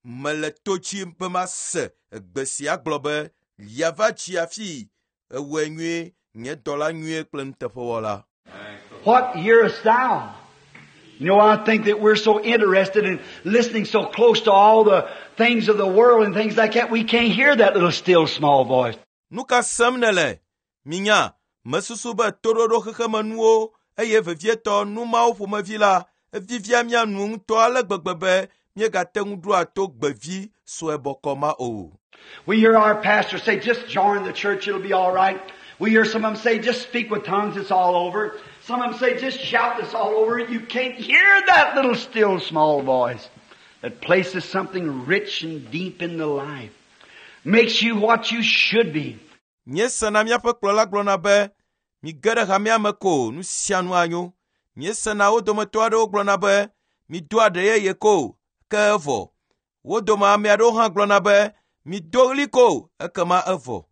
Mele to dzi be mase egbe sia gblɔ be yava dzi afi ewɔe nyuie nye dɔla nyuie kple nuteƒewɔla. What hearest thou? You know, I think that we're so interested in listening so close to all the things of the world and things like that, we can't hear that little still small voice. Nu ka sem nèle? Minya, mesusu be toɖoɖo xexemenuwo eye vevietɔ nu mawo ƒomevi la evivia mía nu ŋutɔ ale gbegbe be míegate ŋu ɖoa to gbevi sue bɔkɔ ma o. We hear our pastor say, just join the church, it'll be all right. We hear some of them say, just speak with tongues, it's all over. Some of them say, just shout, it's all over. You can't hear that little still small voice that places something rich and deep in the life. Makes you what you should be. Míesena míaƒe kplɔla gblɔna be mige ɖe hamea me ko nu sia nu anyo. Míesena wo dometɔ aɖewo gblɔna be mido aɖe yeye ko ke evɔ. Wo dome ame aɖewo hã gblɔna be mido ɣli ko ekema evɔ.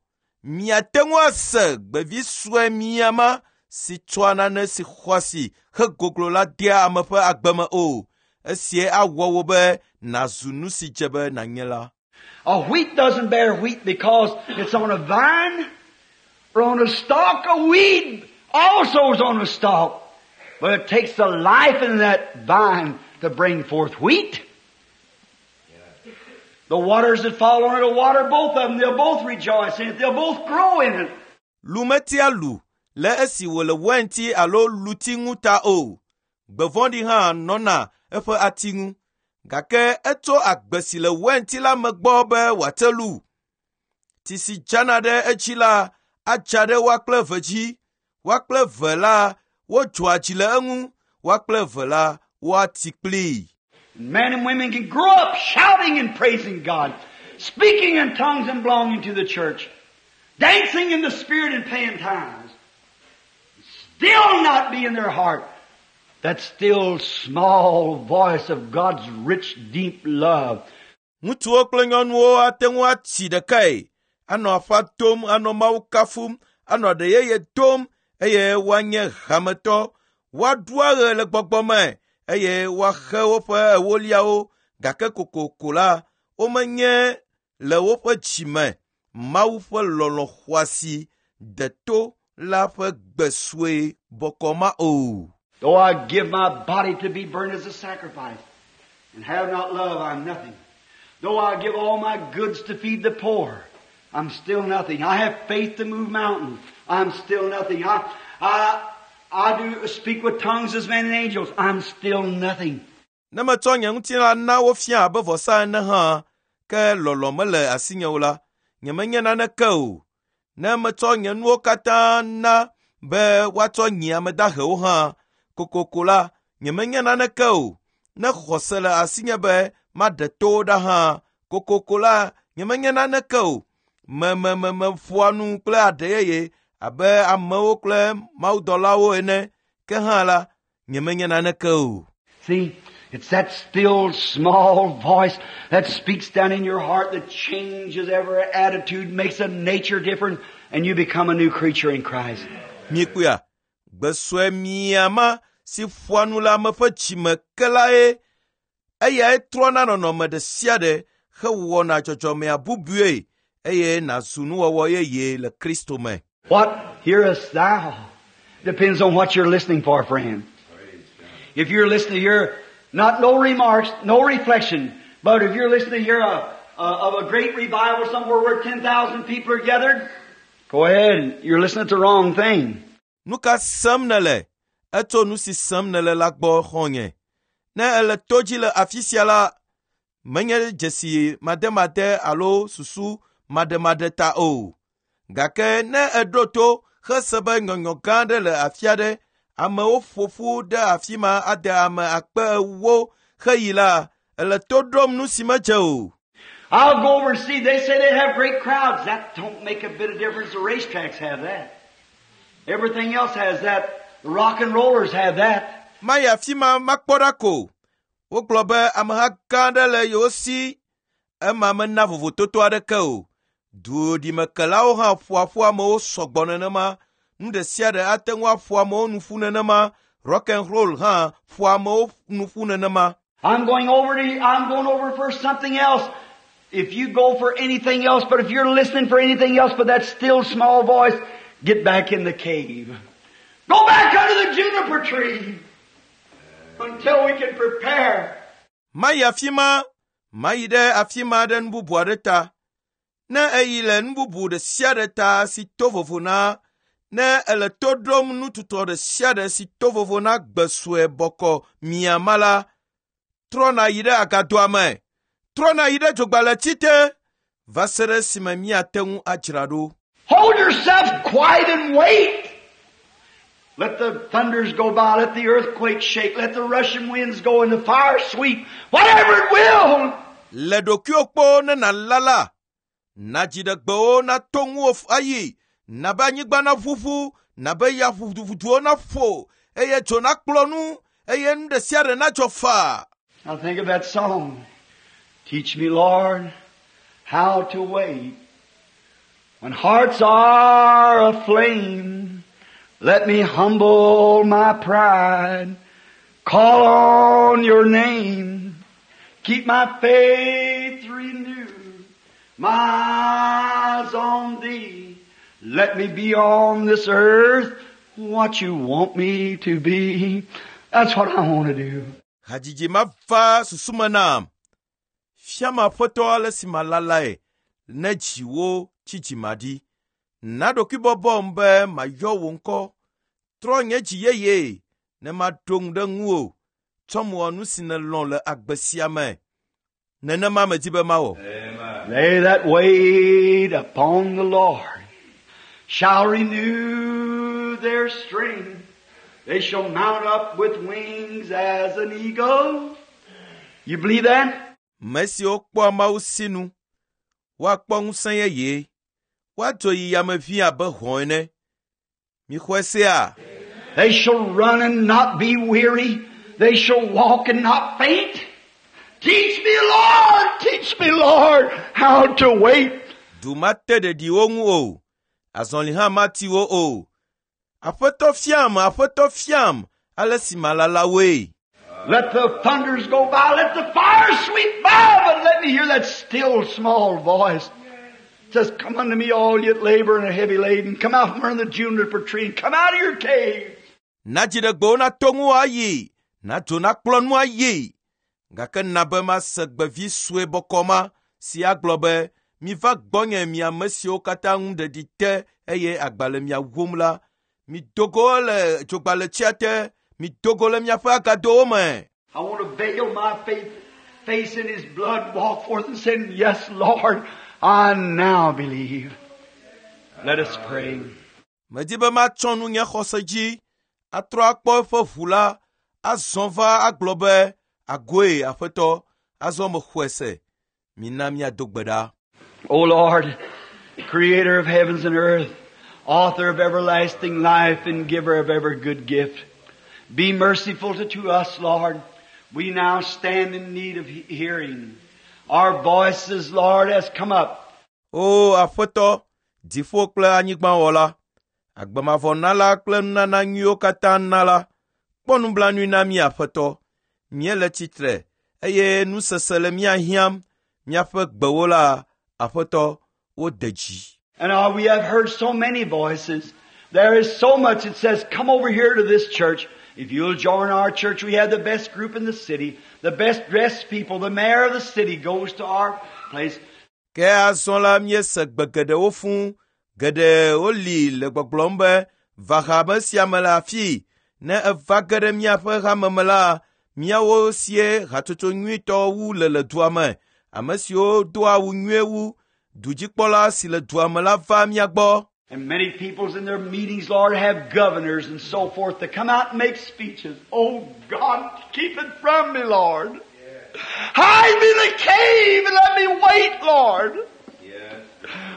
Miate ŋu ase gbevi sue miama si tsɔa nane si xɔ asi hegoglo la dea ame ƒe agbe me o. Esie awɔ wò be nàzu nu si dze be nànye la. A wheat doesn't bear wheat because it's on a vine or on a stalk. A weed also is on a stalk. But it takes the life in that vine to bring forth wheat. The waters that fall on it will water both of them. They'll both rejoice in it. They'll both grow in it. Lu metia lu le esi wòle wɛnti alo luti ŋu ta o. Gbe vɔ̃ɖi hã nɔna eƒe ati ŋu. Gake etso agbe si le wɛnti la me gbɔ be wòate lu. Tsi si dzana ɖe edzi la adza ɖe woa kple eve dzi. Woa kple eve la wodzɔa dzi le eŋu. Woa kple eve la woati kplii. Men and women can grow up shouting and praising God, speaking in tongues and belonging to the church, dancing in the Spirit and paying tithes, still not be in their heart that still small voice of God's rich, deep love. Ŋutsuwo kple nyɔnuwo ate ŋu atsi ɖekae, anɔ aƒa dom, anɔ Mawu kafum, anɔ aɖe yeye dom eye woanye hametɔ. Woaɖu aɣe le gbɔgbɔ me eye woaxe woƒe ewoliawo gake kokoko la, womenye le woƒe dzime Mawu ƒe lɔlɔ̃ xɔasi deto la ƒe gbe sue bɔkɔ ma o. Though I give my body to be burned as a sacrifice and have not love, I'm nothing. Though I give all my goods to feed the poor, I'm still nothing. I have faith to move mountains. I'm still nothing. I, I, I do speak with tongues as men and angels. I'm still nothing. Ne metsɔ nye ŋutilã na wofia abe vɔsa ene hã, ke lɔlɔ̃ mele asinye o la, nyemenye naneke o. Ne metsɔ nye nuwo katã na be woatsɔ nyi ame dahewo hã, kokoko la, nyemenye naneke o. Ne xɔse le asinye be maɖe towo ɖa hã, kokoko la, nyemenye naneke o. Memememeƒoa nu kple aɖe yeye abe amewo kple mawudɔlawo ene, ke hã la, nyemenye naneke o. See, it's that still small voice that speaks down in your heart that changes every attitude, makes a nature different, and you become a new creature in Christ. Miekpɔa, gbe sue miama si ƒoa nu le ame ƒe dzime ke lae eyae trɔna nɔnɔme ɖe sia ɖe hewɔna dzɔdzɔmea bubue eye nàzu nuwɔwɔ yeye le Kristo me. What hearest thou? Depends on what you're listening for, friend. If you're listening to hear not no remarks, no reflection, but if you're listening to hear a, a, of a great revival somewhere where ten thousand people are gathered, go ahead. You're listening to the wrong thing. Nu ka sem nèle? Etso nu si sem nèle la gbɔ xɔ̃nye. Ne èle to dzi le afi sia la, menye dzesi mademade alo susu mademade ta o. Gake ne èɖo to hese be nyɔnyɔ gã aɖe le afi aɖe, amewo ƒo ƒu ɖe afi ma ade ame akpe ewo heyi la, èle to ɖom nu si medze o. I'll go over and see. They say they have great crowds. That don't make a bit of difference. The racetracks have that. Everything else has that. The rock and rollers have that. Mayi afi ma makpɔ ɖa ko. Wogblɔ be ameha gã aɖe le yewo si. Ema mena vovototo aɖeke o. Duɖimekelawo hã ƒoa ƒu amewo sɔgbɔ nenema. Nu ɖe sia ɖe ate ŋu aƒo amewo nu ƒu nenema. Rock and roll hã ƒoa amewo nu ƒu nenema. I'm going over to, I'm going over for something else. If you go for anything else, but if you're listening for anything else but that still small voice, get back in the cave. Go back under the juniper tree until we can prepare. Mayi afi ma, mayi ɖe afi ma ɖe nu bubu aɖe ta. Ne eyi le nu bubu ɖe sia ɖe ta si to vovo na, ne ele to ɖom nututɔ ɖe sia ɖe si to vovo na gbe sue bɔkɔ miama la, trɔ nàyi ɖe agadoa me. Trɔ nàyi ɖe dzogbalẽti te va se ɖe esime míate ŋu adzra ɖo. Hold yourself quiet and wait. Let the thunders go by, let the earthquake shake, let the rushing winds go and the fire sweep, whatever it will. Le ɖokuiwò kpɔ ne nàlala, na dziɖegbewo nato ŋuwò ayi, na be anyigba naʋuʋu, na be ya ʋuduʋuduwo naƒo, eye dzo nakplɔ nu, eye nu ɖe sia ɖe nadzɔ faa. Now think of that song. Teach me, Lord, how to wait. When hearts are aflame, let me humble my pride. Call on your name. Keep my faith renewed. My eyes on thee. Let me be on this earth what you want me to be. That's what I want to do. Hadzidzi ma va susu me nam. Fiam aƒetɔ ale si malalae ne dziwo tsi dzimaɖi. Na ɖokuibɔbɔm be mayɔ wò ŋkɔ. Trɔ nye dzi yeye ne maɖo ŋu ɖe ŋuwò. Tsɔm wɔ nu si nèlɔ̃ le agbe sia me. Nenema medi be mawɔ. Amen. They that wait upon the Lord shall renew their strength. They shall mount up with wings as an eagle. You believe that? Me siwo kpɔa Mawu sinu, woakpɔ ŋusẽ yeye. Woadzo yi yame ʋĩi abe hɔ̃ ene. Mixɔe sea? They shall run and not be weary. They shall walk and not faint. Teach me, Lord, teach me, Lord, how to wait. Du mate ɖeɖi wo ŋu o. Azɔli hã mati wo o. Aƒetɔ fiam, aƒetɔ fiam, ale si malala woe. Let the thunders go by, let the fire sweep by, but let me hear that still small voice. It says, come unto me all ye that labor and are heavy laden. Come out from under the juniper tree and come out of your cave. Na dziɖegbewo nato ŋuwò ayi, na dzo nakplɔ nu ayi. Gake na be mase gbevi sue bɔkɔ ma si agblɔ be, miva gbɔnye mi ame siwo katã ŋu ɖeɖi te eye agba le mia wum la. Mido go le dzogbaletsia te, mido go le miaƒe agadowo me. I want to veil my faith, face in His blood, walk forth and say, Yes, Lord, I now believe. Let us pray. Medi be matsɔ nu nye xɔse dzi, atrɔ akpɔ eƒe ʋu la, azɔ va agblɔ be, agoe aƒetɔ, azɔ mexɔe se. Mina míado gbe ɖa. O Lord, creator of heavens and earth, author of everlasting life and giver of every good gift, be merciful to, to us, Lord. We now stand in need of he- hearing. Our voices, Lord, has come up. O aƒetɔ, dziƒo kple anyigbawɔla, agbemavɔnala kple nunana nyuiwo katã nala, kpɔ nublanui na mí aƒetɔ. Míele tsitre eye nusese le mía hiãm. Míaƒe gbewo la, aƒetɔ, wode dzi. And uh, we have heard so many voices. There is so much that says, come over here to this church. If you'll join our church, we have the best group in the city, the best dressed people. The mayor of the city goes to our place. Ke azɔ la míese gbe geɖewo fũu. Geɖewo li le gbɔgblɔm be, Va hame sia me le afii. Ne eva ge ɖe míaƒe hame me la, míawo sie hatsotso nyuitɔ wu le le dua me. Ame siwo doa awu nyuie wu, dudzikpɔla si le dua me la va mía gbɔ. And many peoples in their meetings, Lord, have governors and so forth to come out and make speeches. Oh God, keep it from me, Lord. Hide me in the cave and let me wait, Lord. Yes.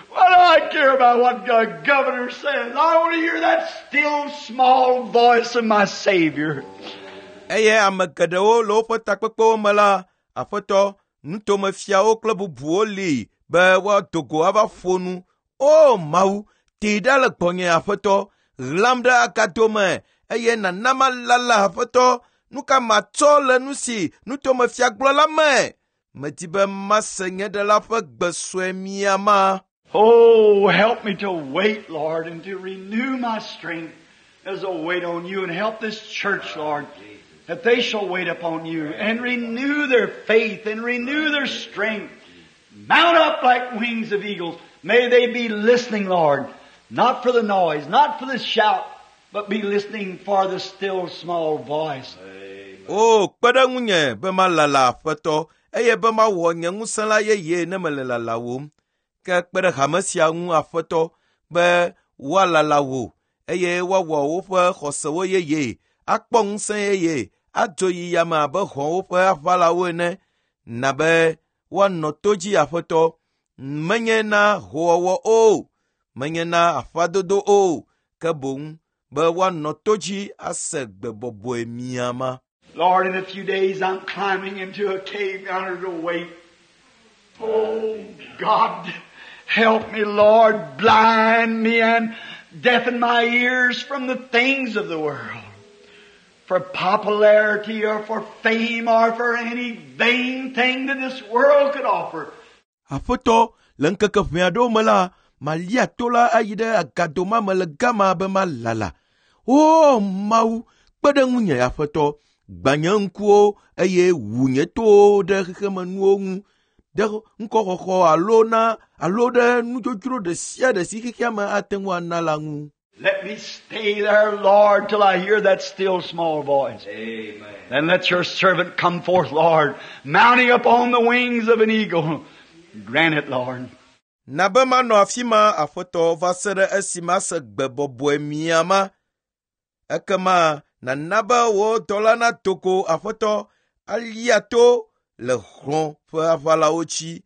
What do I care about what the governor says? I want to hear that still small voice of my Savior. Eye ame geɖewo le woƒe takpekpewo me la, Aƒetɔ, nutomefiawo kple bubuwo li be woado go ava ƒo nu. O Mawu, tee ɖa le gbɔnye Aƒetɔ, ɣlam ɖe agado me eye nàna malala Aƒetɔ. Nu ka matsɔ le nu si nutomefia gblɔ la me? Medi be mase nye ɖela ƒe gbe sue miama. Oh, help me to wait, Lord, and to renew my strength as I wait on you, and help this church, Lord, that they shall wait upon you and renew their faith and renew their strength. Mount up like wings of eagles. May they be listening, Lord, not for the noise, not for the shout, but be listening for the still small voice. O, kpe ɖe ŋunye be malala Aƒetɔ, eye be mawɔ nye ŋusẽ la yeye ne mele lalawòm. Ke kpe ɖe hame sia ŋu Aƒetɔ be woalala wò eye woawɔ woƒe xɔsewo yeye, akpɔ ŋusẽ yeye, adzo yi yame abe hɔ̃wo ƒe aʋalawo ene, na be woanɔ to dzi Aƒetɔ. Menye na hoowɔwɔ o, menye na aƒadodo o, ke boŋ be woanɔ to dzi ase gbe bɔbɔe miama. Lord, in a few days I'm climbing into a cave yonder to wait. Oh, God, help me, Lord, blind me and deafen my ears from the things of the world. For popularity or for fame or for any vain thing that this world could offer. Aƒetɔ, le ŋkeke ʋɛ aɖewo me la, malia to la ayi ɖe agado ma me le gama be malala. O Mawu, kpe ɖe ŋunye Aƒetɔ, gbã nye ŋkuwo eye wu nye towo ɖe xexemenuwo ŋu, ɖe ŋkɔxɔxɔ alo na alo ɖe nudzodzro ɖe sia ɖe si xexea me ate ŋu ana la ŋu. Let me stay there, Lord, till I hear that still small voice. Amen. Then let your servant come forth, Lord, mounting up on the wings of an eagle. Grant it, Lord. Na be manɔ afi ma Aƒetɔ va se ɖe esi mase gbe bɔbɔe miama. Ekema nàna be wò dɔla nato go Aƒetɔ alia to le hlɔ̃ ƒe aʋalawo dzi.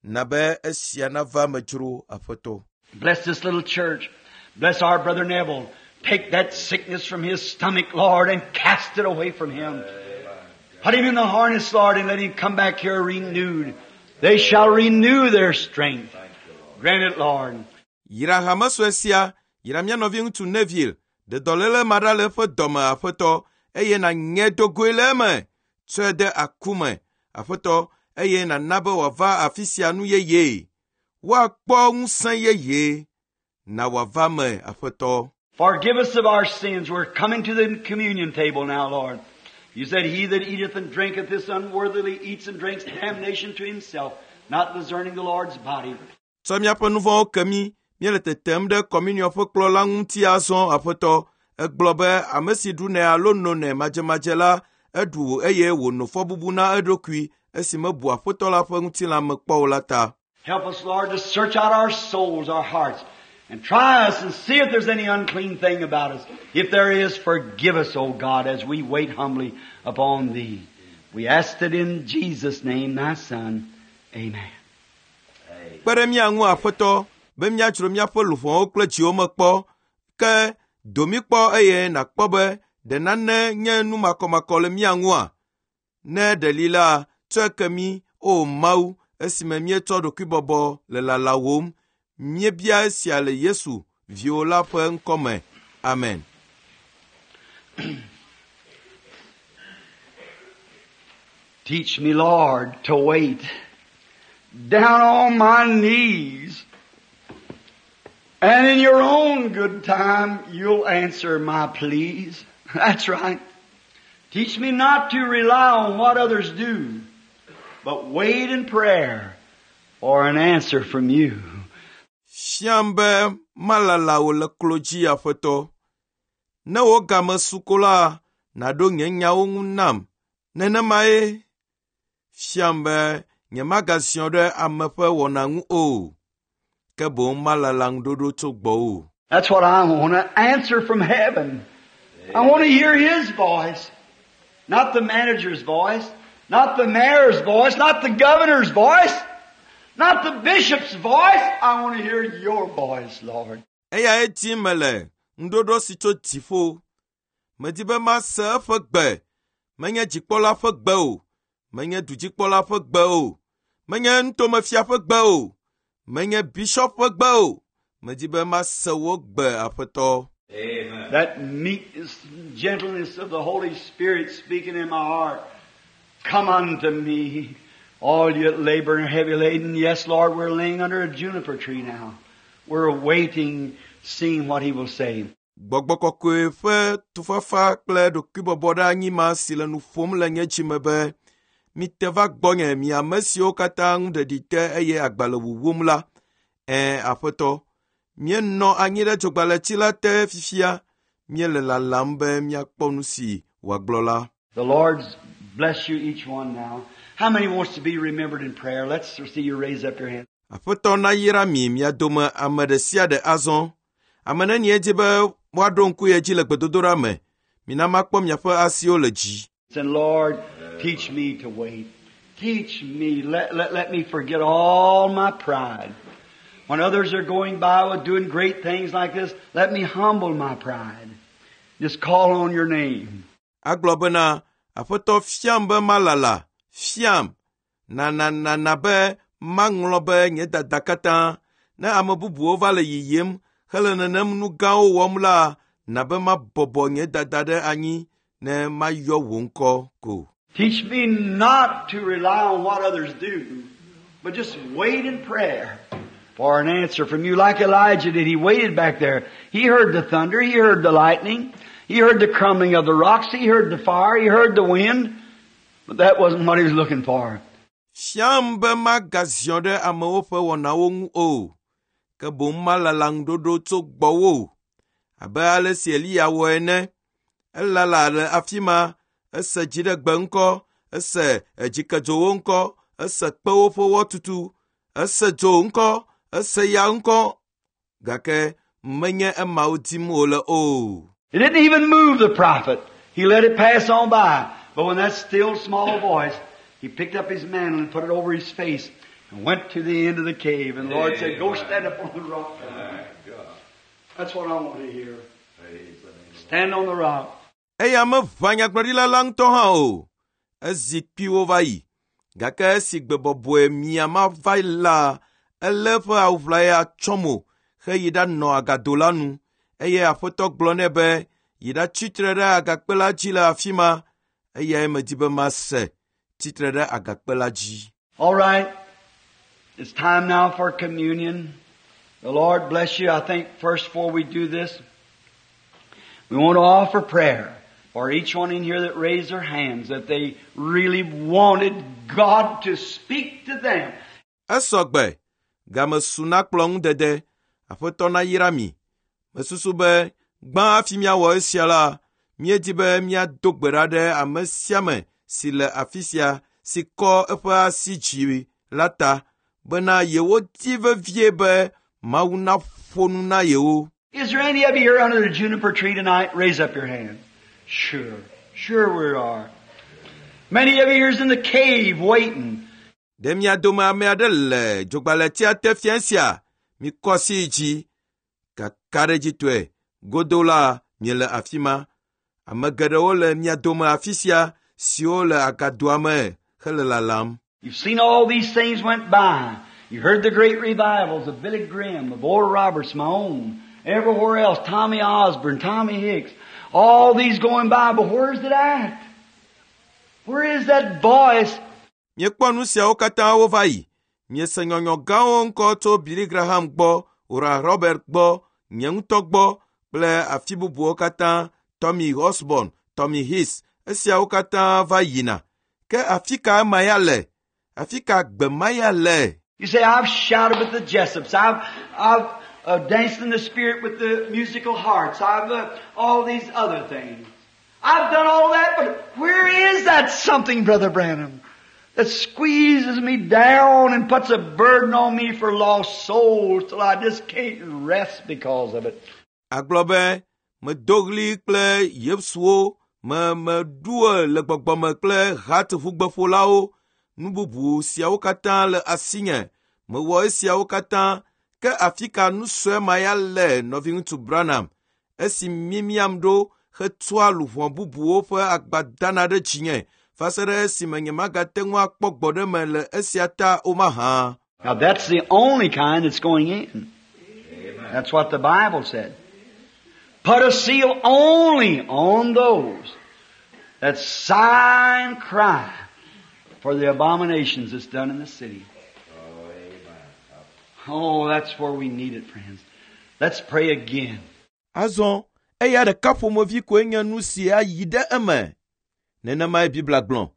Na be esia nava eme dzro Aƒetɔ. Bless this little church. Bless our brother Neville. Take that sickness from his stomach, Lord, and cast it away from him. Put him in the harness, Lord, and let him come back here renewed. They shall renew their strength. Grant it, Lord. Yra hame sue sia, yra mía nɔviŋutsu Neville, ɖe dɔléle ma ɖa le eƒe dɔme Aƒetɔ, eye nàŋe dogoe le eme. Tsɔe de aku me, Aƒetɔ, eye nàna be wòava afi sia nu yeye. Woakpɔ ŋusẽ yeye. Na wòava me, Aƒetɔ. Forgive us of our sins. We're coming to the communion table now, Lord. You said, he that eateth and drinketh this unworthily eats and drinks damnation to himself, not discerning the Lord's body. Tsɔ míaƒe nu vɔ̃wo ke mí. Míele tetem ɖe kɔminiɔ ƒe kplɔ̃ la ŋuti azɔ, Aƒetɔ. Egblɔ be ame si ɖunɛ alo nonɛ madzemadze la, eɖu eye wòno fɔbubu na eɖokui esi mebu Aƒetɔ la ƒe ŋutilã me kpɔ o la ta. Help us, Lord, to search out our souls, our hearts, and try us and see if there's any unclean thing about us. If there is, forgive us, O God, as we wait humbly upon Thee. We ask it in Jesus' name, Thy Son. Amen. Kpe ɖe mía ŋu Aƒetɔ be míadzro míaƒe luʋɔwo kple dziwo me kpɔ. Ke do mí kpɔ eye nàkpɔ be ɖe nane nye nu makɔmakɔ le mía ŋua? Ne ɖe li la, tsɔe ke mí, O Mawu, esime míetsɔ ɖokuibɔbɔ le lalawòm. Míebia esia le Yesu, viwò la ƒe ŋkɔ me. Amen. Teach me, Lord, to wait down on my knees. And in your own good time, you'll answer my pleas. That's right. Teach me not to rely on what others do, but wait in prayer for an answer from you. Fiam be malala wò le klo dzi, Aƒetɔ. Ne wò game su ko la, nàɖo nye nyawo ŋu nam. Nenemae fiam be nyemagaziɔ ɖe ame ƒe wɔna ŋu o, ke boŋ malala ŋuɖoɖo tso gbɔwò. That's what I want, an answer from heaven. I want to hear His voice. Not the manager's voice, not the mayor's voice, not the governor's voice, not the bishop's voice. I want to hear your voice, Lord. Eyae dim mele ŋuɖoɖo si tso dziƒo. Medi be mase eƒe gbe, menye dzikpɔla ƒe gbe o, menye dudzikpɔla ƒe gbe o, menye nutomefia ƒe gbe o, menye bishɔp ƒe gbe o. Medi be mase wò gbe, Aƒetɔ. Amen. That meekness, gentleness of the Holy Spirit speaking in my heart. Come unto me, all you that labor and are heavy laden. Yes, Lord, we're laying under a juniper tree now. We're waiting, seeing what He will say. Gbɔgbɔ kɔkɔe ƒe tufafa kple ɖokuibɔbɔɖeanyi ma si le nu ƒom le nye dzime be, mite va gbɔnye mi ame siwo katã ŋu ɖeɖi te eye agba le wuwum la. Ɛ̃, Aƒetɔ, míenɔ anyi ɖe dzogbalẽti la te fifia, míele lalam be míakpɔ nu si wòagblɔ la. The Lord's bless you each one now. How many wants to be remembered in prayer? Let's see you raise up your hand. Aƒetɔ nayra mi mia dome ame ɖe sia ɖe azɔ. Ame nenie di be woaɖo ŋku ye dzi le gbedodoɖa me. Mina makpɔ miaƒe asiwo le dzi. Say, Lord, teach me to wait. Teach me. Let, let, let me forget all my pride. When others are going by with doing great things like this, let me humble my pride. Just call on your name. Agblɔ bena, Aƒetɔ fiam be malala, fiam. Na na na na be maŋlɔ be nye dada katã. Ne ame bubuwo va le yiyim hele nenem nu gãwo wɔm la, na be mabɔbɔ nye dada ɖe anyi ne mayɔ wò ŋkɔ ko. Teach me not to rely on what others do, but just wait in prayer for an answer from you like Elijah did. He waited back there. He heard the thunder. He heard the lightning. He heard the crumbling of the rocks. He heard the fire. He heard the wind. But that wasn't what he was looking for. Fiam be magaziɔ ɖe amewo ƒe wɔnawo ŋu o, ke boŋ malala ŋuɖoɖo tso gbɔwò. Abe ale si Eliya wɔ ene. Elala le afi ma, ese dziɖegbe ŋkɔ, ese dzikedzowo ŋkɔ, ese kpewo ƒe wɔtutu, ese dzo ŋkɔ, ese ya ŋkɔ. Gake menye emawo dim wòle o. It didn't even move the prophet. He let it pass on by. But when that still small voice, he picked up his mantle and put it over his face and went to the end of the cave. And the Lord said, go stand up on the rock. Thank God. That's what I want to hear. Praise the name. Stand on the rock. Eya meʋã nyagblɔɖila la ŋutɔ hã o. Ezi kpuiwo va yi. Gake esi gbe bɔbɔe mia ma va la, elé eƒe awu ʋlaya tsɔ mo heyi ɖanɔ agado la nu. Eye Aƒetɔ gblɔ nɛ be, yi ɖatsi tre ɖe agakpe la dzi le afi ma. Eyae medi be mase, tsitre ɖe agakpe la dzi. All right. It's time now for communion. The Lord bless you. I think first before we do this, we want to offer prayer for each one in here that raised their hands that they really wanted God to speak to them. Esɔ gbe, game su na kplɔ̃ ŋudede. Aƒetɔ nayra mi. Mesusu be gbã hafi míawɔ esia la, míedi be míado gbe ɖa ɖe ame sia ame si le afi sia si kɔ eƒe asi dzi la ta bena yewodi vevie be Mawu naƒo nu na yewo. Is there any of you here under the juniper tree tonight? Raise up your hand. Sure. Sure we are. Many of you here's in the cave waiting. Ɖe mia dome ame aɖe le dzogbalẽtia te fiẽ sia? Mikɔ asi yi dzi. Kakaɖedzitɔe, godo la miele afi ma. Ame geɖewo le mia dome afi sia siwo le agadoa me hele lalam. You've seen all these things went by. You heard the great revivals of Billy Graham, of Oral Roberts, my own, everywhere else, Tommy Osborne, Tommy Hicks, all these going by, but where's it at? Where is that voice? Miekpɔ nu siawo katã wova yi. Miese nyɔnyɔ gãwo ŋkɔ tso Billy Graham gbɔ, Oral Robert gbɔ, nye ŋutɔ gbɔ kple afi bubuwo katã, Tommy Osborne, Tommy Hicks, esiawo katã va yina. Ke afi ka ema ya le? Afi ka gbe ma ya le? You say, I've shouted with the Jessups. I've, I've, uh, danced in the Spirit with the musical hearts. I've uh, all these other things. I've done all that, but where is that something, Brother Branham, that squeezes me down and puts a burden on me for lost souls till I just can't rest because of it? Agblɔ be, medo ɣli kple Yesuwo, me meɖue le gbɔgbɔme kple hat ʋugbeƒolawo. Nu bubu siawo katã le asinye. Mewɔ esiawo katã. Ke afi ka nu sue ma ya le nɔviŋutsu Branham? Esi mimiam ɖo hetua luʋɔ bubuwo ƒe agba dana ɖe dzinye va se ɖe esime nyemagate ŋu akpɔ gbɔɖeme le esia ta o mahã. Now that's the only kind that's going in. That's what the Bible said. Put a seal only on those that sigh and cry for the abominations that's done in the city. Oh, amen. Oh, that's where we need it, friends. Let's pray again. Azɔ eya ɖeka ƒomevi koe nye nu si ayi ɖe eme. Nenemae Biblia gblɔ.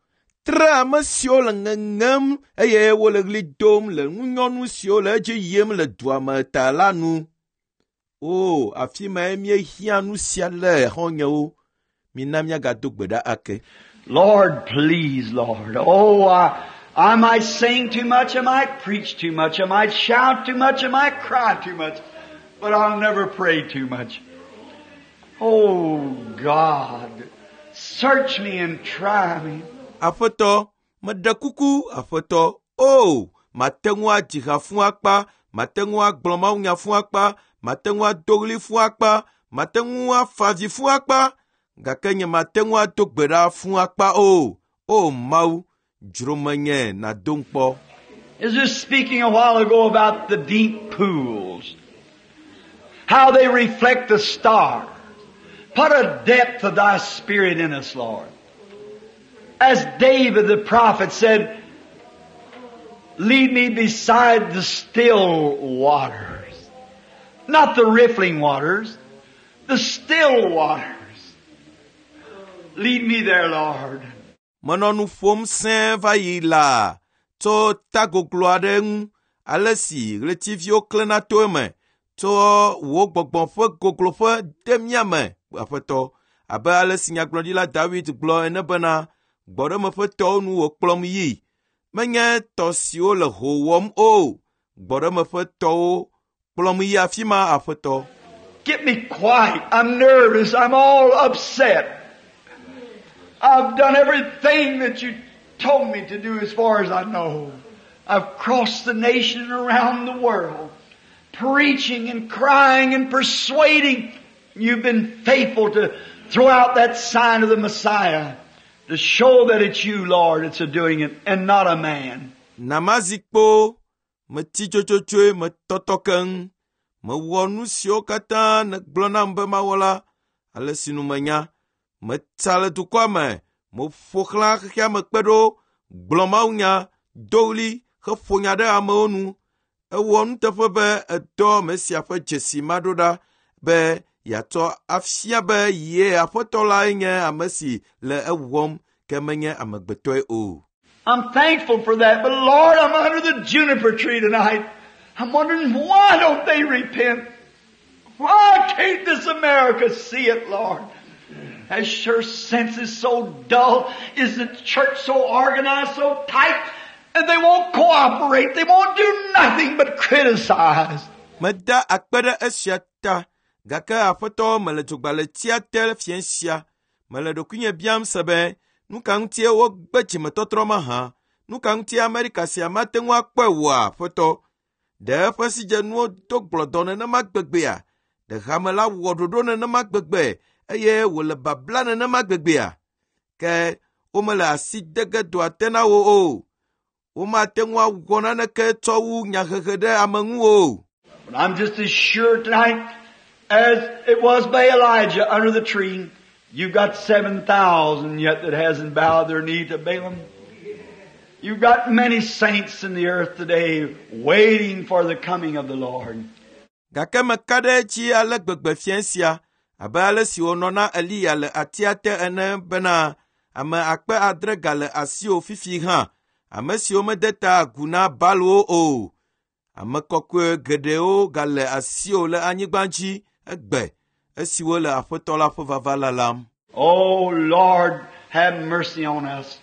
Tre ame siwo le ŋeŋem eye wole ɣli dom le ŋunyɔnu siwo le edzi yim le dua me ta la nu. O, afi mae míehiã nu sia le xɔ̃nyewo. Mina míagado gbe ɖa ake. Lord, please, Lord. Oh, I, I might sing too much, I might preach too much, I might shout too much, I might cry too much, but I'll never pray too much. Oh, God, search me and try me. Aƒetɔ, meɖe kuku, aƒetɔ. O, mate ŋu adzi ha fũ akpa, mate ŋu agblɔ mawunya fũ akpa, mate ŋu ado ɣli fũ akpa, mate ŋu afa avi fũ akpa, gake nye mate ŋu ado gbe ɖa fũ akpa o. O Mawu, dzro menye nàdom kpɔ. Is just speaking a while ago about the deep pools. How they reflect the stars. Put a depth of thy spirit in us, Lord. As David the prophet said, lead me beside the still waters. Not the riffling waters, the still waters. Lead me there, Lord. Menɔ nu ƒom sẽe va yi laa tso tagoglo aɖe ŋu ale si ɣletiviwo klẽna to eme tso wò gbɔgbɔ ƒe gogloƒe de mía me, aƒetɔ. Abe ale si nyagblɔɖila David gblɔ ene bena, gbɔɖeme ƒe tɔwo nu wòkplɔm yi. Menye tɔ siwo le ho wɔm o. Gbɔɖeme ƒe tɔwo kplɔm yi afi ma, aƒetɔ. Get me quiet. I'm nervous. I'm all upset. I've done everything that you told me to do as far as I know. I've crossed the nation and around the world, preaching and crying and persuading. You've been faithful to throw out that sign of the Messiah to show that it's you, Lord, that's a doing it and not a man. Namazikpo, metsi tsotsotsoe, metɔtɔ keŋ. Mewɔ nu siwo katã nègblɔ nam be mawɔ la, ale si nu menya. Metsa le dukɔa me, meƒo xlã xexea me kpe ɖo, gblɔ mawunya, do ɣli, heƒo nya ɖe amewo nu. Ewɔ nuteƒe be edɔ Mesia ƒe dzesi ma ɖo ɖa be yeatsɔ afia be ye aƒetɔ lae nye ame si le ewɔm ke menye amegbetɔe o. I'm thankful for that, but Lord, I'm under the juniper tree tonight. I'm wondering why don't they repent? Why can't this America see it, Lord? Has her senses so dull? Is the church so organized, so tight? And they won't cooperate. They won't do nothing but criticize. Meda akpe ɖe esia ta, gake aƒetɔ mele dzogbaletsia te fiẽ sia. Mele ɖokuinye biam se be, nu ka ŋutie wogbe dzimetɔtrɔ mahã? Nu ka ŋutie Amerika sia mate ŋu akpɔe oa, aƒetɔ? Ɖe eƒe sidzenuwo do gblɔdɔ nenema gbegbea? Ɖe hame la wɔ ɖoɖo nenema gbegbe eye wòle babla nenema gbegbea? Ke womele asi de ge doa te na wo o. Womate ŋu awɔ naneke tsɔ wu nyahehe ɖe ame ŋu o. But I'm just as sure tonight as it was by Elijah under the tree. You've got seven thousand yet that hasn't bowed their knee to Balaam. You've got many saints in the earth today waiting for the coming of the Lord. Gake meka ɖe edzi ale gbegbe fiẽ sia abe ale si wònɔ na Eliya le atia te ene bena ame akpe adre gale asiwò fifi hã, ame siwo mede ta agu na Baalwo o. Ame kɔkɔe geɖewo gale asiwò le anyigba dzi egbe esiwo le Aƒetɔ la ƒe vava lalam. Oh Lord, have mercy on us.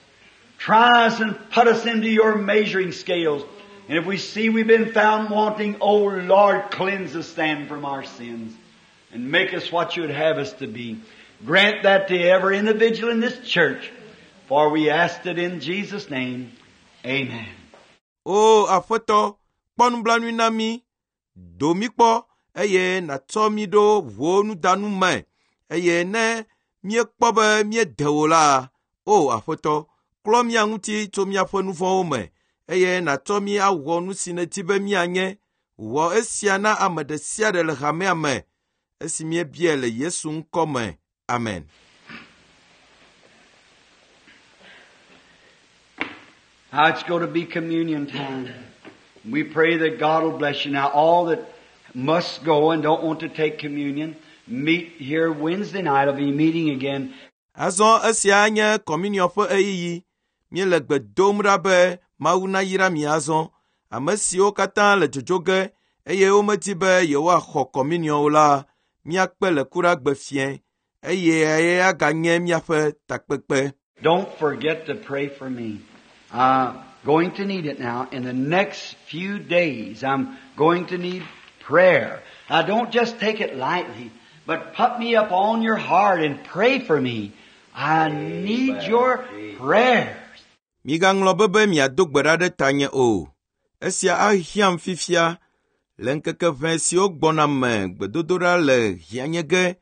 Try us and put us into your measuring scales. And if we see we've been found wanting, oh Lord, cleanse us then from our sins and make us what you would have us to be. Grant that to every individual in this church, for we asked it in Jesus' name. Amen. O Aƒetɔ, kpɔ nublanui na mí, do mí kpɔ eye nàtsɔ mí ɖo wò nudanu me eye ne míekpɔ be míede wò la, o Aƒetɔ, klɔ mía ŋuti tso míaƒe nu vɔ̃wo me eye nàtsɔ mí awɔ nu si nèdi be míanye. Wɔ esia na ame ɖe sia ɖe le hamea me esi míebiae le Yesu ŋkɔ me. Amen. Now it's going to be communion time. We pray that God will bless you. Now all that must go and don't want to take communion, meet here Wednesday night. I'll be meeting again. Azɔ esia nye kɔminiɔ ƒe ɣeyiɣi. Míele gbe dom ɖa be Mawu nayra mi azɔ. Ame siwo katã le dzodzo ge eye womedi be yewoaxɔ kɔminiɔ o la, míakpe le Kuɖagbe fiẽ eye aganye míaƒe takpekpe. Don't forget to pray for me. I'm going to need it now. In the next few days, I'm going to need prayer. Now don't just take it lightly, but put me up on your heart and pray for me. I need your prayers. Migaŋlɔ be be miado gbe ɖa ɖe tanye o. Esia ahiãm fifia le ŋkeke ʋɛ siwo gbɔna me gbedodoɖa le hiãnye ge.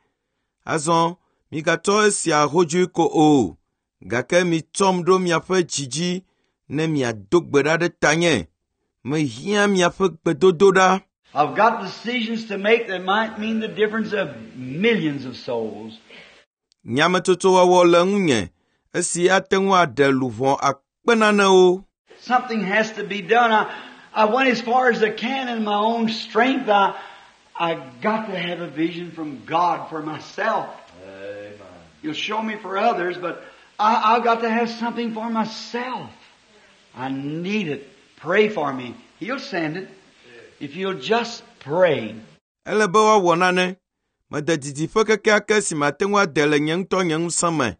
Azɔ migatsɔ esia hodzoe ko o, gake mitsɔm ɖo miaƒe dzi dzi ne miado gbe ɖa ɖe tanye. Mehiã miaƒe gbedodoɖa. I've got decisions to make that might mean the difference of millions of souls. Nyametsotsowɔwɔ le ŋunye esi ate ŋu aɖe luʋɔ akpe nanewo. Something has to be done. I, I went as far as I can in my own strength. I, I got to have a vision from God for myself. Amen. He'll show me for others, but I, I've got to have something for myself. I need it. Pray for me. He'll send it. If you'll just pray. Ele be woawɔ nane. Mede didiƒe kekeake si mate ŋu ade le nye ŋutɔ nye ŋusẽ me.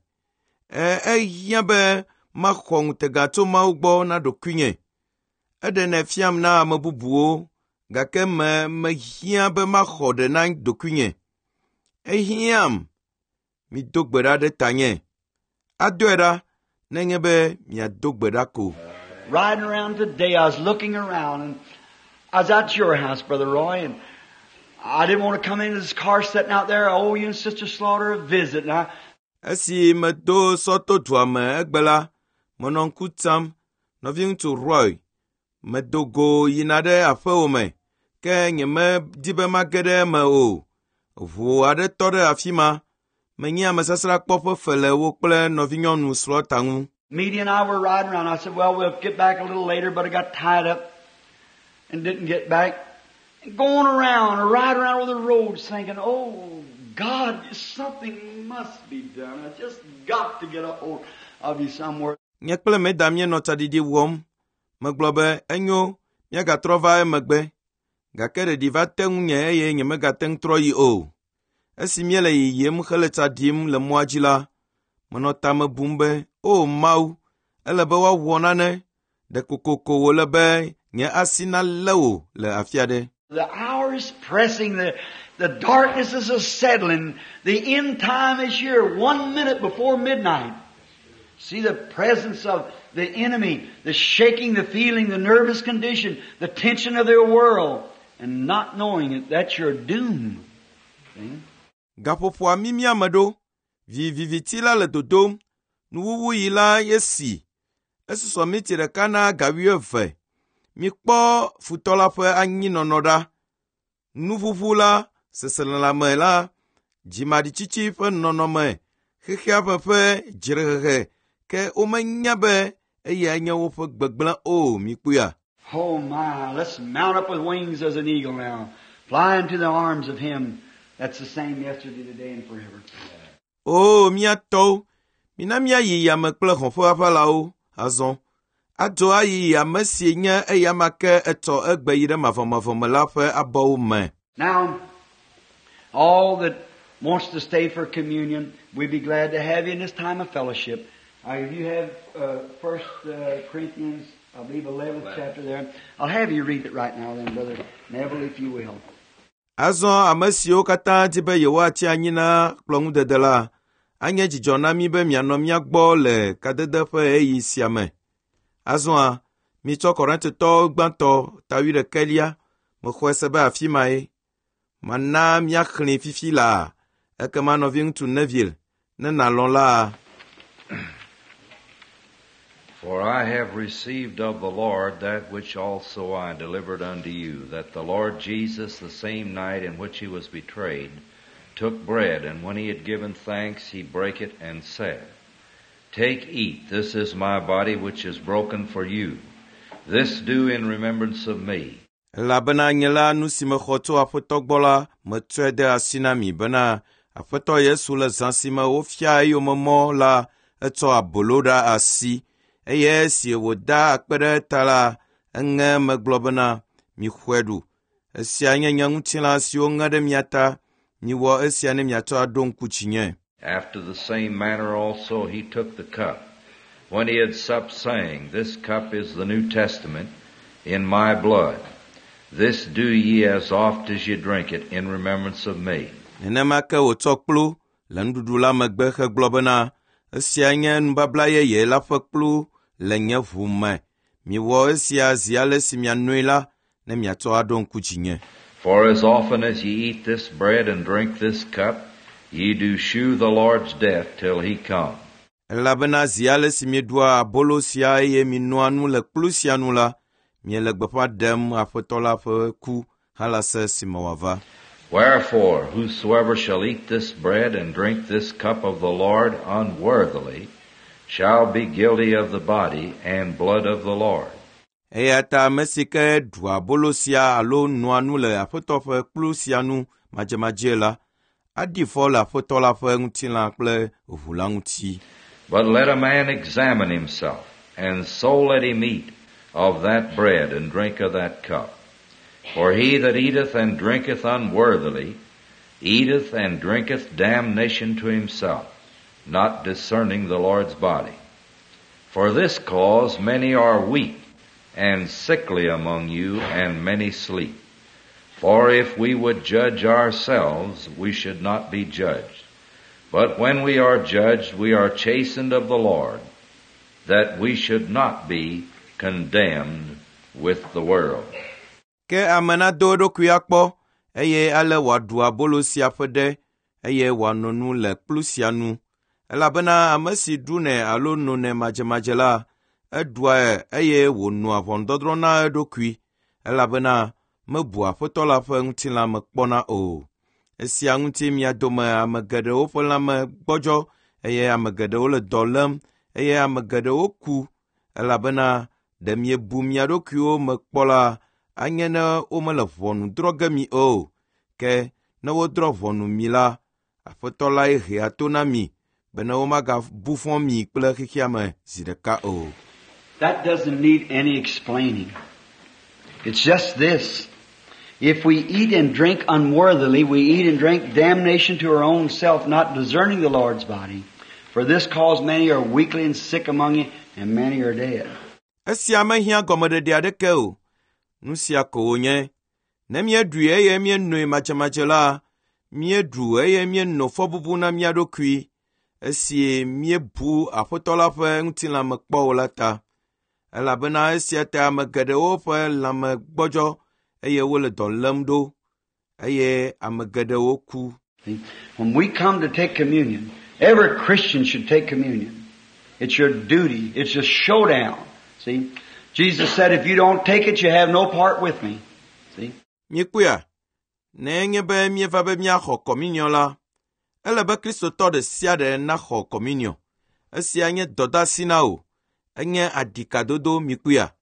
E, ehiã be maxɔ ŋutega tso Mawu gbɔ na ɖokuinye. Eɖenɛ fiam na ame bubuwo, gake me mehiã be maxɔ ɖe na ɖokuinye. Ehiãm. Mido gbe ɖa ɖe tanye. Adoe ɖa nenye be miado gbe ɖa ko. Riding around today, I was looking around, and I was at your house, Brother Roy, and I didn't want to come into this car sitting out there. I owe you and Sister Slaughter a visit. And I, Esi medo sɔ to dua me egbe la, menɔ ŋku tsam nɔviŋutsu Roy. Medo go yina ɖe aƒewò me, ke nyemedi be mage ɖe eme o. Ʋu aɖe tɔ ɖe afi ma. Menye amesasrakpɔ ƒe fe le wo kple nɔvinyɔnu Slaughter ŋu. Meda and I were riding around. I said, well, we'll get back a little later, but I got tied up and didn't get back. And going around, riding around over the roads thinking, oh, God, something must be done. I just got to get a hold of you somewhere. Nye kple Meda míenɔ tsaɖiɖi wɔm. Megblɔ be enyo, míagatrɔ va emegbe. Gake ɖeɖi va te ŋunye eye nyemegate ŋu trɔ yi o. Esi míele yiyim hele tsa ɖim le mɔa dzi la, menɔ tame bum be, o Mawu, ele be woawɔ nane. Ɖe kokoko wòle be nye asi nalé wò le afi aɖe. The hour is pressing. The, the darkness is a settling. The end time is here, one minute before midnight. See the presence of the enemy, the shaking, the feeling, the nervous condition, the tension of their world, and not knowing it, that's your doom. See? Gaƒoƒoa mimia me ɖo. Viviti la le dodom. Nuwuwuyi la ye si. Esusɔ miti ɖeka na ga wuieve. Mikpɔ futɔ la ƒe anyinɔnɔ ɖa. Nuʋuʋu la, seselelãme la, dzimaɖitsitsi ƒe nɔnɔme, xexea ƒe ƒe dzrehehe, ke womenya be eyae nye woƒe gbegblẽ o. Mikpɔea? Oh my, let's mount up with wings as an eagle now. Fly into the arms of Him that's the same yesterday, today, and forever. O mía tɔwo, mina míayi yame kple hɔ̃ ƒe aʋalawo azɔ. Ado ayi ame si nye eyama ke etɔ egbe yi ɖe mavɔmavɔ me la ƒe abɔwo me. Now, all that wants to stay for communion, we'd be glad to have you in this time of fellowship. Uh, if you have uh, First uh, Corinthians, I believe, eleventh chapter there, I'll have you read it right now, then, Brother Neville, if you will. Azɔ ame siwo katã di be yewoatsi anyi na kplɔ̃ŋudede la, anye dzidzɔ na mí be mianɔ mía gbɔ le kadede ƒe ɣeyiɣi sia me. Azɔa, mitsɔ Korintotɔwo gbãtɔ ta wuiɖekɛlia, mexɔe se be afi mae. Mana míaxlẽe fifi laa, ekema nɔviŋutsu Neville, ne nàlɔ̃ la, For I have received of the Lord that which also I delivered unto you, that the Lord Jesus, the same night in which he was betrayed, took bread, and when he had given thanks, he brake it and said, Take, eat, this is my body which is broken for you. This do in remembrance of me. Elabena nye la nu si mexɔ tso Aƒetɔ gbɔ la, metsɔe de asi na mi bena Aƒetɔ Yesu le zã si me wofia eyome mɔ la, etsɔ abolo ɖe asi eye esi wòda akpe ɖe eta la, eŋe eme gblɔ bena, “Mixɔe ɖu. Esia nye nye ŋutilã si woŋe ɖe mia ta. Miwɔ esia ne miatsɔ aɖo ŋku dzinye.” After the same manner also he took the cup, when he had supped, saying, This cup is the New Testament in my blood. This do ye as oft as ye drink it in remembrance of me. Nenema ke wòtsɔ kplu le nuɖuɖu la megbe hegblɔ bena, “Esia nye nubabla yeye la ƒe kplu le nye ʋu me. Miwɔ esia zi ale si mianoe la, ne miatsɔ aɖo ŋku dzinye.” For as often as ye eat this bread and drink this cup, ye do shew the Lord's death till he come. Elabena zi ale si mieɖua abolo sia eye mienoa nu le kplu sia nu la, miele gbeƒã ɖem Aƒetɔ la ƒe ku halase esime wòava. Wherefore, whosoever shall eat this bread and drink this cup of the Lord unworthily shall be guilty of the body and blood of the Lord. Eya ta ame si ke ɖua abolo sia alo noa nu le Aƒetɔ ƒe kplu sia nu madzemadzee la, aɖi fɔ le Aƒetɔ la ƒe ŋutilã kple ʋu la ŋuti. But let a man examine himself, and so let him eat of that bread and drink of that cup. For he that eateth and drinketh unworthily eateth and drinketh damnation to himself, not discerning the Lord's body. For this cause many are weak and sickly among you, and many sleep. For if we would judge ourselves, we should not be judged. But when we are judged, we are chastened of the Lord, that we should not be condemned with the world. Ke ame nado eɖokui akpɔ eye ale wòaɖu abolo sia ƒe ɖe eye wòano nu le kplu sia nu. Elabena ame si ɖunɛ alo nonɛ madzemadze la, eɖua eye wònoa ʋɔnudɔdrɔ̃ na eɖokui elabena mebua Aƒetɔ la ƒe ŋutilã me kpɔna o. Esia ŋuti mia dome ame geɖewo ƒe lãme gbɔdzɔ eye ame geɖewo le dɔ lém eye ame geɖewo ku elabena ɖe miebu mia ɖokuiwo me kpɔ la, anye ne womele ʋɔnu drɔ̃ ge mi o. Ke ne wodrɔ̃ ʋɔnu mi la, Aƒetɔ lae hea to na mi bene womagabu fɔ mi kple xexea me zi ɖeka o. That doesn't need any explaining. It's just this. If we eat and drink unworthily, we eat and drink damnation to our own self, not discerning the Lord's body. For this cause many are weakly and sick among you, and many are dead. Esia mehiã gɔmeɖeɖe aɖeke o. Nu sia ko wònye. Ne míeɖui eye míenoe madzemadze la, míeɖu eye míeno fɔbubu na mía ɖokui esi míebu Aƒetɔ la ƒe ŋutilã me kpɔ o la ta. Elabena esia ta ame geɖewo ƒe lãme gbɔdzɔ eye wole dɔ lém ɖo eye ame geɖewo ku. See, when we come to take communion, every Christian should take communion. It's your duty. It's a showdown. See, Jesus said, if you don't take it, you have no part with me. See? Míekpɔea, ne enye be míeva be míaxɔ kɔminiɔ la, ele be Kristotɔ ɖe sia ɖe naxɔ kɔminiɔ. Esia nye dɔdeasi na wò. Enye aɖikadodo míekpɔea.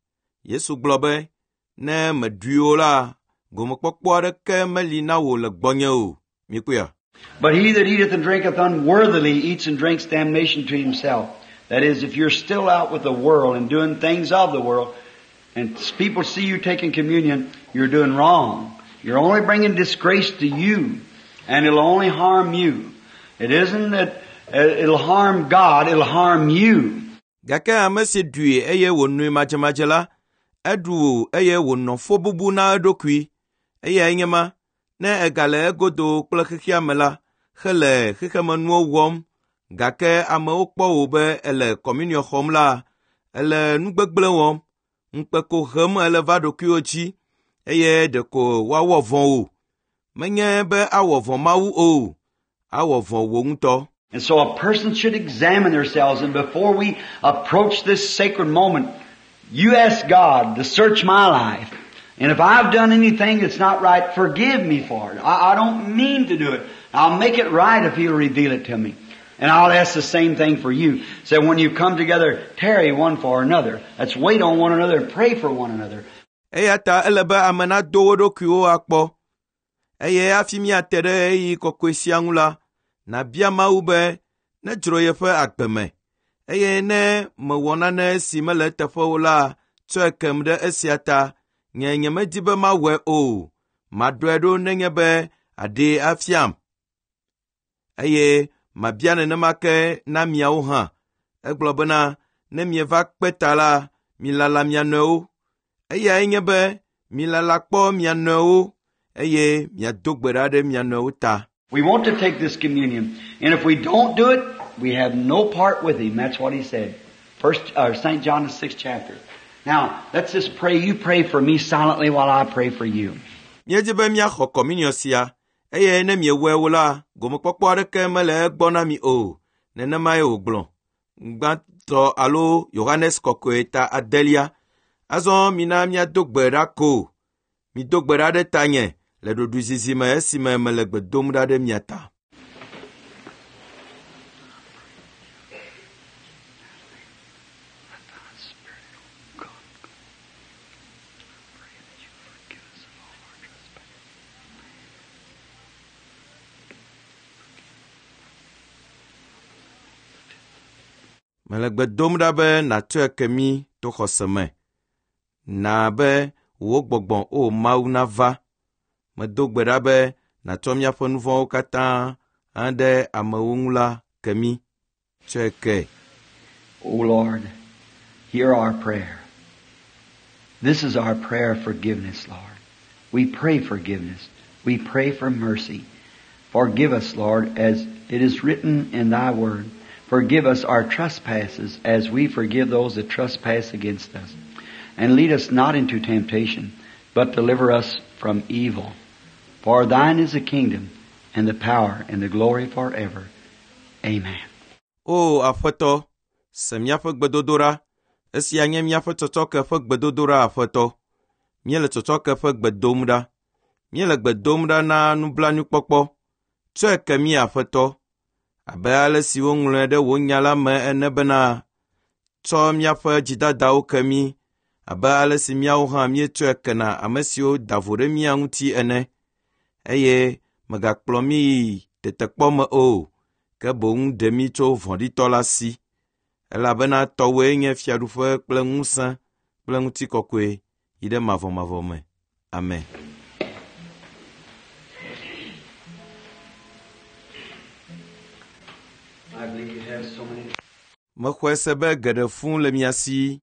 Yesu gblɔ be, ne mèɖui o la, gomekpɔkpɔ aɖeke meli na wò le gbɔnye o. Míekpɔea. But he that eateth and drinketh unworthily eats and drinks damnation to himself, That is, if you're still out with the world and doing things of the world, and people see you taking communion, you're doing wrong. You're only bringing disgrace to you, and it'll only harm you. It isn't that uh, it'll harm God, it'll harm you. Gake ame si ɖui eye wònoe madzemadze la, eɖu eye wònɔ fɔbubu na eɖokui. Eyae nye ma, ne egale egodo kple xexea me la, hele xexemenuwo wɔm, gake amewo kpɔ wò be ele kɔmuniɔ xɔm la, ele nu gbegblẽ wɔm, ŋukpe ko hem ele va ɖokuiwò dzi eye ɖeko woawɔ vɔ̃ wò. Menye be awɔ vɔ̃ Mawu o, awɔ vɔ̃ wò ŋutɔ. And so a person should examine themselves, and before we approach this sacred moment, you ask God to search my life. And if I've done anything that's not right, forgive me for it. I, I don't mean to do it. I'll make it right if He'll reveal it to me. And I'll ask the same thing for you. So when you come together, tarry one for another. Let's wait on one another and pray for one another. Eya ta ele be ame nado wo ɖokuiwo akpɔ. Eye hafi míate ɖe ɣeyiɣi kɔkɔe sia ŋu la, nàbia Mawu be nedzro yeƒe agbe me. Eye ne mewɔ nane si mele eteƒe o la, tsɔe kem ɖe esia ta. Nye nyemedi be mawɔe o. Maɖɔe ɖo nenye be aɖee afiam. Eye mabia nenema ke na miawo hã. Egblɔ bena ne mieva kpe ta la, milala mia nɔewo. Eyae nye be milala kpɔ mia nɔewo eye miado gbe ɖa ɖe mia nɔewo ta. We want to take this communion. And if we don't do it, we have no part with Him. That's what He said. First, uh, Saint John, the sixth chapter. Now, let's just pray. You pray for me silently while I pray for you. Míedi be míaxɔ kɔmuniɔ sia eye ne miewɔe o la, gomekpɔkpɔ aɖeke mele egbɔ na mi o. Nenemae wògblɔ. Gbãtɔ alo Yohanes kɔkɔe ta adelia. Azɔ mina míado gbe ɖa ko. Mido gbe ɖa ɖe tanye le ɖoɖoezizi me esime mele gbe dom ɖa ɖe mia ta. Mele gbe dom ɖa be nàtsɔe ke mí to xɔse me. Na be wò gbɔgbɔ o Mawu nava. Medo gbe ɖa be nàtsɔ míaƒe nu vɔ̃wo katã aɖe amewo ŋu la ke mí. Tsɔe ke. O Lord, hear our prayer. This is our prayer of forgiveness, Lord. We pray forgiveness. We pray for mercy. Forgive us, Lord, as it is written in Thy Word. Forgive us our trespasses as we forgive those that trespass against us. And lead us not into temptation, but deliver us from evil. For Thine is the kingdom, and the power, and the glory forever. Amen. O Aƒetɔ, se míaƒe gbedodoɖa. Esia nye míaƒe tsɔtsɔke ƒe gbedodoɖa, Aƒetɔ. Míele tsɔtsɔke ƒe gbe dom ɖa. Míele gbe dom ɖa na nublanuikpɔkpɔ. Tsɔe ke mí, Aƒetɔ, abe ale si woŋlɔe ɖe wò nya la me ene bena, tsɔ míaƒe dzidadawo ke mí, abe ale si míawo hã míetsɔe kena ame siwo da vo ɖe mía ŋuti ene. Eye mègakplɔ mí yi tetekpɔ me o, ke boŋ ɖe mí tso vɔ̃ɖitɔ la si. Elabena tɔwòe nye fiaɖuƒe kple ŋusẽ kple ŋutikɔkɔe yi ɖe mavɔmavɔ me. Amen. I believe you have so many. Mexɔe se be geɖe fũu le mia si.